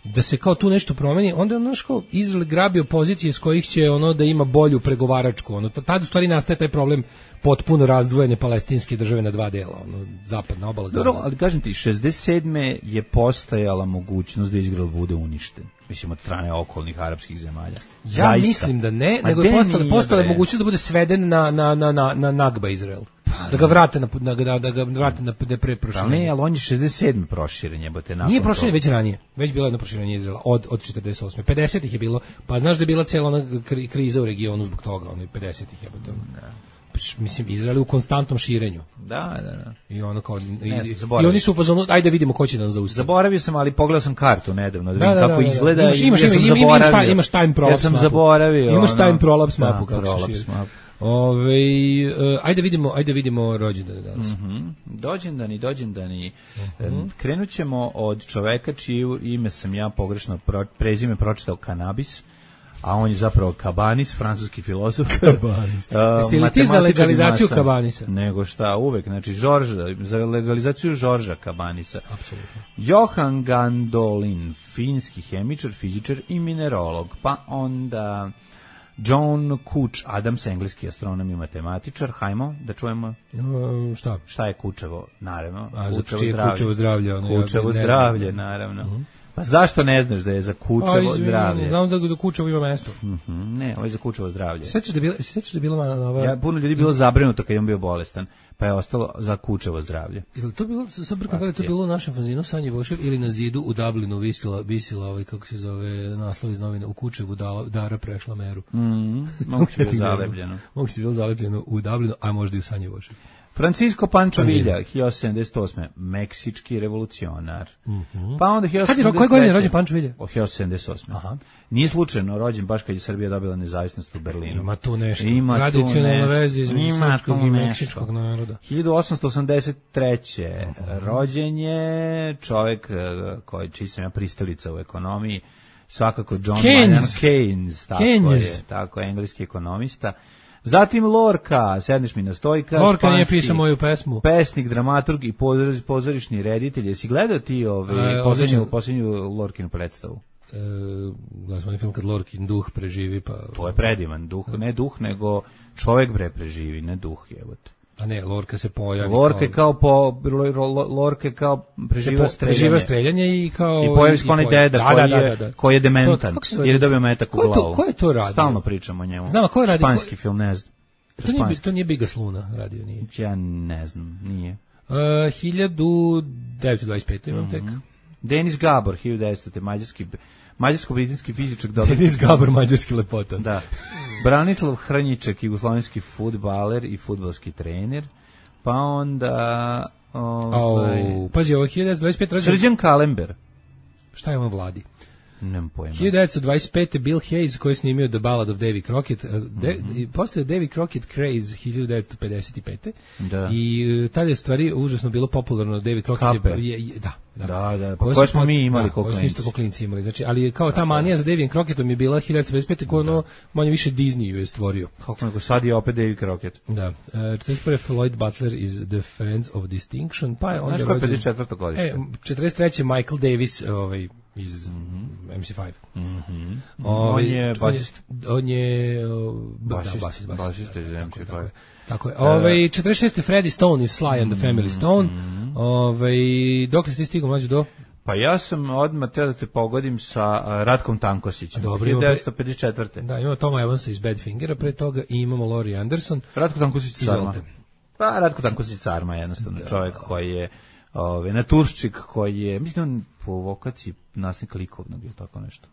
da se kao tu nešto promeni, onda je ono kao Izrael grabio pozicije s kojih će ono da ima bolju pregovaračku, ono, tad u stvari nastaje taj problem potpuno razdvojene palestinske države na dva dela, ono, zapadna obala Gaza. Dobro, ali kažem ti, šezdeset sedme je postojala mogućnost da Izrael bude uništen, mislim, od strane okolnih arapskih zemalja. Ja Zaista. Mislim da ne, Ma nego je postala, postala mogućnost da bude sveden na, na, na, na, na Nagba Izrael. Da ga vrate na da ga da ga vrate na preproširenje. Ne, ali on je šezdeset sedme proširen, jebote, nakon. Nije proširen već ranije. Već bilo jedno proširenje Izraela od od četrdeset osme. pedesetih je bilo. Pa znaš da je bila cela ona kriza u regionu zbog toga, ono pedesetih jebote. Da. Mislim, Izrael je u konstantnom širenju. Da, da, da. I ono kao i, ne, i oni su u fazonu, ajde vidimo ko će nas zaustaviti. Zaboravio sam, ali pogledao sam kartu nedavno, da vidim da, da, kako da, da, izgleda. Imaš, imaš, ja imaš, imaš, taj, imaš time prolaps. Ja sam mapu. zaboravio. Imaš ono, time prolaps mapu da, kako se širi. Ove, uh, ajde vidimo, ajde vidimo rođendane danas. Mm-hmm. Dođendani, dođendani. Mm-hmm. Krenut ćemo od čoveka čiju ime sam ja pogrešno pro, prezime pročitao Kanabis, a on je zapravo Kabanis, francuski filozof. Kabanis. Uh, Jesi li ti za legalizaciju masa, Kabanisa? Nego šta, uvek, znači Žorža, za legalizaciju Žorža Kabanisa. Apsolutno. Johan Gandolin, finski hemičar, fizičar i minerolog. Pa onda John Kuč Adams, engleski astronom i matematičar. Hajmo da čujemo. Uh, šta? Šta je Kučevo? Naravno. A, Kučevo zdravlje. Kučevo zdravlje, ono, Kučevo ja zdravlje, naravno. Uh-huh. Pa zašto ne znaš da je za Kučevo Aj, zdravlje? Znam da za Kučevo ima mesto. Mm-hmm. Ne, ovo je za Kučevo zdravlje. Sećaš da bilo, sećaš da bilo nova. Ja puno ljudi bilo zabrinuto kad je on bio bolestan, pa je ostalo za Kučevo zdravlje. Jel to bilo sa brkam da je to bilo u našem fanzinu Sanje Vošev ili na zidu u Dublinu visila visila ovaj kako se zove naslov iz novina u Kučevu da, Dara prešla meru. Mhm. Moguće bilo zalepljeno. Moguće bilo zalepljeno u Dublinu, a možda i u Sanje Vošev. Francisco Pancho Villa, hiljadu sedamsto sedamdeset osme, meksički revolucionar. Mm-hmm. Pa onda hiljadu sedamsto sedamdeset treće. Kad je, koje godine je rođen Pancho Villa? hiljadu sedamdeset osme. Aha. Nije slučajno rođen baš kad je Srbija dobila nezavisnost u Berlinu. Ima tu nešto. Ima tradicionalna veza između srpskog i meksičkog naroda. hiljadu osamsto osamdeset treće. Uh-huh. Rođen je čovjek koji čiji sam ja pristalica u ekonomiji, svakako John Maynard Keynes, tako Keynes. je, tako je, engleski ekonomista. Zatim Lorca, sedneš mi na stojka. Lorca nije pisao moju pesmu. Pesnik, dramaturg i pozorišni reditelj. Jesi gledao ti ovaj, posljednju, posljednju Lorkinu predstavu? E, gledao sam film kad Lorkin duh preživi. Pa... To je predivan duh, ne duh, nego čovjek bre preživi, ne duh, jebote. A ne, Lorca se pojavi. Lorca kao... kao po Lorca kao preživa streljanje. Preživa streljanje i kao i pojavi se onaj deda da, koji, da, da, da. koji je dementan jer je dobio metak u glavu. Ko je to radio? Stalno pričamo o njemu. Znam, ko je radio? Španski film, ne znam. To nije, to nije Bigas Luna radio, nije. Ja ne znam, nije. Uh, hiljadu devetsto dvadeset pet imam mm-hmm. tek. Denis Gabor, hiljadu devetsto mađarski mađarsko-britanski fizičar. Denis Gabor, mađarski lepota. Da. Branislav Hrnjiček, jugoslovenski fudbaler i fudbalski trener. Pa onda... Ovaj... Oh, pazi, ovo hiljadu devetsto dvadeset pet rođen... Srđan Kalember. Šta je ono vladi? Nemam pojma. hiljadu devetsto dvadeset pete. Bill Hayes koji je snimio The Ballad of Davy Crockett. De, mm-hmm. Postoje Davy Crockett craze hiljadu devetsto pedeset pete. Da. I tada je stvari užasno bilo popularno. Davy Crockett je, je, je, da. Da, da, da. Pa koje smo mi imali kao klinci. Isto kao klinci imali. Znači, ali kao ta manija za Davy Crockettom je bila hiljadu devetsto pedeset pete koja ono manje više Disney ju je stvorio. Kako nego sad je opet Davy Crockett. Da. Uh, četrdeset prve. Floyd Butler iz The Friends of Distinction. Pa je onda znaš ko je pedeset četvrto godište? E, četrdeset treće. Michael Davis, ovaj iz mm-hmm. M C five. Mm-hmm. Ovaj, on je basist. On je basist, da, basist, basist, basist iz M C five. Tako je. Ovaj četrdeset šeste. Freddie Stone iz Sly and the Family Stone. Mm-hmm. Ovaj dokle ste stigao mlađe do? Pa ja sam odmah teo da te pogodim sa uh, Ratkom Tankosićem. hiljadu devetsto pedeset četvrte. Da, imamo Toma Evansa iz Badfingera, pre toga i imamo Laurie Anderson. Ratko Tankosić Sarma. Pa Ratko Tankosić Sarma je jednostavno da. Čovjek koji je ove, naturščik, koji je, mislim on po vokaciji nastavnik likovnog ili tako nešto.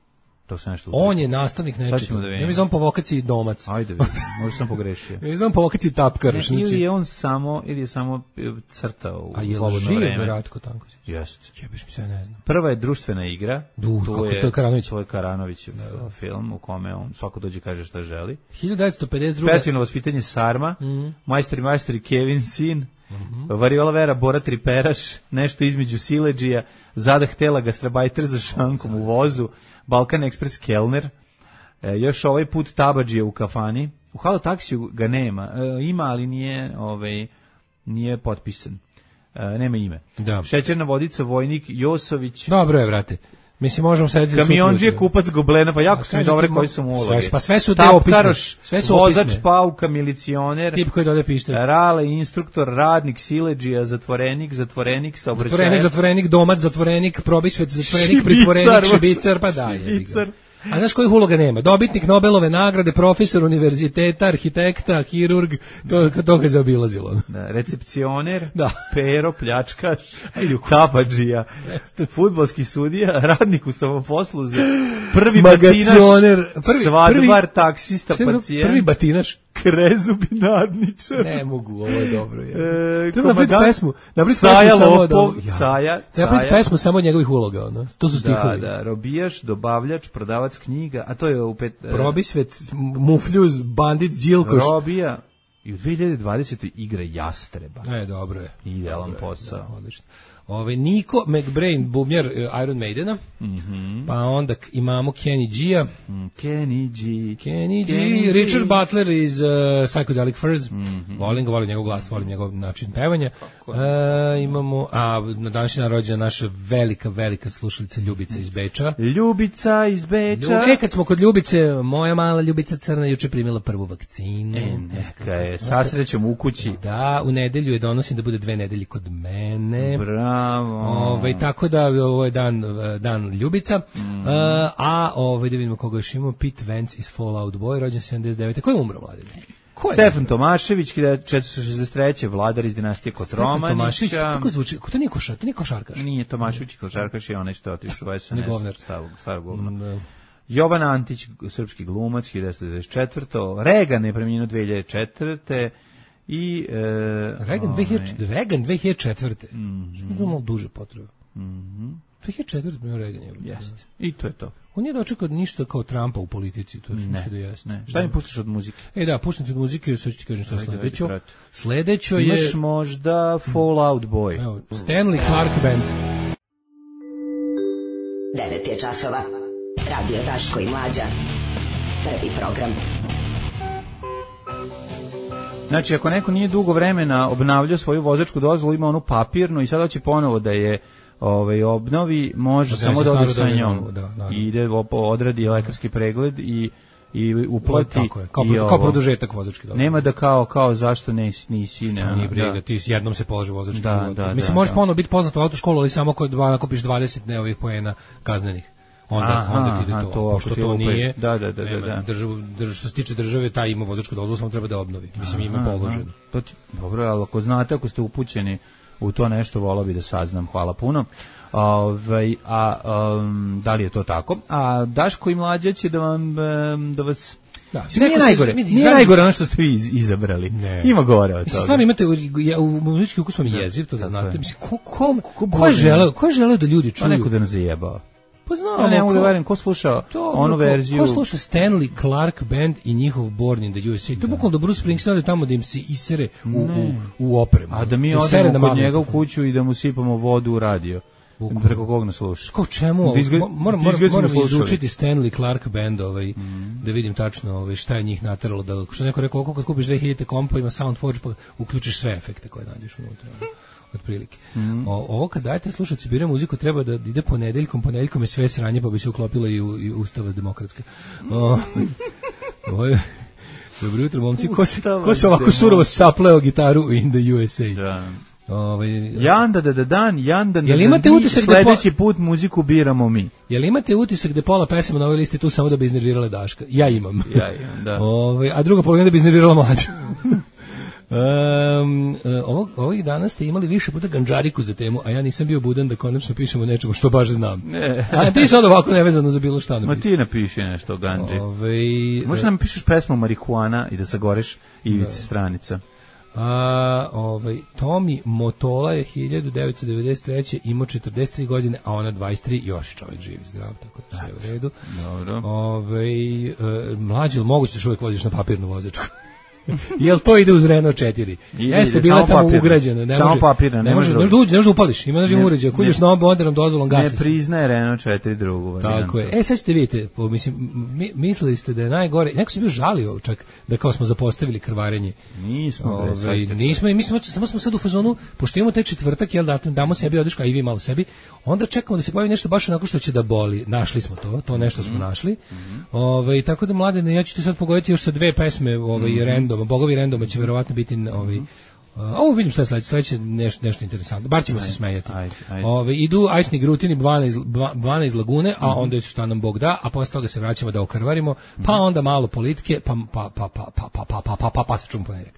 To se nešto on je nastavnik nečega. Da ja mislim po vokaciji domac. Ajde, vidim. Možda sam pogrešio. Ja mislim po vokaciji tapkar. Ne, znači, ili je on samo, ili je samo crtao u a je slobodno vreme. A je Ratko Tankosić? Jeste. Jebiš mi se, ne znam. Prva je društvena igra. Du, to, je, to je Karanović. To je Karanovićev da. Film u kome on svako dođe kaže šta želi. hiljadu devetsto pedeset druge. Specijalno vaspitanje Sarma, mm-hmm. Majstori majstori Kevin Sin, mm-hmm. Variola Vera, Bora Triperaš, nešto između Siledžija, Zadah Tela, Gastrabajter za šankom u vozu, Balkan Express Kellner, e, još ovaj put Tabadžija u kafani. U Halo taksiju ga nema. E, ima, ali nije, ovaj, nije potpisan. E, nema ime. Da. Šećerna vodica, vojnik Josović. Dobro je, vrate. Mislim, možemo sedeti... Kamionđije, kupac Goblena, pa jako su mi dobre koji su mu uloge. Pa sve su te opisne. Sve su opisne. Vozač Pauka, milicioner. Tip koji dode pište. Rale, instruktor, radnik, siledžija, zatvorenik, zatvorenik, saobraćajac. Zatvorenik, zatvorenik, domac, zatvorenik, probisvet, zatvorenik, pritvorenik, šibicar, pa daj. Šibicar. A znaš kojih uloga nema? Dobitnik Nobelove nagrade, profesor univerziteta, arhitekta, hirurg, to, to ga je zaobilazilo. Da, recepcioner, da. pero, pljačkaš, Tabadžija, fudbalski sudija, radnik u samoposluzi, prvi magacioner, prvi, svadbar, prvi, taksista, pacijent, prvi batinaš, krezubi nadničar. Ne mogu, ovo je dobro. Je. E, Treba napraviti pesmu. Napraviti Caja, pesmu samo Lopov, da, ja. Caja, napraviti pesmu samo od njegovih uloga. Ono. To su stihovi. Da, da, robijaš, dobavljač, prodavac knjiga, a to je u pet... Probisvet, mufljuz, bandit, džilkoš. Robija. I u dve hiljade dvadesete igra Jastreba. E, dobro je. Idealan posao. Da, odlično. Ove, Niko McBrain, bubnjar Iron Maidena, mm-hmm. pa onda imamo Kenny G-a. Mm, Kenny G. Kenny G. Kenny Richard G. Butler iz uh, Psychedelic Furs. Mm-hmm. Volim ga, volim njegov glas, volim njegov način pevanja. Uh, imamo, a na današnji dan rođena naša velika, velika slušalica Ljubica iz Beča. Ljubica iz Beča. Ljub, e, kad smo kod Ljubice, moja mala Ljubica Crna juče primila prvu vakcinu. E, neka je, sa srećom u kući. Da, u nedelju je donosim da bude dve nedelje kod mene. Bravo. Ovaj tako da ovo je dan dan Ljubica. Mm. Uh, a ovaj da vidimo koga još imamo. Pete Wentz iz Fallout Boy, rođen sedamdeset devete. Ko je umro, mladen? Ko je? Stefan Tomašević, hiljadu četiristo šezdeset treće vladar iz dinastije Kotromanića. Tomašević, kako zvuči? Ko to nije košarkaš? To nije košarkaš. Nije Tomašević košarkaš, je onaj što je otišao u S N S. Starog, starog govna. Da. Jovan Antić, srpski glumac, hiljadu devetsto devedeset četvrte. Regan je preminuo dve hiljade četvrte. I e, Reagan, dve hiljade, Reagan dve hiljade četvrte. Mm-hmm. Što je malo duže potrebe. Mm-hmm. dve hiljade četvrte bio Reagan je. Jeste. I to je to. On nije dočekao ništa kao Trumpa u politici, to je sve da jeste. Ne. Šta mi puštaš od muzike? E da, puštam ti od muzike, sad ću ti kažem šta je sledećo. Sledećo je... Imaš možda Fallout Boy. Evo, Stanley Clark Band. devet je časova. Radio Daško i Mlađa. Prvi program. Znači, ako neko nije dugo vremena obnavljao svoju vozačku dozvolu, ima onu papirnu i sada će ponovo da je ovaj, obnovi, može da samo da ode sa njom. Da, I ide, odradi lekarski pregled i i uplati. Tako je, kao, i kao produžetak vozačke dozvole. Nema da kao, kao zašto nisi, nisi ne, nije briga, da. Ti jednom se položi vozački da, dozvole. Da, Mislim, da, možeš da. ponovo biti poznat u autoškolu, ali samo kod nakupiš dvadeset ne ovih poena kaznenih. Onda, aha, onda ti ide to, to pošto to nije, da, da, da, nema, da. Državu, državu, što se tiče države, taj ima vozačku dozvolu, samo treba da obnovi. Mislim, ima položeno. To ti, dobro, ali ako znate, ako ste upućeni u to nešto, volao bi da saznam, hvala puno. Ove, a um, da li je to tako? A Daško i Mlađa će da vam, da vas... Da, nije najgore, se, nije najgore ono što ste vi izabrali. Ne. Ima gore od toga. Stvarno imate, u, u muzički ukus vam je jeziv, to da znate. Mislim, ko, ko, ko, ko, je želeo, ko je želeo da ljudi čuju? A neko da nas zajebao. Pa znam, ja ne mogu da verujem, ko sluša onu verziju? Ko sluša Stanley Clark Band i njihov Born in the U S A? To je bukvalno da Bruce Springsteen ode tamo da im se isere u, u, u opremu. A da mi da odemo kod njega u kuću i da mu sipamo vodu u radio. Bukvalno. Preko kog nas sluša? Kao čemu? Dizga, moram moram, moram izučiti Stanley Clark Band ovaj, mm. da vidim tačno ovaj, šta je njih nateralo. Da, što neko rekao, kad kupiš dve hiljade kompa ima Soundforge pa uključiš sve efekte koje nađeš unutra. Otprilike. Mm. O, ovo kad dajete slušaci bira muziku treba da ide ponedeljkom, ponedeljkom je sve sranje pa bi se uklopilo i, u, i Ustava demokratska. O, ovo je, dobro jutro, momci, ko se, ko se ovako surovo sapleo gitaru in the U S A? Da. Ovaj Janda da da dan, janda da. Jel imate utisak da sledeći po... put muziku biramo mi? Jel imate utisak da pola pesama na ovoj listi tu samo da bi iznervirale Daška? Ja imam. Ja imam, da. Ovaj a druga polovina da bi iznervirala Mlađu. Um, ovog, ovih dana ste imali više puta ganđariku za temu, a ja nisam bio budan da konačno pišemo nečemu što baš znam. Ne. A ti sad ovako nevezano za bilo šta napiši. Ma ti napiši nešto o ganđi. Ove, Možeš nam pišeš pesmu marihuana i da sagoreš ivici stranica. A, ovaj, Tomi Motola je hiljadu devetsto devedeset treće imao četrdeset tri godine, a ona dvadeset tri, još je čovjek živ, zdrav, tako da sve u redu. Dobro. Ovaj, e, mlađi, moguće da još uvijek voziš na papirnu vozačku? Jel to ide uz Renault četiri? Jeste bila tamo papirno. Ugrađeno, ne samo može. Papirno, ne može. Ne može, ne može da upališ. Ima znači uređaj, ako ideš na modernom dozvolom gasi. Ne priznaje Renault četiri drugu varijantu. Tako je. E sad ćete vidite, po, mislim mi, mislili ste da je najgore. Neko se bio žalio čak da kao smo zapostavili krvarenje. Nismo, Ove, nismo, mi smo samo smo sad u fazonu, pošto imamo taj četvrtak, jel da damo sebi odeška i vi malo sebi. Onda čekamo da se pojavi nešto baš onako što će da boli. Našli smo to, to nešto smo našli. Mm-hmm. Ove, tako da mladene, ja ću ti sad pogoditi još sa dve pesme, ovaj mm-hmm. random, bogovi random će verovatno biti ovaj a ovo vidim šta je sledeće, sledeće nešto, nešto interesantno. Bar ćemo ajde, se smejati. Ajde, ajde. Ove, idu Ajsni Grutini, dvanaest, dvanaest lagune, a mm-hmm. onda je šta nam Bog da, a posle toga se vraćamo da okrvarimo, pa onda malo politike, pa pa pa pa pa pa pa pa pa pa pa se čum ponedjeljak.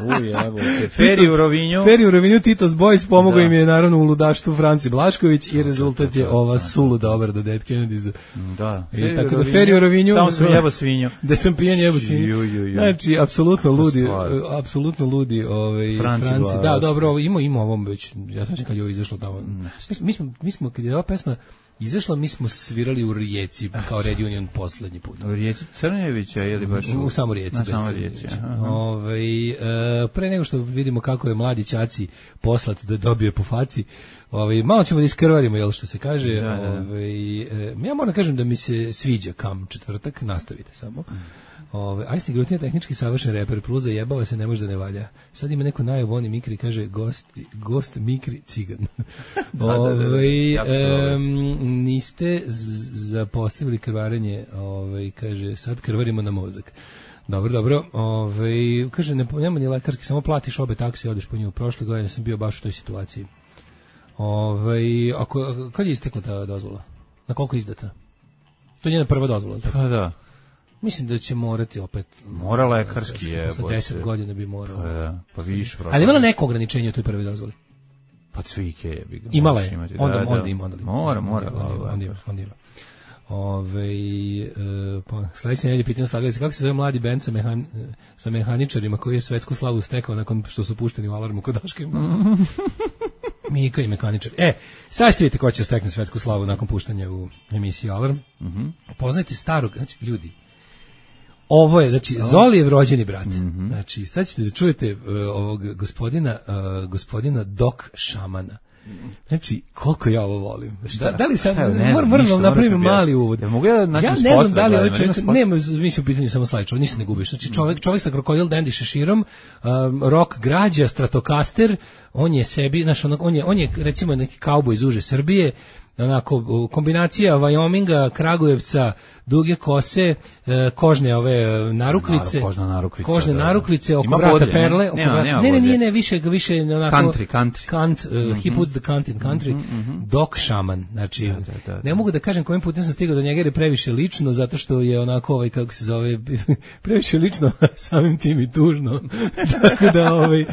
Uj, evo, Feri u Rovinju. Feri u Rovinju, Titos Boys, pomogao im je naravno u ludaštvu Franci Blašković i rezultat je ova suluda obrada Dead Kennedys. Da. I tako da Feri u Rovinju. Tamo sam jebo svinju. Da sam pijan jebo svinju. Znači, apsolutno ludi, apsolutno ludi ovaj, Franci. Franci. Da, dobro, ima, ima ovom već, ja sam kad je ovo izašlo tamo. Mi smo, mi smo, kad je ova pesma izašla, mi smo svirali u Rijeci kao Red Union poslednji put. U Rijeci Crnjevića ili baš u, u samo Rijeci? Na samo Rijeci. Ovaj e, pre nego što vidimo kako je mladi ćaci poslat da dobije po faci, ovaj malo ćemo da iskrvarimo, jel što se kaže. Da, da. Ovaj e, ja moram da kažem da mi se sviđa kam četvrtak, nastavite samo. Mm. Ove, Ajsni Grutin je tehnički savršen reper, plus zajebava se, ne može da ne valja. Sad ima neko najavu, oni Mikri kaže gost, gost Mikri cigan. da, ove, da, da, da. Um, niste zapostavili krvarenje, ove, kaže, sad krvarimo na mozak. Dobro, dobro. Ove, kaže, ne, nema ni lekarski, samo platiš obe taksi i odeš po nju. Prošle godine sam bio baš u toj situaciji. Ove, ako, kad je istekla ta dozvola? Na koliko izdata? To je njena prva dozvola. Tako? Pa da. Mislim da će morati opet. Mora lekarski je. Posle deset godina bi morao. Pa da, pa više. Ali imala neko ograničenje u toj prvoj dozvoli? Pa cvike je. Bi imala je. Onda, da, onda ima. Onda mora, mora. Onda ima, onda ima. Ove, e, pa, sledeće nedelje pitanje slagalice, kako se zove mladi bend sa, mehan, sa mehaničarima koji je svetsku slavu stekao nakon što su pušteni u Alarmu kod Daška i Mlađe? Mika i mehaničar. E, sad ste vidite ko će stekne svetsku slavu nakon puštanja u emisiji Alarm. Mm-hmm. Poznajte starog, znači, ljudi, ovo je, znači, Zolijev rođeni brat. Mm-hmm. Znači, sad ćete da čujete uh, ovog gospodina, uh, gospodina Dok Šamana. Znači, koliko ja ovo volim. Da, da li sam, moram, moram vam napravim mali uvod. Ja, mogu ja, ja ne znam da li ovaj čovjek, nema, mislim u pitanju samo slajčeva, ništa ne gubiš. Znači, čovjek, čovjek sa krokodil dandy šeširom, um, rock građa, Stratocaster, on je sebi, znaš, on, on, je, on je recimo neki kauboj iz uže Srbije, onako, kombinacija Wyominga, Kragujevca, duge kose, kožne ove narukvice, kožna narukvica, kožne da, narukvice oko vrata bodlje, perle, oko nema, vrata, nema ne, ne, nije, ne, više, više onako, country, country. Kant, uh, mm-hmm. He puts the Kant in country, mm-hmm. Dok Šaman, znači, da, da, da, da. Ne mogu da kažem kojim putem sam stigao do njega jer je previše lično, zato što je onako, ovaj, kako se zove, previše lično, samim tim i tužno, tako da, ovaj,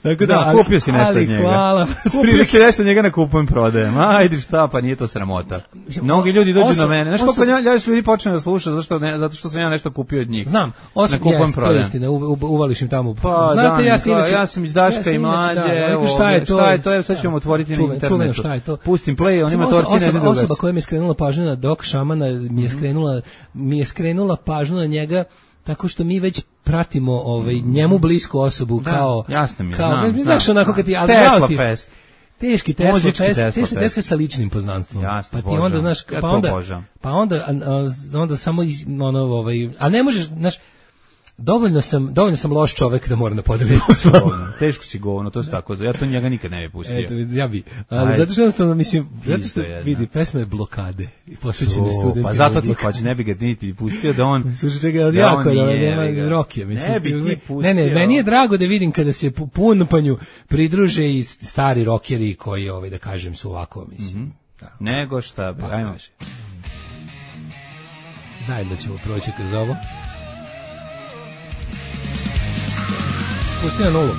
tako da, da ali, kupio si nešto od njega, hvala, kupio si nešto od njega na kupujem prodajem, ajde šta, pa nije to sramota. Mnogi ljudi dođu osim, na mene. Znaš koliko ja ljudi počne da sluša zašto ne, zato što sam ja nešto kupio od njih. Znam. Osim kupujem prodajem. Istina, u, u, uvališ im tamo. Pa, znate, da, ja sam inače, ja sam iz Daška ja i mlađe. Da, evo, šta je to? Šta je to? Evo sad ćemo otvoriti čuven, na internetu. Čuven, šta je to? Pustim play, on ima torci ne zna. Osoba koja mi je skrenula pažnju na Dok Šamana mi je skrenula mi je skrenula pažnju na njega tako što mi već pratimo ovaj njemu blisku osobu da, kao jasno mi je, kao znam, ne znaš onako kad ti Tesla Fest. Teški Tesla Fest, Tesla Fest sa ličnim poznanstvom. Jasno, pa ti onda znaš, ja pa onda pa onda a, a, onda samo ono ovaj, a ne možeš, znaš, dovoljno sam, dovoljno sam loš čovek da moram da podelim s vama. Teško si govno, to se tako, ja to njega nikad ne bi pustio. Eto, ja bi. Ali Aj, zato što jednostavno, mislim, zato što vidi, pesma je blokade i posvećeni studenti. Pa zato ti hoće, ne bi ga niti pustio da on... Slušaj, čekaj, od jako, da nema rokije, mislim. Ne bi ti pustio. Ne, ne, meni je drago da vidim kada se punpanju pridruže i stari rokeri koji, ovaj, da kažem, su ovako, mislim. Mm -hmm. Nego šta, pa, ajmo. Zajedno ćemo proći kroz ovo. Pusti na nulu.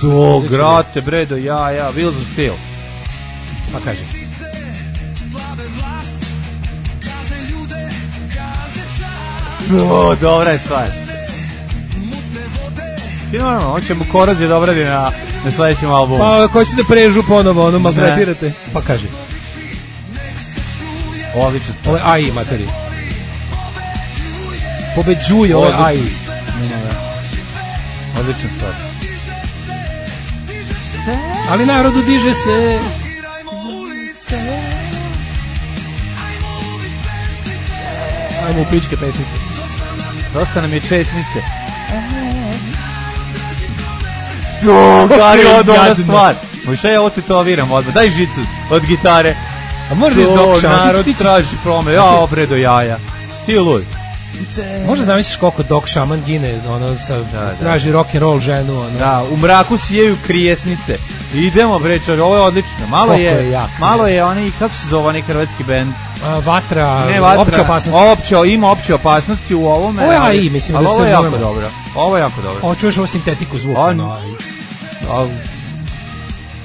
To, grate, bre, do jaja, Wheels of Steel. Pa kaže. O, dobra je stvar. Ti normalno, on će mu Korozije da obradi na, na sledećem albumu. Pa, ko će da prežu ponovo, ono, maltretirate. Pa kaže. Odlično stvar. Ovo je A I, materi. Pobeđuje, ovo je A I. Odlična stvar. Ali narodu diže se. Ajmo u pičke pesnice. Dosta nam je česnice. O, kari je dobra stvar. Možda ja ovo tetoviram odmah. Daj žicu od gitare. A možeš Dok Šaman. Narod traži prome. Ja, obre do jaja. Stiluj. Možda zamisliš koliko Dok Šaman gine, ono, sa, da, da. Traži rock and roll ženu, ono. Da, u mraku sijeju krijesnice. Idemo, bre, čovjek, ovo je odlično. Malo je, je jak, malo je onaj, kako se zove onaj hrvatski bend? A, vatra, ne, vatra, opće opasnosti. Opće, ima opće opasnosti u ovome. Ovo je A I, mislim, ali da ovo se je jako dobro. Ovo je jako dobro. Ovo čuješ ovo sintetiku zvuka, on, no, A I.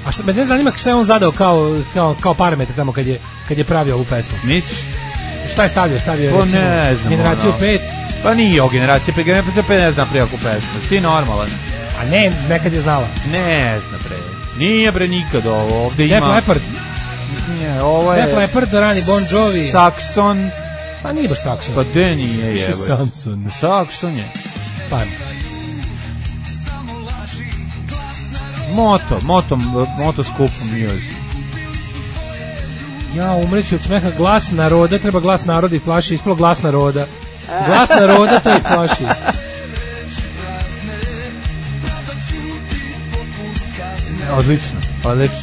A šta, me ne zanima šta je on zadao kao, kao, kao parametar tamo kad je, kad je pravio ovu pesmu. Misliš? Šta je stavio? Stavio to recimo, ne znam, generaciju ono. pet. Pa nije o generaciji pet, generaciju pet ne znam prijako pesmu. Ti normalan. A ne, nekad je znala. Ne znam pre. Nije bre nikad ovo. Ovde Def ima... Leppard. Ne, ovo je... Def Leppard, rani Bon Jovi. Saxon. Pa nije baš Saxon. Pa de nije jebe. Samson. Saxon je. Pa. Moto, moto, moto skup music. Ja umreću od smeha, glas naroda, treba glas naroda i plaši, ispalo glas naroda. Glas naroda to i plaši. Odlično, odlično.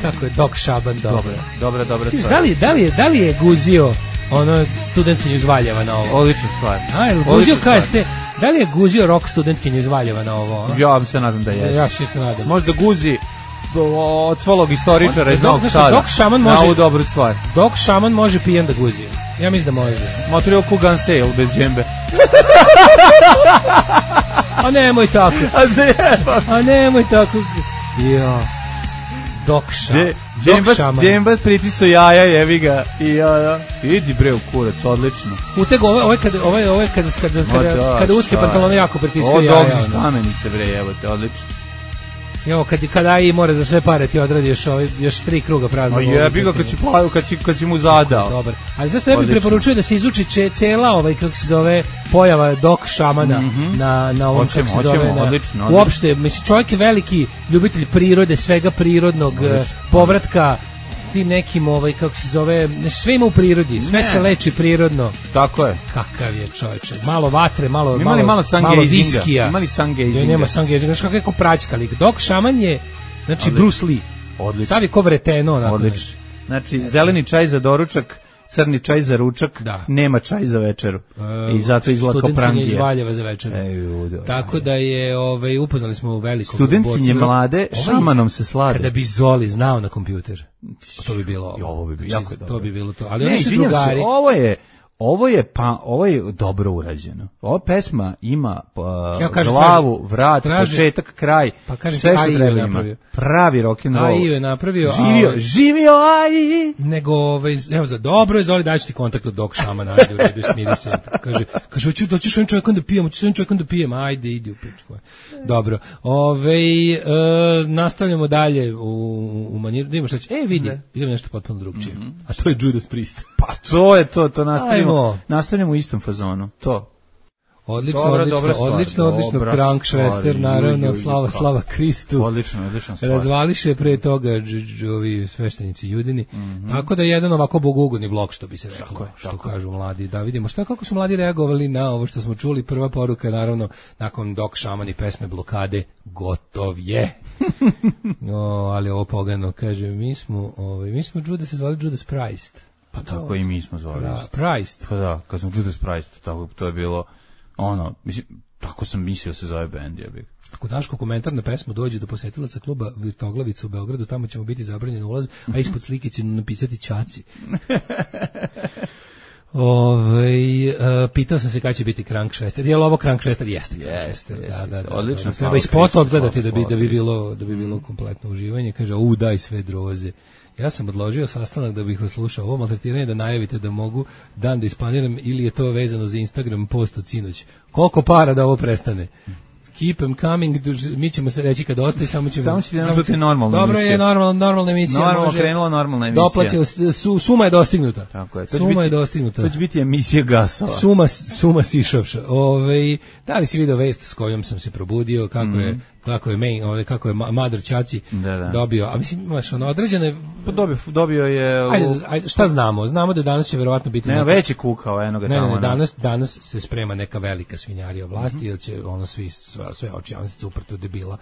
Kako je Dok Šaban dobro. Dobra, dobra, dobra stvar. Da li, da li, je, da li je guzio ono studentkinju iz Valjeva na ovo? Odlična stvar. A, je guzio K S T? Da li je guzio rock studentkinju iz Valjeva na ovo? Ono? Ja se nadam da je. Ja se isto nadam. Možda guzi od svolog istoričara iz Novog Sada. Dok Šaman može, na ovu dobru stvar. Dok Šaman može pijen da guzi. Ja mislim da može. Motorio Kugan Sale bez džembe. A nemoj tako. A zjeba. A nemoj tako. Ja. Dok Šaman. Džemba pritiso jaja, jevi ga. I ja, da. Idi bre u kurac, odlično. Utego, ovo je kada, ovo je, ovo je kada, kada, kada, kada uske pantalone jako pritiskaju jaja. Ovo dok su kamenice bre, evo te, odlično. Jo, kad kad A I mora za sve pare ti odradi još ovaj još tri kruga prazno. A jebi ga kad si pa kad si kad si mu zadao. Dobar. Ali zašto ja bih preporučio da se izuči če, cela ovaj kako se zove pojava Dok Šamana mm -hmm. na na ovom kako se zove na, odlično, uopšte mislim čovjek je veliki ljubitelj prirode, svega prirodnog, odlično, povratka tim nekim ovaj kako se zove sve ima u prirodi, sve ne. Se leči prirodno. Tako je. Kakav je čovječe. Malo vatre, malo imali malo malo viskija. Imali sangezinga. Nema sangezinga. Znaš kako je praćka lik. Dok Šaman je znači odlično. Bruce Lee. Odlično. Sav je ko vreteno onako. Odlično. Znači zeleni čaj za doručak, crni čaj za ručak, da. Nema čaj za večeru. E, I zato izgleda kao prangija. Iz Valjeva za večeru. E, judo, tako da je, ovaj, upoznali smo u velikog studentkinje mlade, šamanom se slade. Kada bi Zoli znao na kompjuter, to bi bilo ovo. Ovo bi bilo jako dobro. To bi bilo to. Ali oni su drugari. Ovo je, Ovo je pa ovo je dobro urađeno. Ova pesma ima pa, ja, kažem, glavu, vrat, traži, početak, kraj. Pa kažem, sve što treba ima. Pravi rock and roll. Ai je napravio. Živio, a, živio ai. Nego ovaj evo za dobro je zoli daći ti kontakt od Dok Šamana, ajde u redu, smiri se. Kaže, kaže hoću doći s ovim čovjekom da pijem, hoću s ovim čovjekom da pijem. Ajde, idi u pičku. Dobro. Ovaj e, nastavljamo dalje u u maniru. Idemo šta će. E vidi, ne. Idemo nešto potpuno drugčije. Mm-hmm. A to je Judas Priest. Pa to je to, to nastavljamo. Ajmo. Nastavljamo u istom fazonu. To. Odlično, dobra, odlično, dobra stvar, odlično, odlično, Krankšvester, naravno, ju, slava, slava Kristu. Odlično, odlično stvar. Razvališe pre toga ovi sveštenici Judini. Mm -hmm. Tako da je jedan ovako bogugodni blok, što bi se reklo, tako, što tako. Kažu mladi. Da vidimo šta, kako su mladi reagovali na ovo što smo čuli. Prva poruka, naravno, nakon Dok Šaman i pesme Blokade, gotov je. No, ali ovo pogano, kaže, mi smo, ovaj, mi smo Judas se zvali Judas Priest. Pa tako oh. i mi smo zvali. Pra, Priest. Pa da, kad smo Judas Priest, tako, to je bilo... Ono, mislim, tako sam mislio se zove bend, ja bih. Ako Daško komentar na pesmu dođe do posetilaca kluba Virtoglavica u Beogradu, tamo ćemo biti zabranjen ulaz, a ispod slike će napisati Ćaci. Ove, uh, pitao sam se kada će biti Krankšvester. Je li ovo Krankšvester? Jeste. Jeste, jeste. Da, da, da, odlično. Da, treba i spot odgledati da bi, da bi bilo, da bi bilo kompletno uživanje. Kaže, u, daj sve droze. Ja sam odložio sastanak da bih vas slušao. Ovo maltretiranje da najavite da mogu dan da isplaniram ili je to vezano za Instagram post od sinoć. Koliko para da ovo prestane? Keep them coming, mi ćemo se reći kad ostaje, samo ćemo... Samo ćete nam čuti normalna dobro emisija. Dobro je, normalna, normalna emisija. Normalno krenula normalna emisija. Doplaćeno, su, suma je dostignuta. Tako je. Suma biti, je dostignuta. To će biti emisija gasova. Suma, suma sišavša. Ove, da li si video vest s kojom sam se probudio, kako mm. je... kako je main, ovaj kako je Madar Ćaci da, da. dobio, a mislim imaš ono određene pa dobio dobio je u... ajde, ajde, šta znamo? Znamo da danas će verovatno biti ne, neka... veći kukao eno ga tamo. Ne, ne, danas danas se sprema neka velika svinjarija vlasti, mm-hmm. jer će ono svi sve, sve oči javnosti uprto debila.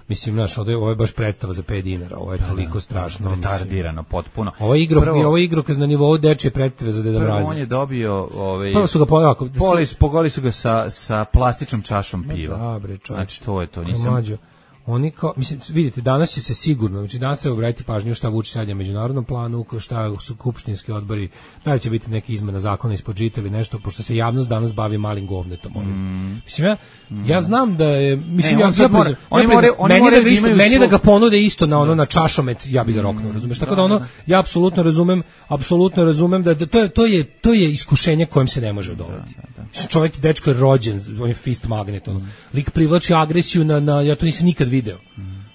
Mislim, znaš, ovo je baš predstava za pet dinara, ovo je toliko da, strašno. Retardirano, potpuno. Ovo je igro, prvo, ovo je igrokaz na nivou dečje predstave za Deda Mraza. On je dobio... Ovaj, prvo su ga polako... Poli, pogoli su ga sa, sa plastičnom čašom piva. Da, bre, čovječ. Znači, to je to, nisam... Mađo. Oni kao, mislim, vidite, danas će se sigurno, znači danas treba obratiti pažnju šta Vučić radi na međunarodnom planu, šta su skupštinski odbori, da li će biti neka izmena zakona ispod žita ili nešto, pošto se javnost danas bavi malim govnetom. Mm. Mislim, ja, ja znam da je, mislim, ne, ja sad mora, oni more, oni meni, more da isto, meni da ga ponude isto na ono, na čašomet, ja bi ga roknuo, razumeš? Tako da ono, ja apsolutno razumem, apsolutno razumem da, da to, je, to, je, to je iskušenje kojem se ne može odoleti. Čovjek, dečko je rođen, on je fist magnet, ono. Lik privlači agresiju na, na, ja to nisam nikad video.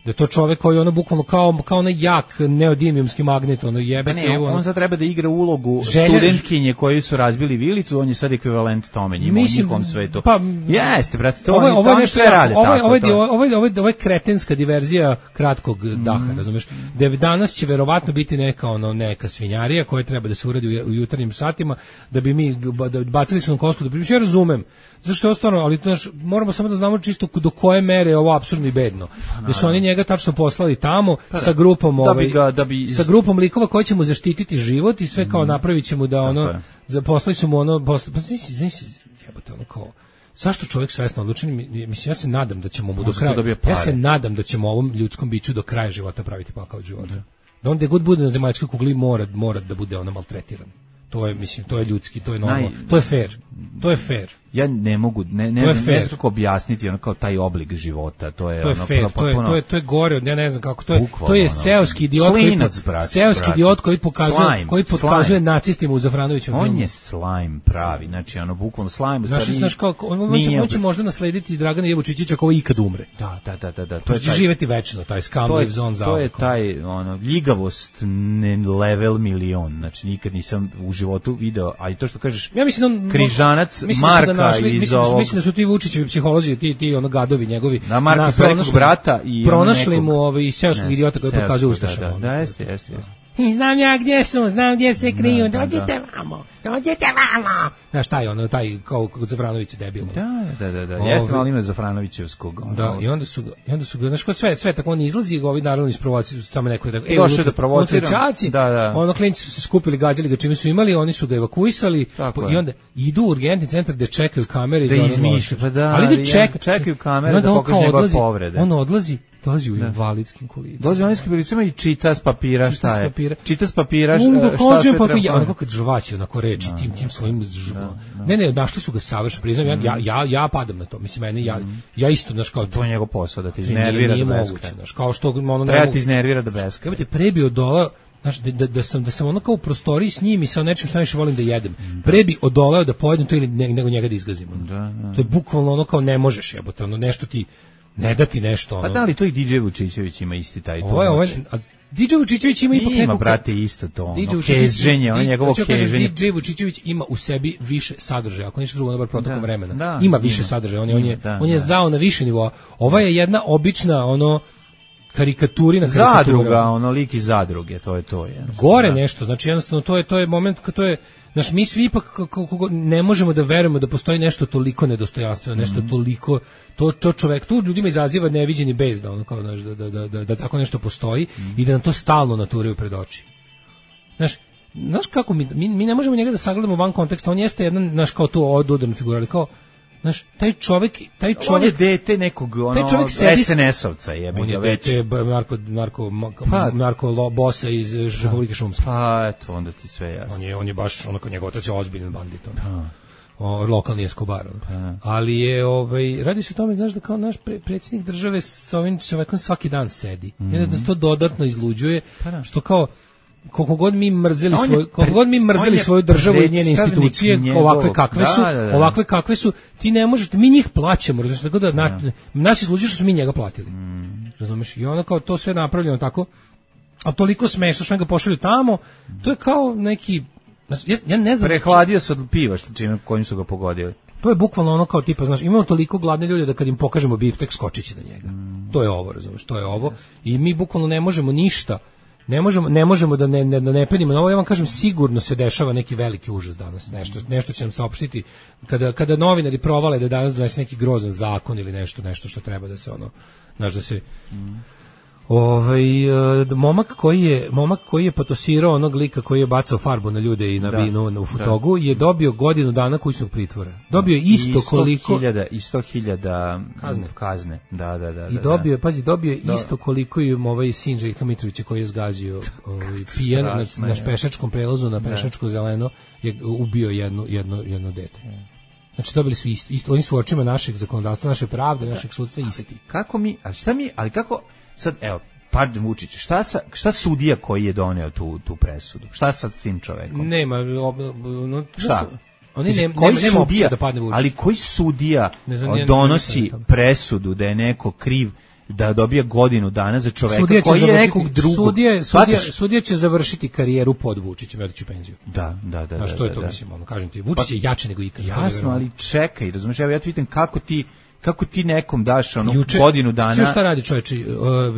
Da je to čovjek koji ono bukvalno kao kao onaj jak neodimijumski magnet, ono jebe. Ne, on, on sad treba da igra ulogu želja, studentkinje koji su razbili vilicu, on je sad ekvivalent tome njima u njihovom svetu. Pa, jeste, brate, to, ovo, oni, ovo to oni sve rade ovo, tako. Ovo je, ovo, je, ovo, je, ovo je kretenska diverzija kratkog mm. daha, razumeš? Da danas će verovatno biti neka, ono, neka svinjarija koja treba da se uradi u, u jutarnjim satima, da bi mi da bacili su na kosku, da bi ja razumem. Zašto je stvarno, ali znaš, moramo samo da znamo čisto do koje mere je ovo apsurdno i bedno. Da su oni njega tačno poslali tamo pa, sa grupom, da ovaj, ga, da bi... sa grupom likova koji će mu zaštititi život i sve kao napravit će mu da ono, za, poslali su mu ono, posla, pa znaš, znaš, jebote, ono kao, zašto čovjek svesno odlučen, mislim, ja se nadam da ćemo mu do kraja, ja se nadam da ćemo ovom ljudskom biću do kraja života praviti pakao od života. Da on gde god bude na zemaljskoj kugli mora, mora da bude ono maltretiran. To je, mislim, to je ljudski, to je normalno, Naj, to je fair, to je fair. Ja ne mogu, ne, ne, ne znam kako objasniti ono kao taj oblik života, to je, to je ono fair, to je, to je, to je gore, ja ne znam kako, to je, bukvalno, to je seoski idiot, slinac, brat, seoski brat. idiot koji pokazuje, slime, koji pokazuje slime. nacistima u Zafranovićevom on filmu. On je slime pravi, znači ono bukvalno slime. Znaš, znaš kako, on, on, će, on će možda naslediti Dragana Jevučićića ako ikad umre. Da, da, da, da, da. To je taj, živeti večno, taj scum lives on za. To je taj, ono, ljigavost ne level milion, znači nikad nisam u životu video, a i to što kažeš, ja mislim on, križanac Marka iz ovog. Mislim da su ti Vučićevi psiholozi, ti ti ono gadovi njegovi. Na Marka Prejkog brata i pronašli mu ovaj seoskog idiota koji pokazuje ustaša. Da, da, jeste, jeste, jeste. I znam ja gdje su, znam gdje se kriju, da, dođite da. vamo, dođite vamo. Znaš, taj ono, taj kao kod Zafranovića debil. Da, da, da, da. Jeste, ali ima Zafranovićevskog. Da, i onda su, i onda su, znaš, ko sve, sve tako on izlazi, ovi naravno isprovociraju samo neko da, e, došao da provocira. Da, da. Ono klinci su se skupili, gađali ga čime su imali, oni su ga evakuisali i onda idu u urgentni centar gde čekaju kamere da izmišljaju, pa da, ali da čekaju, čekaju kamere da pokažu njegove povrede. On odlazi Dolazi u invalidskim kolicima. Dolazi u invalidskim kolicima i čita s papira šta je. Čita s papira šta sve treba. Ja onako kad žvaće, onako reči, tim, tim svojim žvom. Ne, ne, našli su ga savršeno, priznam, ja, ja, ja padam na to. Mislim, mene, ja, ja isto, znaš, kao... To je njegov posao, da ti iznervira da beska. Kao što... Ono, treba ti iznervira da beska. Treba te prebio dola, znaš, da, da, da, sam, da sam ono kao u prostoriji s njim i sa nečim što najviše volim da jedem. Pre bi odoleo da pojedem to ili ne, nego njega da izgazim. Da, da. To je bukvalno ono kao ne možeš jebote, ono nešto ti ne da ti nešto. Ono. Pa da li to i D J Vučićević ima isti taj to? Ovo je, ovo je, a D J Vučićević ima ipak nekog... Ima, brate, isto to, ono, keženje, ono njegovo keženje. D J Vučićević ima u sebi više sadržaja, ako ništa drugo, na bar protokom da, vremena. Da, ima više ima. sadržaja, on je, on je, da, on je da. zao na više nivoa. Ova je jedna obična, ono, karikaturina karikatura. Zadruga, ono lik iz zadruge, to je to. Je, Gore da. nešto, znači jednostavno to je to je moment kad to je, znači mi svi ipak kako ne možemo da verujemo da postoji nešto toliko nedostojanstveno, nešto mm. toliko to to čovjek tu ljudima izaziva neviđeni bes da ono kao znaš, da, da, da, da, da tako nešto postoji mm. i da nam to stalno naturaju pred oči. Znaš, znaš kako mi, mi mi ne možemo njega da sagledamo van konteksta, on jeste jedan naš kao to odudana figura, ali kao znaš, taj čovjek, taj čovjek... On je dete nekog, ono, S N S-ovca, jebi ga već. On je dete Marko, Marko, pa, Marko Bosa iz Republike Šumske. Pa, eto, onda ti sve jasno. On je, on je baš, onako, njegov otac je ozbiljan bandit. O, lokalni Escobar. Ali je, ovaj, radi se o tome, znaš, da kao naš pre, predsjednik države sa ovim čovekom svaki dan sedi. Mm-hmm. Jer da se to dodatno izluđuje, pa, što kao... koliko god mi mrzeli svoju koliko god mi mrzeli svoju državu i njene institucije njegov, ovakve kakve su da, da, da. ovakve kakve su ti ne možete mi njih plaćamo razumiješ tako da na, ja. nas izluđuje što su mi njega platili mm. razumiješ i ono kao to sve napravljeno tako a toliko smešno što ga pošalju tamo to je kao neki ja, ja ne znam prehladio se od piva što čime kojim su ga pogodili to je bukvalno ono kao tipa znaš imamo toliko gladne ljude da kad im pokažemo biftek skočiće na njega mm. to je ovo razumiješ to je ovo i mi bukvalno ne možemo ništa Ne možemo, ne možemo da ne, ne, da ne penimo na ovo, ja vam kažem, sigurno se dešava neki veliki užas danas, nešto, nešto će nam saopštiti, kada, kada novinari provale da danas donese neki grozan zakon ili nešto, nešto što treba da se ono, znaš da se... Mm. Ovaj momak koji je momak koji je patosirao onog lika koji je bacao farbu na ljude i na da, vino u Futogu da. je dobio godinu dana kućnog pritvora. Dobio isto koliko i sto hiljada kazne. kazne. Da, da, da. I dobio je, pazi, dobio je isto koliko i ovaj sin Željka Mitrovića koji je zgazio ovaj pijan na, na pešačkom prelazu na pešačko zeleno je ubio jednu jedno jedno dete. Znači dobili su isto, isto oni su u očima našeg zakonodavstva, naše pravde, našeg sudstva isti. Kako mi, a šta mi, ali kako sad, evo, pardon Vučić, šta, sa, šta sudija koji je doneo tu, tu presudu? Šta sad s tim čovekom? Nema, ob, no, šta? Oni ne, koji nema, nema sudija, da padne Vučić. Ali koji sudija znam, donosi presudu da je neko kriv da dobije godinu dana za čoveka koji je nekog drugog? Sudija, sudija, sudija će završiti karijeru pod Vučićem i otići u penziju. Da, da, da. A što da, je to, da, mislim, ono, kažem ti, Vučić pa, je jači nego ikad. Jasno, ali čekaj, razumiješ, evo ja ti pitam kako ti kako ti nekom daš ono Juče, godinu dana. Sve šta radi čoveče,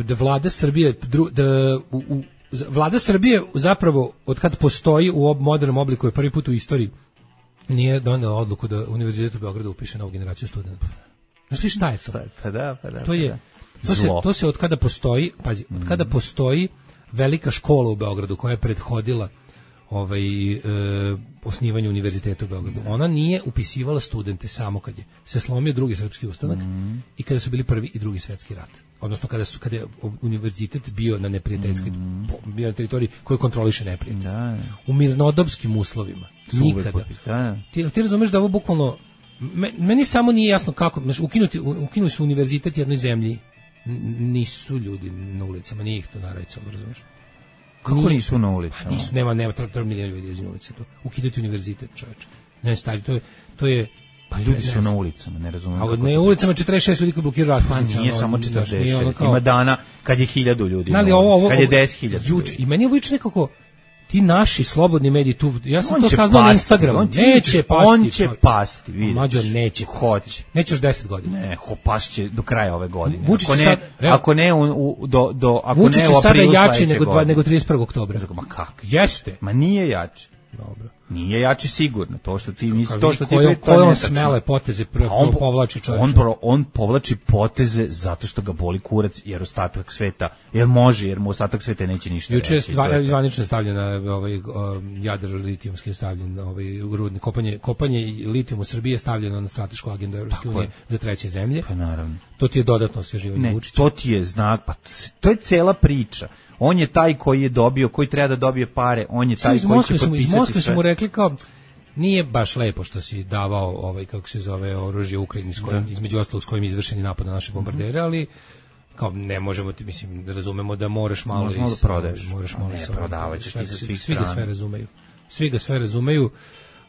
da vlada Srbije da u, u, vlada Srbije zapravo od kad postoji u modernom obliku je prvi put u istoriji nije donela odluku da Univerzitet u Beogradu upiše novu generaciju studenata. Znaš li šta je to? Pa da, pa da. To je to se to se od kada postoji, pazi, od kada postoji velika škola u Beogradu koja je prethodila ovaj e, osnivanju univerziteta u Beogradu. Ona nije upisivala studente samo kad je se slomio drugi srpski ustanak mm. i kada su bili prvi i drugi svetski rat. Odnosno kada su kada je univerzitet bio na neprijateljskoj mm. bio na teritoriji koju kontroliše neprijatelj. Da. U mirnodopskim uslovima. Nikada. Popis, da. Ti, ti razumeš da ovo bukvalno meni samo nije jasno kako, znači ukinuti ukinuli su univerzitet jednoj zemlji. Nisu ljudi na ulicama, nije ih to narajcom, razumeš? Kako nisu na ulici? Pa nisu, nema, nema, treba milijon ljudi iz ulice to. Ukidati univerzitet, čoveče. Ne stavi, to je, to je... Pa ljudi su na ulicama, ne razumijem. A ne, ulicama četrdeset šest ljudi koji blokiraju raspad. Nije samo četrdeset šest, ima dana kad je hiljadu ljudi na ulici, kad je deset hiljada ljudi. I meni je ovo nekako... Ti naši slobodni mediji tu, ja sam to saznao na Instagramu, on neće pasti. On će pasti, vidiš. Mađo neće. Hoće. Neće još deset godina. Ne, ho pašće do kraja ove godine. Vučić ako ne, sad, ako ne u, u, do, do, ako Vučić ne u aprilu sada jači nego, dva, nego trideset prvog oktobra. Ma kako? Jeste. Ma nije jači. Dobro. Nije jači sigurno. To što ti misliš, to što ti koje, koje on smele poteze prvo on povlači čovjek. On on povlači poteze zato što ga boli kurac jer ostatak sveta, jer može, jer mu ostatak sveta neće ništa. Juče je zvanično stavljena ovaj Jadar litijumski stavljen ovaj rudni kopanje kopanje litijuma u Srbiji je stavljeno na stratešku agendu Evropske unije za treće zemlje. Pa naravno. To ti je dodatno osvježivanje Vučića. To ti je znak, pa to je cela priča. On je taj koji je dobio, koji treba da dobije pare, on je taj koji će potpisati sve. Iz Moskve su mu rekli kao, nije baš lepo što si davao, ovaj, kako se zove, oružje Ukrajini, s kojim, između ostalog s kojim je izvršen napad na naše bombardere, ali kao ne možemo ti, mislim, razumemo da moraš malo... Možemo da prodaješ. Moraš malo ne, prodavat ćeš ti za svih Svi ga sve razumeju. Svi ga sve razumeju.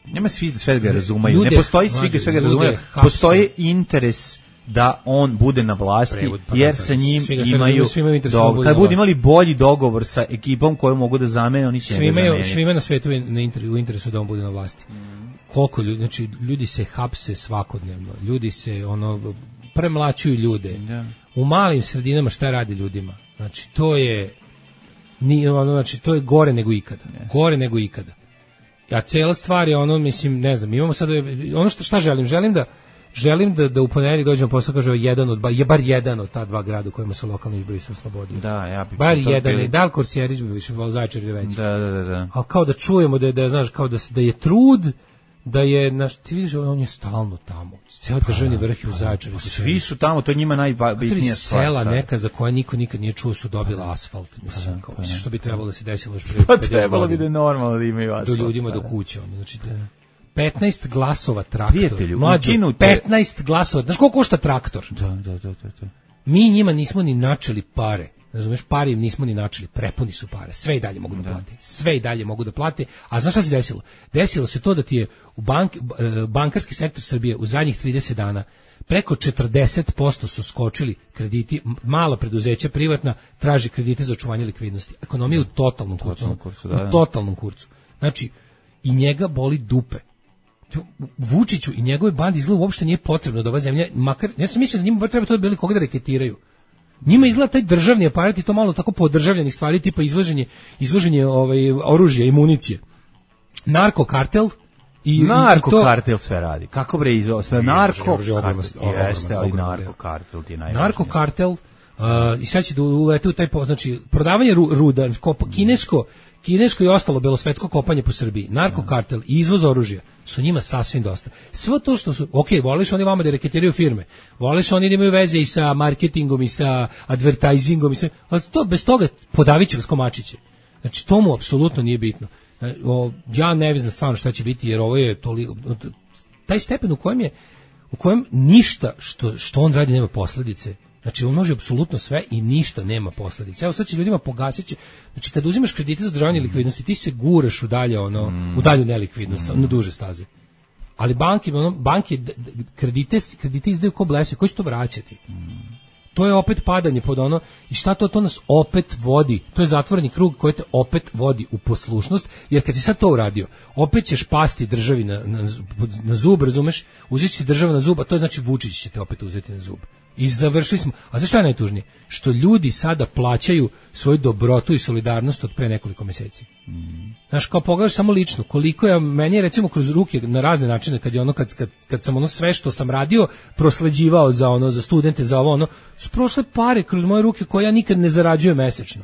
Nema svi sve ga razumeju. Ljude, ne postoji svi ga sve ga razumeju. Postoji interes da on bude na vlasti, Prevod, pa jer sa njim imaju, do, kad budu imali bolji dogovor sa ekipom koju mogu da zamene, oni će svi imaju, svima na svetu je na inter, u interesu da on bude na vlasti. Mm. Koliko ljudi, znači ljudi se hapse svakodnevno, ljudi se ono premlaćuju ljude. Yeah. U malim sredinama šta radi ljudima? Znači to je ni ono, znači to je gore nego ikada. Yes. Gore nego ikada. A cela stvar je ono, mislim, ne znam, imamo sad ono što šta želim, želim da Želim da da u ponedeljak dođemo posle kaže jedan od je bar jedan od ta dva grada u kojima su lokalni izbori se oslobodio. Da, ja bih bar jedan bili... i Dal Korsjerić bi više vol Zaječar ili već. Da, da, da, da. Al kao da čujemo da je, da je, znaš, kao da da je trud da je naš ti vidiš on je stalno tamo. Ceo državni vrh je u Zaječaru. Svi su tamo, to je njima najbitnija stvar. Sela neka za koja niko nikad nije čuo su dobila asfalt, mislim, kao što bi trebalo da se desilo još pre pedeset godina. Trebalo bi da je normalno da imaju asfalt. Do ljudima do kuće, znači petnaest glasova traktor. Prijatelju, mlađu, petnaest glasova. Znaš koliko košta traktor? Da, da, da, da. Mi njima nismo ni načeli pare. Razumeš, pare im nismo ni načeli. Prepuni su pare. Sve i dalje mogu da, da plate. Sve i dalje mogu da plate. A znaš šta se desilo? Desilo se to da ti je u bank, bankarski sektor Srbije u zadnjih trideset dana preko četrdeset posto su skočili krediti, mala preduzeća privatna traži kredite za očuvanje likvidnosti. Ekonomija u totalnom kurcu. Totalnom kurcu, da, da. U totalnom kurcu. Znači, i njega boli dupe. Vučiću i njegove bandi izgleda uopšte nije potrebno da ova zemlja, makar, ja sam mislio da njima treba to da bili koga da reketiraju. Njima izgleda taj državni aparat i to malo tako podržavljenih stvari, tipa izvoženje, izvoženje ovaj, oružja i municije. Narkokartel i... Narkokartel sve radi. Kako bre izvo... Sve narko... Jeste, ali narkokartel ti je najvažnije. Narkokartel, uh, i sad će da ulete u taj, znači, prodavanje ru, ruda, kopa, kinesko, kinesko i ostalo belosvetsko kopanje po Srbiji, narkokartel i izvoz oružja su njima sasvim dosta. Sve to što su, ok, vole su oni vama da reketiraju firme, vole su oni da imaju veze i sa marketingom i sa advertisingom i sve, ali to, bez toga podavit će vas komačiće. Znači, to mu apsolutno nije bitno. O, ja ne znam stvarno šta će biti, jer ovo je toliko, taj stepen u kojem je, u kojem ništa što, što on radi nema posljedice. Znači, on može apsolutno sve i ništa nema posljedice. Evo sad će ljudima pogasiti. Znači, kad uzimaš kredite za održavanje likvidnosti, ti se guraš u dalje, ono, mm. u dalju nelikvidnost, mm. na duže staze. Ali banke, ono, banke kredite, kredite izdaju ko blese, koji će to vraćati? Mm. To je opet padanje pod ono, i šta to, to nas opet vodi, to je zatvoreni krug koji te opet vodi u poslušnost, jer kad si sad to uradio, opet ćeš pasti državi na, na, na zub, razumeš, uzeti će država na zub, a to je znači Vučić će te opet uzeti na zub. I završili smo, a znaš šta je najtužnije? Što ljudi sada plaćaju svoju dobrotu i solidarnost od pre nekoliko meseci. Mm. Znaš, kao pogledaš samo lično, koliko je, meni je recimo kroz ruke na razne načine, kad je ono, kad, kad, kad sam ono sve što sam radio, prosleđivao za ono, za studente, za ovo ono, su prošle pare kroz moje ruke koje ja nikad ne zarađujem mesečno.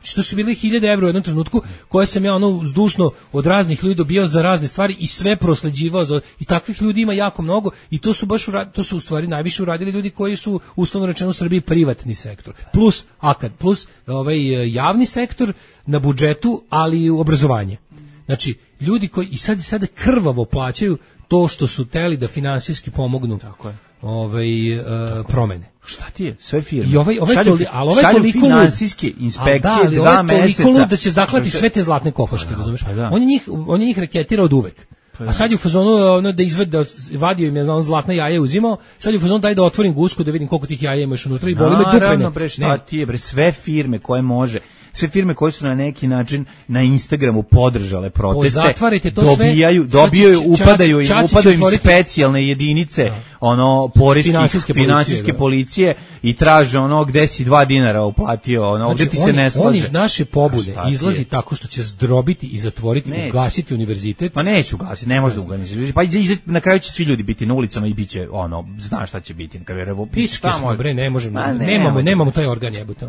Što su bile hiljade evra u jednom trenutku, koje sam ja ono zdušno od raznih ljudi dobijao za razne stvari i sve prosleđivao za, i takvih ljudi ima jako mnogo i to su baš urad, to su u stvari najviše uradili ljudi koji su uslovno rečeno u Srbiji privatni sektor. Plus akad, plus ovaj javni sektor na budžetu, ali i obrazovanje. Znači, ljudi koji i sad i sada krvavo plaćaju to što su teli da finansijski pomognu. Tako je. Ovaj uh, promene. Šta ti je? Sve firme. I ovaj ovaj šalju, toli, ali ovaj šalju toliko finansijske inspekcije da, dva ovaj meseca. Toliko da će zaklati sve te zlatne kokoške, pa razumeš? Pa da. On je njih on je njih reketira od uvek. Pa a sad je u fazonu ono da izvede da vadio im je za on zlatna jaja uzimao, sad je u fazonu daj da otvorim gusku da vidim koliko tih jaja imaš unutra i boli me dupe. Naravno bre, šta ti je bre, sve firme koje može, sve firme koje su na neki način na Instagramu podržale proteste, zatvarajte to dobijaju, sve, dobijaju, upadaju im, upadaju im specijalne jedinice, ono poreskih finansijske, finansijske policije, policije i traže ono gde si dva dinara uplatio, ono ovdje znači, ti se on, ne slaže. On iz naše pobude izlazi tako što će zdrobiti i zatvoriti, neće. ugasiti univerzitet. Ma neću ugasiti, ne može da ugasiti. Pa iza, na kraju će svi ljudi biti na ulicama i biće ono, znaš šta će biti. Pičke smo, bre, ne možemo, ne, nemamo, nemamo taj organ jebote.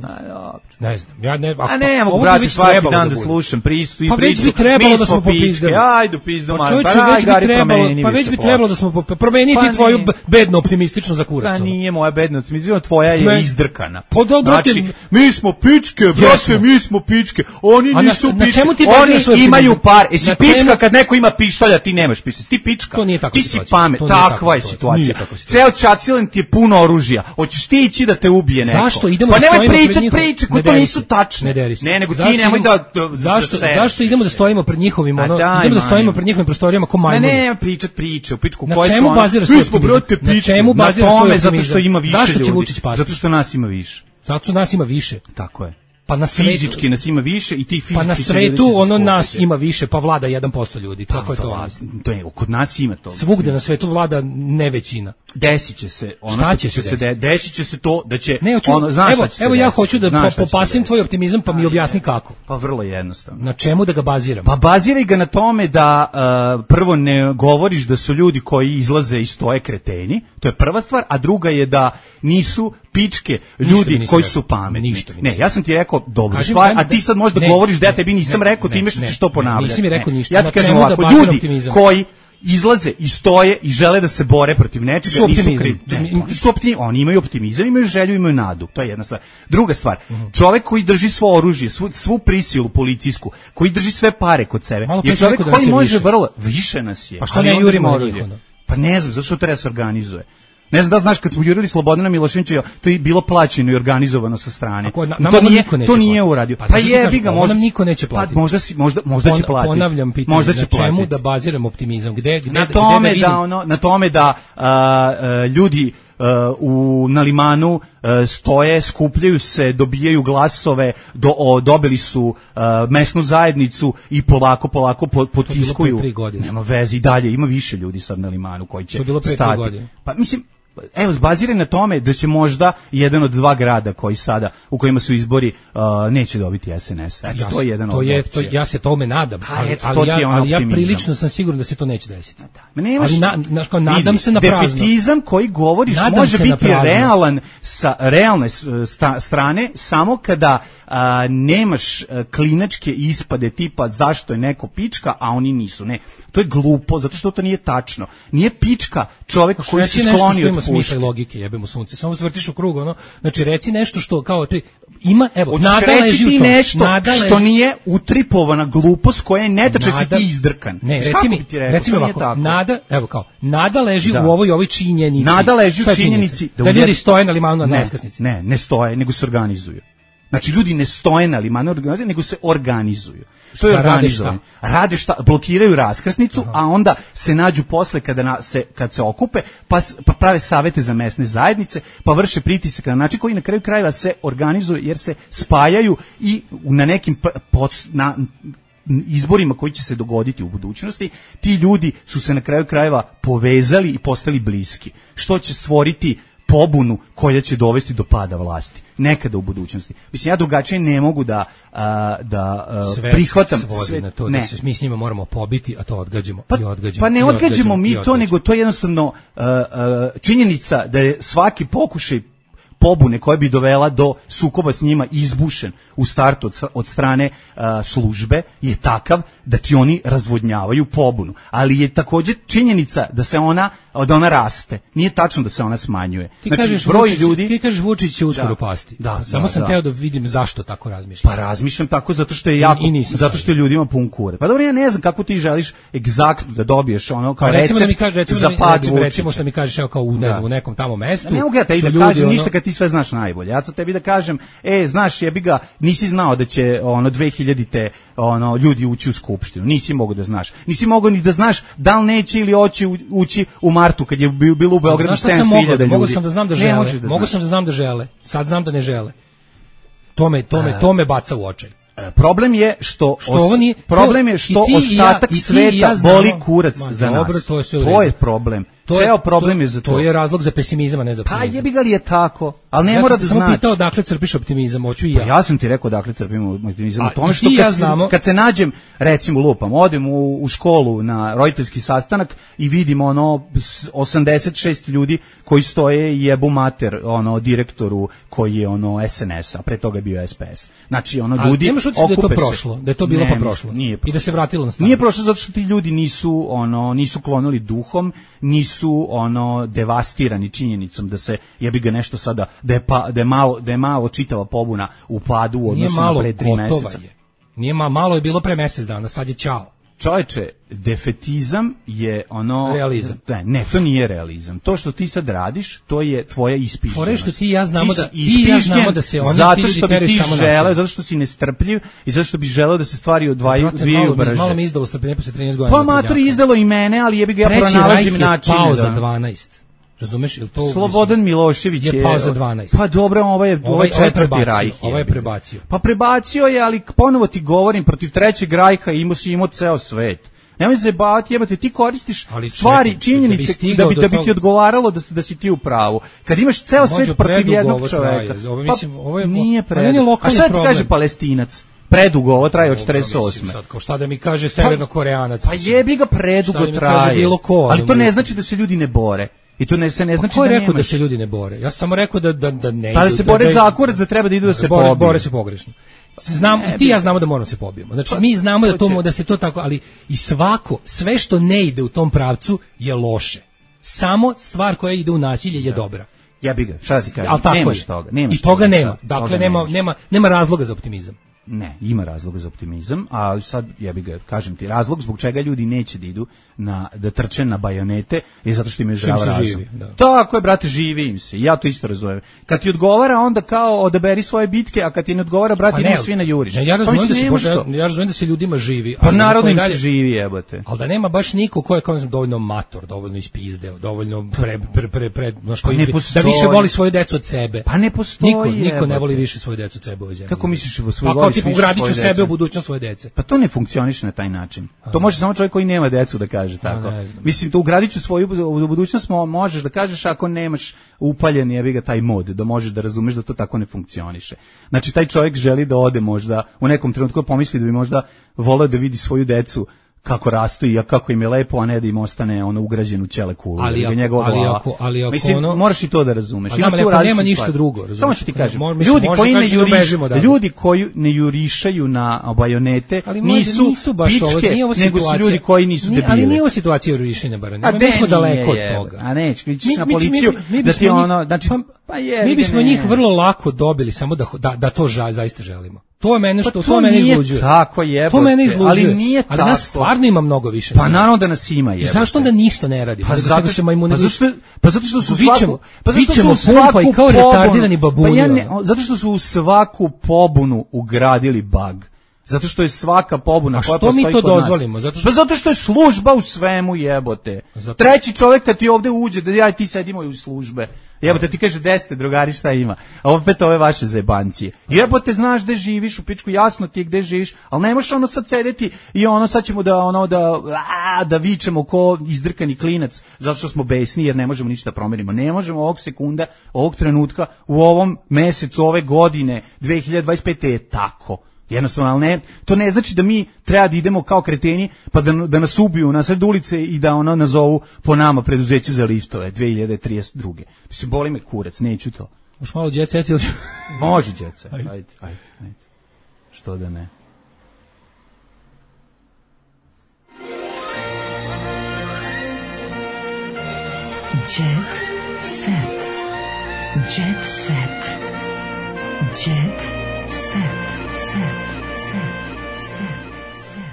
Ne znam, ja ne, ako, a ne mogu brati svaki dan da slušam pristu i pa priču. Pa već bi trebalo da smo popizdali. Ajde, pizdom, pa, čovječe, pa, već bi trebalo, pa već bi trebalo da smo popizdali. Promeniti pa tvoju bedno optimistično za kurac. Pa nije moja bedno optimistično, tvoja je izdrkana. Pa da, brate, znači, mi smo pičke, brate, mi smo pičke, oni nisu na, pičke, na oni imaju par. Jesi pička kad neko ima pištolja, ti nemaš pištolja, ti pička, to nije tako ti si pamet, takva je situacija. Ceo čacilen ti je puno oružja, hoćeš ti ići da te ubije neko. Zašto idemo pa da nemoj pričati priče koje to nisu tačne. Ne, ne, nego ti nemoj da zašto zašto idemo da stojimo pred njihovim ono, idemo da stojimo pred njihovim prostorijama ko majmuni. Ne, ne, pričati priče, u pičku koje su ono. Mi smo brate pičke. Na tome zato što ima više ljudi. Zato što nas ima više. Zato što nas ima više. Tako je. Pa na svetu, fizički nas ima više i ti fizički pa na svetu ono nas ima više, pa vlada jedan posto ljudi. Kako je to? To je, kod nas ima to. Svugde na svetu vlada ne većina. Desit će se ono šta će se se de, desit će se to da će ne, ono znaš evo, šta će se evo ja desit, hoću da popasim tvoj optimizam pa mi objasni kako. Pa vrlo jednostavno. Na čemu da ga baziram? Pa baziraj ga na tome da uh, prvo ne govoriš da su ljudi koji izlaze i stoje kreteni, to je prva stvar, a druga je da nisu pičke ljudi koji su pametni. Ništa ne, ja sam ti rekao dobro stvar, a ti sad možda ne, govoriš da ja tebi nisam ne, rekao, time što ćeš to ponavljati. Nisi mi rekao ništa. Ja ti kažem ovako, ljudi optimizam. Koji izlaze i stoje i žele da se bore protiv nečega, nisu krivi. Oni su optimizam, oni imaju optimizam, imaju želju, imaju nadu. To je jedna stvar. Druga stvar, čovjek koji drži svo oružje, svu, svu prisilu policijsku, koji drži sve pare kod sebe, je čovjek koji može vrlo, više nas je. Pa što ne jurimo oružje? Pa ne znam, zašto to treba se organizuje. Ne znam da znaš kad smo jurili Slobodana Miloševića, to je bilo plaćeno i organizovano sa strane. Ako, na, to nije to nije uradio. Pa, pa je, ga možda nam niko neće platiti. Pa možda si, možda možda Pon, će platiti. Ponavljam pitanje, možda će na čemu platiti. Da baziram optimizam? Gde gde na tome gde da, da ono, na tome da a, a, ljudi Uh, u na limanu uh, stoje, skupljaju se, dobijaju glasove, do, o, dobili su uh, mesnu zajednicu i polako, polako potiskuju. Nema veze i dalje, ima više ljudi sad na limanu koji će stati. Pa mislim, evo, zbaziraj na tome da će možda jedan od dva grada koji sada, u kojima su izbori, uh, neće dobiti S N S. Eto, ja, to je jedan to od je, to, ja se tome nadam, ali, eto, ali, ja, ali ja prilično sam siguran da se to neće desiti. Da. Nemaš, ali na, na, kao, nadam se na prazno. Defetizam koji govoriš nadam može biti realan sa realne sta, strane samo kada a, nemaš a, klinačke ispade tipa zašto je neko pička, a oni nisu. Ne, to je glupo, zato što to nije tačno. Nije pička čovjek koji se skloni od smisla i logike, jebemo sunce. Samo vrtiš u krug, ono. Znači reci nešto što kao ti ima, evo, hoćeš nada leži ti u tom. nešto nada što leži. Nije utripovana glupost koja je netačna, si ti izdrkan. Ne, reci mi, reci mi ovako, nada, evo kao, nada leži da. u ovoj ovoj činjenici. Nada leži u činjenici da, da ljudi stoje na limanu na raskrsnici. Ne, ne stoje, nego se organizuju. Znači ljudi ne stoje na limanu, nego se organizuju. To je organizovanje. Rade šta? Blokiraju raskrsnicu, aha. A onda se nađu posle kada na, se kad se okupe, pa, pa prave savete za mesne zajednice, pa vrše pritisak na način koji na kraju krajeva se organizuju jer se spajaju i na nekim pod, na izborima koji će se dogoditi u budućnosti, ti ljudi su se na kraju krajeva povezali i postali bliski. Što će stvoriti pobunu koja će dovesti do pada vlasti nekada u budućnosti. Mislim, ja drugačije ne mogu da a, da a, sve prihvatam sve na to ne. Da se mi s njima moramo pobiti, a to odgađamo pa, i odgađamo. Pa ne odgađamo, odgađamo mi to, odgađamo. Nego to je jednostavno a, a, činjenica da je svaki pokušaj pobune koja bi dovela do sukoba s njima izbušen u startu od, od strane uh, službe je takav da ti oni razvodnjavaju pobunu. Ali je također činjenica da se ona da ona raste. Nije tačno da se ona smanjuje. Ti znači, kažeš broj Vučić, ljudi... Ti kažeš Vučić će uskoro da, pasti. Da, Samo da, sam da. teo da vidim zašto tako razmišljam. Pa razmišljam tako zato što je jako, I, i zato što je ljudima pun kure. Pa dobro, ja ne znam kako ti želiš egzaktno da dobiješ ono kao pa recimo recept da mi kaže, recimo za pad recimo, recimo što mi kažeš evo kao u, ne znam, u nekom tamo mestu. Ne mogu ja tebi da ljudi, kažem ono... ništa kad ti sve znaš najbolje. Ja sad tebi da kažem, e, znaš, jebi ga, nisi znao da će ono dve hiljadite ono ljudi ući u skupštinu. Nisi mogao da znaš. Nisi mogao ni da znaš da li neće ili hoće ući u martu kad je bilo u Beogradu sedamsto hiljada ljudi. Mogu sam da znam da žele. Da mogu sam da znam da žele. Sad znam da ne žele. To me to me to me baca u očaj. Problem je što, što ovo nije, problem je što ti, ostatak ja, sveta ja boli kurac Ma, za dobro, nas. To je, to je problem. To Ceo problem to, je za to. To je razlog za pesimizam, a ne za optimizam. Pa jebi ga li je tako, ali ne ja mora da znači. Ja sam znači. pitao odakle crpiš optimizam, hoću i ja. Pa ja sam ti rekao odakle crpim optimizam. A, u tome što i kad, ja se, znamo, kad se nađem, recimo lupam, odem u, u školu na roditeljski sastanak i vidim ono osamdeset šest ljudi koji stoje i jebu mater ono direktoru koji je ono S N S, a pre toga je bio S P S. Znači ono ljudi nemaš utisak da je to prošlo, da je to bilo ne, pa prošlo. Nije prošlo. I da se vratilo na staro. Nije prošlo zato što ti ljudi nisu ono nisu klonuli duhom, nisu ono devastirani činjenicom da se jebi ga nešto sada da je pa, da je malo da je malo čitava pobuna u padu u odnosu na pre tri meseca. Je. Nije ma, malo je bilo pre mesec dana, sad je ćao. Čovječe, defetizam je ono... Realizam. Ne, ne, to nije realizam. To što ti sad radiš, to je tvoja ispišljenost. Fore što ti i ja znamo ti da, ti i ja znamo da se oni zato ti ljudi što bi teraju ti samo želeo, nasilje. zato što si nestrpljiv i zato što bi želeo da se stvari odvajaju dvije malo, brže. malo mi izdalo strpljenje posle trinaest godina. Pa mator izdalo i mene, ali jebi ga ja pronalazim načine. Treći Rajh je pao da... za dvanaest. Razumeš, jel to Slobodan mislim, Milošević je, je pao za dvanaest. Pa dobro, ovaj je ovaj četvrti Rajh. Ovaj je prebacio. Pa prebacio je, ali ponovo ti govorim, protiv trećeg Rajha imao si imao ceo svet. Nemoj se zajebavati, jebate, ti koristiš ali stvari, čekaj, činjenice da bi, da bi, da bi ti odgovaralo da, da si ti u pravu. Kad imaš ceo svet protiv jednog čoveka, ovo, mislim, ovo je, pa nije predugo. A šta ti kaže Palestinac? Predugo, ovo traje od četrdeset osme. Sad, kao šta da mi kaže Severno-Koreanac? Pa, pa jebi ga, predugo traje. Ko, ali to ne znači da se ljudi ne bore. I to ne se ne znači pa ko je da rekao nemaš. Da se ljudi ne bore? Ja sam samo rekao da da da ne. Pa da se bore za kurac, da treba da idu da se pobiju. Bore se pogrešno. Znam, i ti ja znamo da moramo se pobijemo. Znači, mi znamo da to da se to tako, ali i svako, sve što ne ide u tom pravcu je loše. Samo stvar koja ide u nasilje je dobra. Ja bih ga, šta ti kažem, nemaš toga. I toga nema. Dakle, nema, nema, nema razloga za optimizam. Ne, ima razloga za optimizam, a sad ja bih ga kažem ti razlog zbog čega ljudi neće da idu na da trče na bajonete je zato što im je zdrav razum. Živi, da. Tako je, brate, živi im se. Ja to isto razumem. Kad ti odgovara onda kao odaberi svoje bitke, a kad ti ne odgovara, brate, idemo svi na juriš. Ne, ja razumem da se bože, ja razumem da se ljudima živi, pa narodno im se živi, jebote. Al da nema baš niko ko je kao dovoljno mator, dovoljno ispizdeo, dovoljno pre pre pre, pre znaš, pa koji da više voli svoju decu od sebe. Pa ne postoji. Niko, niko ne voli više svoju decu od sebe u ovoj zemlji. Kako misliš u svoju pa, tipu ugradiću sebe u budućnost svoje dece. Pa to ne funkcioniše na taj način. A, to može samo čovjek koji nema decu da kaže tako. Mislim, to ugradiću svoju u budućnost možeš da kažeš ako nemaš upaljen jebi ga taj mod, da možeš da razumeš da to tako ne funkcioniše. Znači, taj čovjek želi da ode možda u nekom trenutku pomisli da bi možda voleo da vidi svoju decu kako rastu i kako im je lepo, a ne da im ostane ono ugrađeno u ćele kulu. Ali ako, njegova ali ako, ali ako mislim, ono... moraš i to da razumeš. Ali ako nema, nema ništa drugo, razumeš. Samo ću ti kažem, Mo, mislim, ljudi, koji ne juriš, da ljudi koji ne jurišaju na bajonete nisu, nisu baš pičke, ovo, nego su ljudi koji nisu debili. Ali nije ovo situacija jurišenja bajoneta. Mi smo daleko od toga. A neće, mi ćeš na policiju da ti ono... Znači, pa je, mi bismo njih vrlo lako dobili, samo da, da, da to ža, zaista želimo. To je mene što, pa to, to mene izluđuje. Tako je, to mene izluđuje. Ali nije ali tako. Nas stvarno ima mnogo više. Pa naravno da nas ima, je. Zašto onda ništa ne radi? Pa zato se majmuni. Pa zašto pa zato što su svaku pa zato što su svaku kao retardirani babuni. Pa ja ne, zato što su u svaku pobunu ugradili bug. Zato što je svaka pobuna koja postoji kod nas. A što mi to dozvolimo? Zato što... Pa zato što je služba u svemu, jebote. Zato... Treći čovjek kad ti ovde uđe, da ja i ti sedimo u službe. Jebote, ti kaže desete, drugari, šta ima? A opet ove vaše zebancije. Jebote, znaš gde živiš, u pičku, jasno ti je gde živiš, ali ne možeš ono sad sedeti i ono sad ćemo da, ono, da, a, da vičemo ko izdrkani klinac, zato što smo besni jer ne možemo ništa da promenimo. Ne možemo ovog sekunda, ovog trenutka, u ovom mesecu, ove godine, dve hiljade dvadeset pete je tako. Jednostavno, ali ne, to ne znači da mi treba da idemo kao kreteni pa da, da nas ubiju na sred ulice i da ono nazovu po nama preduzeće za liftove dve hiljade trideset druge. Mislim, boli me kurac, neću to. Možeš malo jet set ili... Može jet set, ajde, ajde, ajde, ajde. Što da ne. Jet set. Jet set. Jet set.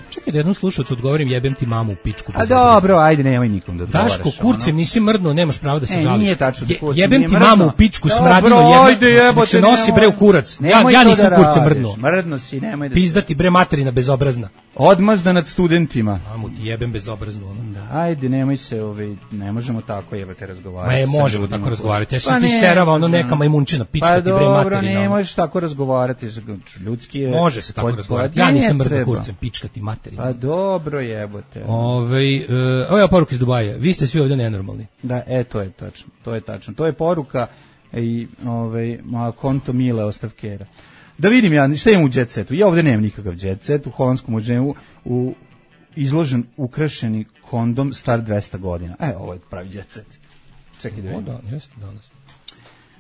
Čekaj da jednom slušalcu odgovorim, jebem ti mamu u pičku. A dobro, ajde, nemoj nikom da odgovaraš. Daško, kurcem, nisi mrdno, nemaš pravo da se e, žališ. Nije tačno da kurcem, jebem ti mamu u pičku, dobro, smradino, ajde, jebote, se nosi bre u kurac. Ja, ja nisam da kurcem mrdno. Mrdno si, nemoj da... Pizdati bre materina bezobrazna. Odmazda nad studentima. Mamu ti jebem bezobrazno. Ono. Da, ajde, nemoj se, ovaj, ne možemo tako jebate razgovarati. Ma je, možemo tako razgovarati. Ja sam pa ti serava, ono neka majmunčina, pička pa ti bre materina. Pa dobro, ne možeš tako razgovarati, ljudski je... Može se tako pod... razgovarati, ja nisam mrda kurcem, pička ti materina. Pa dobro jebote. Ove, uh, ovo je poruka iz Dubaja, vi ste svi ovdje nenormalni. Da, e, to je tačno, to je tačno. To je poruka i ovaj, moja konto Mile Ostavkera. Da vidim ja, šta imam u jet setu? Ja ovdje nemam nikakav jet set, u Holandskom muzeju u izložen ukrašeni kondom star dvesta godina. E, ovo je pravi jet set. Čekaj da vidim. O, da, jeste danas.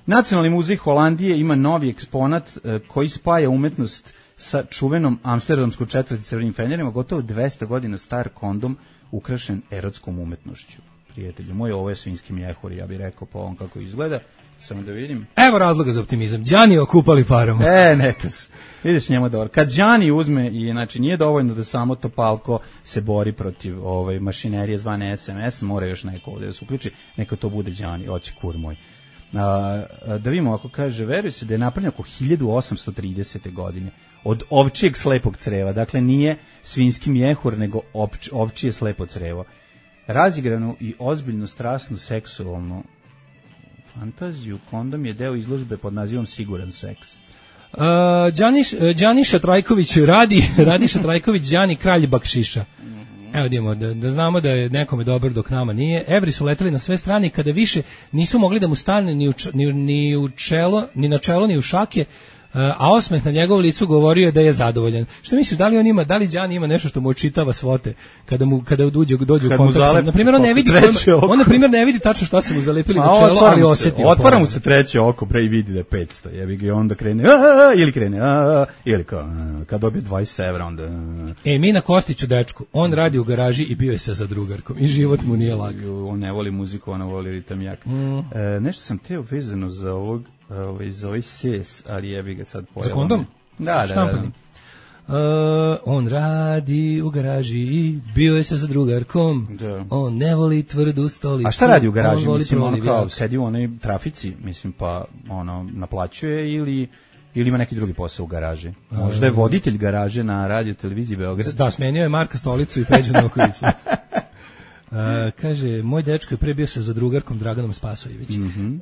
Nacionalni muzej Holandije ima novi eksponat e, koji spaja umetnost sa čuvenom amsterdamskom četvrti crvenim fenjerima, gotovo dvesta godina star kondom ukrašen erotskom umetnošću. Prijatelju moj, ovo je svinjski mjehur, ja bih rekao po ovom kako izgleda. Samo da vidim. Evo razloga za optimizam. Đani okupali parom. E, neka su. Vidiš njemu dobro. Kad Đani uzme, i znači nije dovoljno da samo Topalko se bori protiv ovaj, mašinerije zvane S M S, mora još neko ovdje da se uključi, neka to bude Đani, oće kur moj. A, da vidimo, ako kaže, veruje se da je napravljeno oko hiljadu osamsto tridesete godine od ovčijeg slepog creva. Dakle, nije svinjski mjehur, nego ovč, ovčije slepo crevo. Razigranu i ozbiljno strasnu seksualnu fantaziju, kondom je deo izložbe pod nazivom Siguran seks. Uh, Đaniš, Đaniša Trajković radi, Radiša Trajković, Đani kralj bakšiša. Evo idemo, da, da znamo da je nekome dobro dok nama nije. Evri su leteli na sve strane i kada više nisu mogli da mu stane ni u, ni, ni u čelo, ni na čelo, ni u šake, a osmeh na njegovom licu govorio je da je zadovoljan. Što misliš, da li on ima, da li Đani ima nešto što mu očitava svote kada mu kada dođe dođe u kontakt? Na primjer on ne vidi, on na primjer ne vidi tačno šta su mu zalepili na čelo, ali osjeti. Otvara mu se treće oko, pre i vidi da je petsto. Jebi ga i onda krene a, ili krene a, ili kao kad dobije dvadeset evra onda. A. E mi na Kostiću dečku, on radi u garaži i bio je sa zadrugarkom i život mu nije lak. On ne voli muziku, on voli ritam jak. Mm. E, nešto sam teo vezano za ovog ovaj za ovaj ses, ali jebi ga sad pojavio. Za kondom? Da, da, da. Uh, on radi u garaži i bio je sa zadrugarkom. Da. On ne voli tvrdu stolicu. A šta radi u garaži? On mislim, on kao sedi u onoj trafici, mislim, pa ono, naplaćuje ili ili ima neki drugi posao u garaži? Možda je voditelj garaže na radio televiziji Beograd. Da, smenio je Marka stolicu i Peđu Nokovića. Uh, kaže, moj dečko je pre bio sa zadrugarkom Draganom Spasojević. Mm -hmm.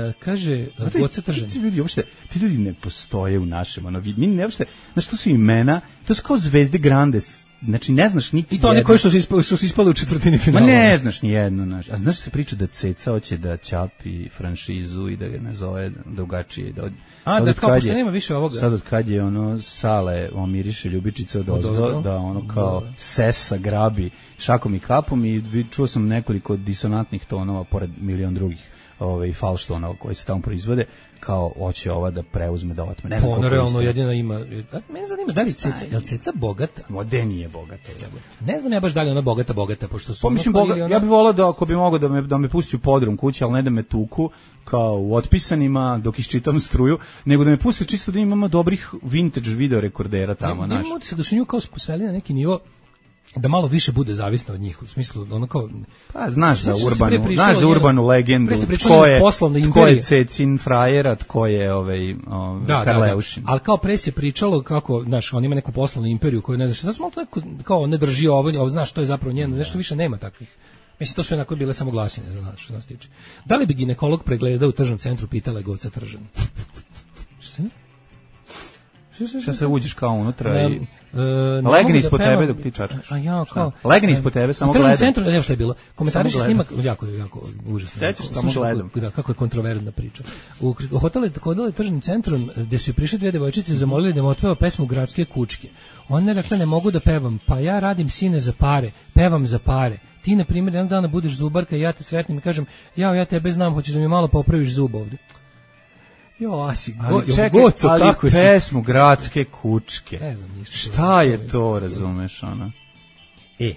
uh, kaže, Goca Tržan. Ti ljudi, uopšte, ti ljudi ne postoje u našem, ono, mi ne uopšte, znaš, to su imena, to su kao zvezde grandes, znači ne znaš niti i to one koji su, ispali, su ispali u četvrtini finala. Ma ne znaš ni jedno, znaš. A znaš se priča da Ceca hoće da čapi franšizu i da ga nazove drugačije. Da od, A, da kao pošto nema više ovoga. Sad od kad je ono Sale omiriše ljubičice od ozdo, da ono kao da. Sesa grabi šakom i kapom i čuo sam nekoliko disonantnih tonova pored milion drugih ovaj falštonova koji se tamo proizvode, kao hoće ova da preuzme da otme. Ne znam ono realno jedina ima. Mene zanima da li Ceca, je li Ceca bogata? Mode nije bogata. Ne znam ja baš da li ona bogata, bogata, pošto su... Pa mislim, boga, ona... ja bih volao da ako bi mogao da me, da me pusti u podrum kuće, ali ne da me tuku, kao u otpisanima dok iščitam struju, nego da me pusti čisto da imamo dobrih vintage video rekordera tamo. Ne, ne se da su nju kao spusveli na neki nivo da malo više bude zavisno od njih, u smislu ono kao pa znaš za urbanu, znaš za urbanu legendu, tko je tko je Cecin frajera, tko je ovaj, ovaj da, Karleušin. Da, da. Ali kao pre se pričalo kako, znaš, on ima neku poslovnu imperiju koju ne znaš, zato malo tako kao ne drži ovo, ovo znaš što je zapravo njeno, nešto više nema takvih. Mislim, to su onako bile samo glasine, znaš, što nas tiče. Da li bi ginekolog pregledao u tržnom centru, pitala je Goca Tržan. Šta ne? Šta se uđeš kao unutra i... Uh, legni ispod da tebe dok ti čačkaš. A ja kao legni ispod tebe samo gledam. U centru, ne, šta je bilo? Komentariši snimak jako jako užasno. Sećaš samo gledam. Da, kako je kontroverzna priča. U hotelu hodale tržnim centrom gde su prišle dve devojčice zamolili da im otpeva pesmu Gradske kučke. One rekle ne mogu da pevam, pa ja radim sine za pare, pevam za pare. Ti na primjer jednog dana budeš zubarka i ja te sretnem i kažem: "Jao, ja tebe znam, hoćeš da mi malo popraviš zub ovde." Jo, asi, go, ali čekaj, goco, ali kako pesmu si... Gradske kučke. Ne znam ništa. Šta je to, razumeš, ona? E,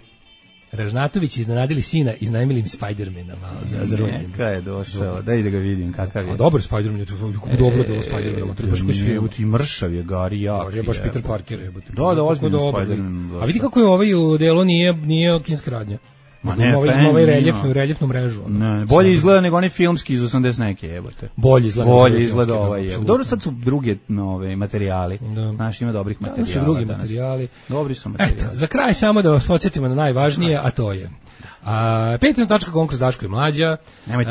Ražnatović iznenadili sina, iznajmili im Spidermana malo za, za rođendan. Neka je došao, daj da ga vidim kakav je. A dobar Spiderman je to, kako dobro delo Spiderman, trebaš koji film. Ti mršav je, Gari, jak. Je baš Peter Parker, je. Da, da, ozbiljno Spiderman. A vidi kako je ovaj u delu nije, nije kinska radnja. Ma ne, ovaj, ovaj reljefnu, reljefnu mrežu. Ne, bolje izgleda nego onaj filmski iz osamdeset neke, jebote. Bolje izgleda. Bolje izgleda ovaj, jebote. Dobro, sad su druge nove materijali. Da. Znaš, ima dobrih materijala. Da, su drugi danas. materijali. Dobri su materijali. Eto, za kraj samo da vas podsjetimo na najvažnije, a to je a patreon točka com kroz Daško i Mlađa,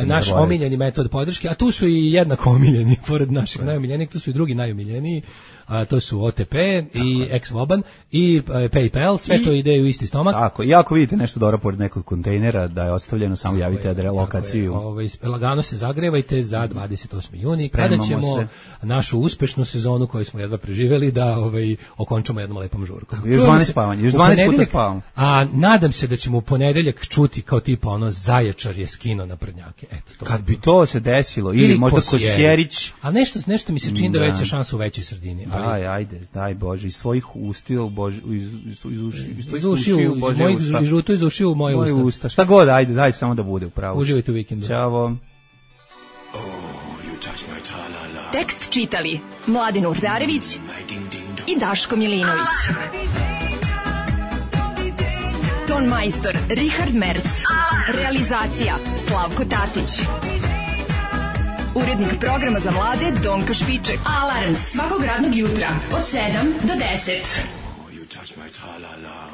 naš omiljeni metod podrške, a tu su i jednako omiljeni, pored naših najomiljenijih, tu su i drugi najomiljeniji, a to su O T P i Ex-Voban i PayPal, sve I, to ide u isti stomak. Tako, i ako vidite nešto dobro pored nekog kontejnera da je ostavljeno, samo javite adre lokaciju. Ovaj, lagano se zagrevajte za dvadeset osmi juni, kada ćemo se. našu uspešnu sezonu koju smo jedva preživeli da ovaj, okončamo jednom lepom žurkom. Još dvanaest spavanja, još dvanaest puta spavamo. A nadam se da ćemo u ponedeljak čuti kao tipa ono Zaječar je skino na Prnjake. Eto, to kad bi to se desilo, ili, ili možda Kosjerić. A nešto, nešto mi se čini da, da veća šansa u većoj sredini. Daj, ajde, daj Bože, iz svojih ustiju, Bože, iz, iz, iz, uši, iz, iz ušiju, iz mojih žuto iz ušiju, moje usta. usta. Šta god, ajde, daj samo da bude upravo. Uživajte u vikendu. Ćao. Tekst čitali Mladin Urdarević i Daško Milinović. Ton majstor Richard Merc. Realizacija Slavko Tatić. Urednik programa za mlade Donka Špiček. Alarms svakog radnog jutra od sedam do deset. Oh, you touch my tra-la-la.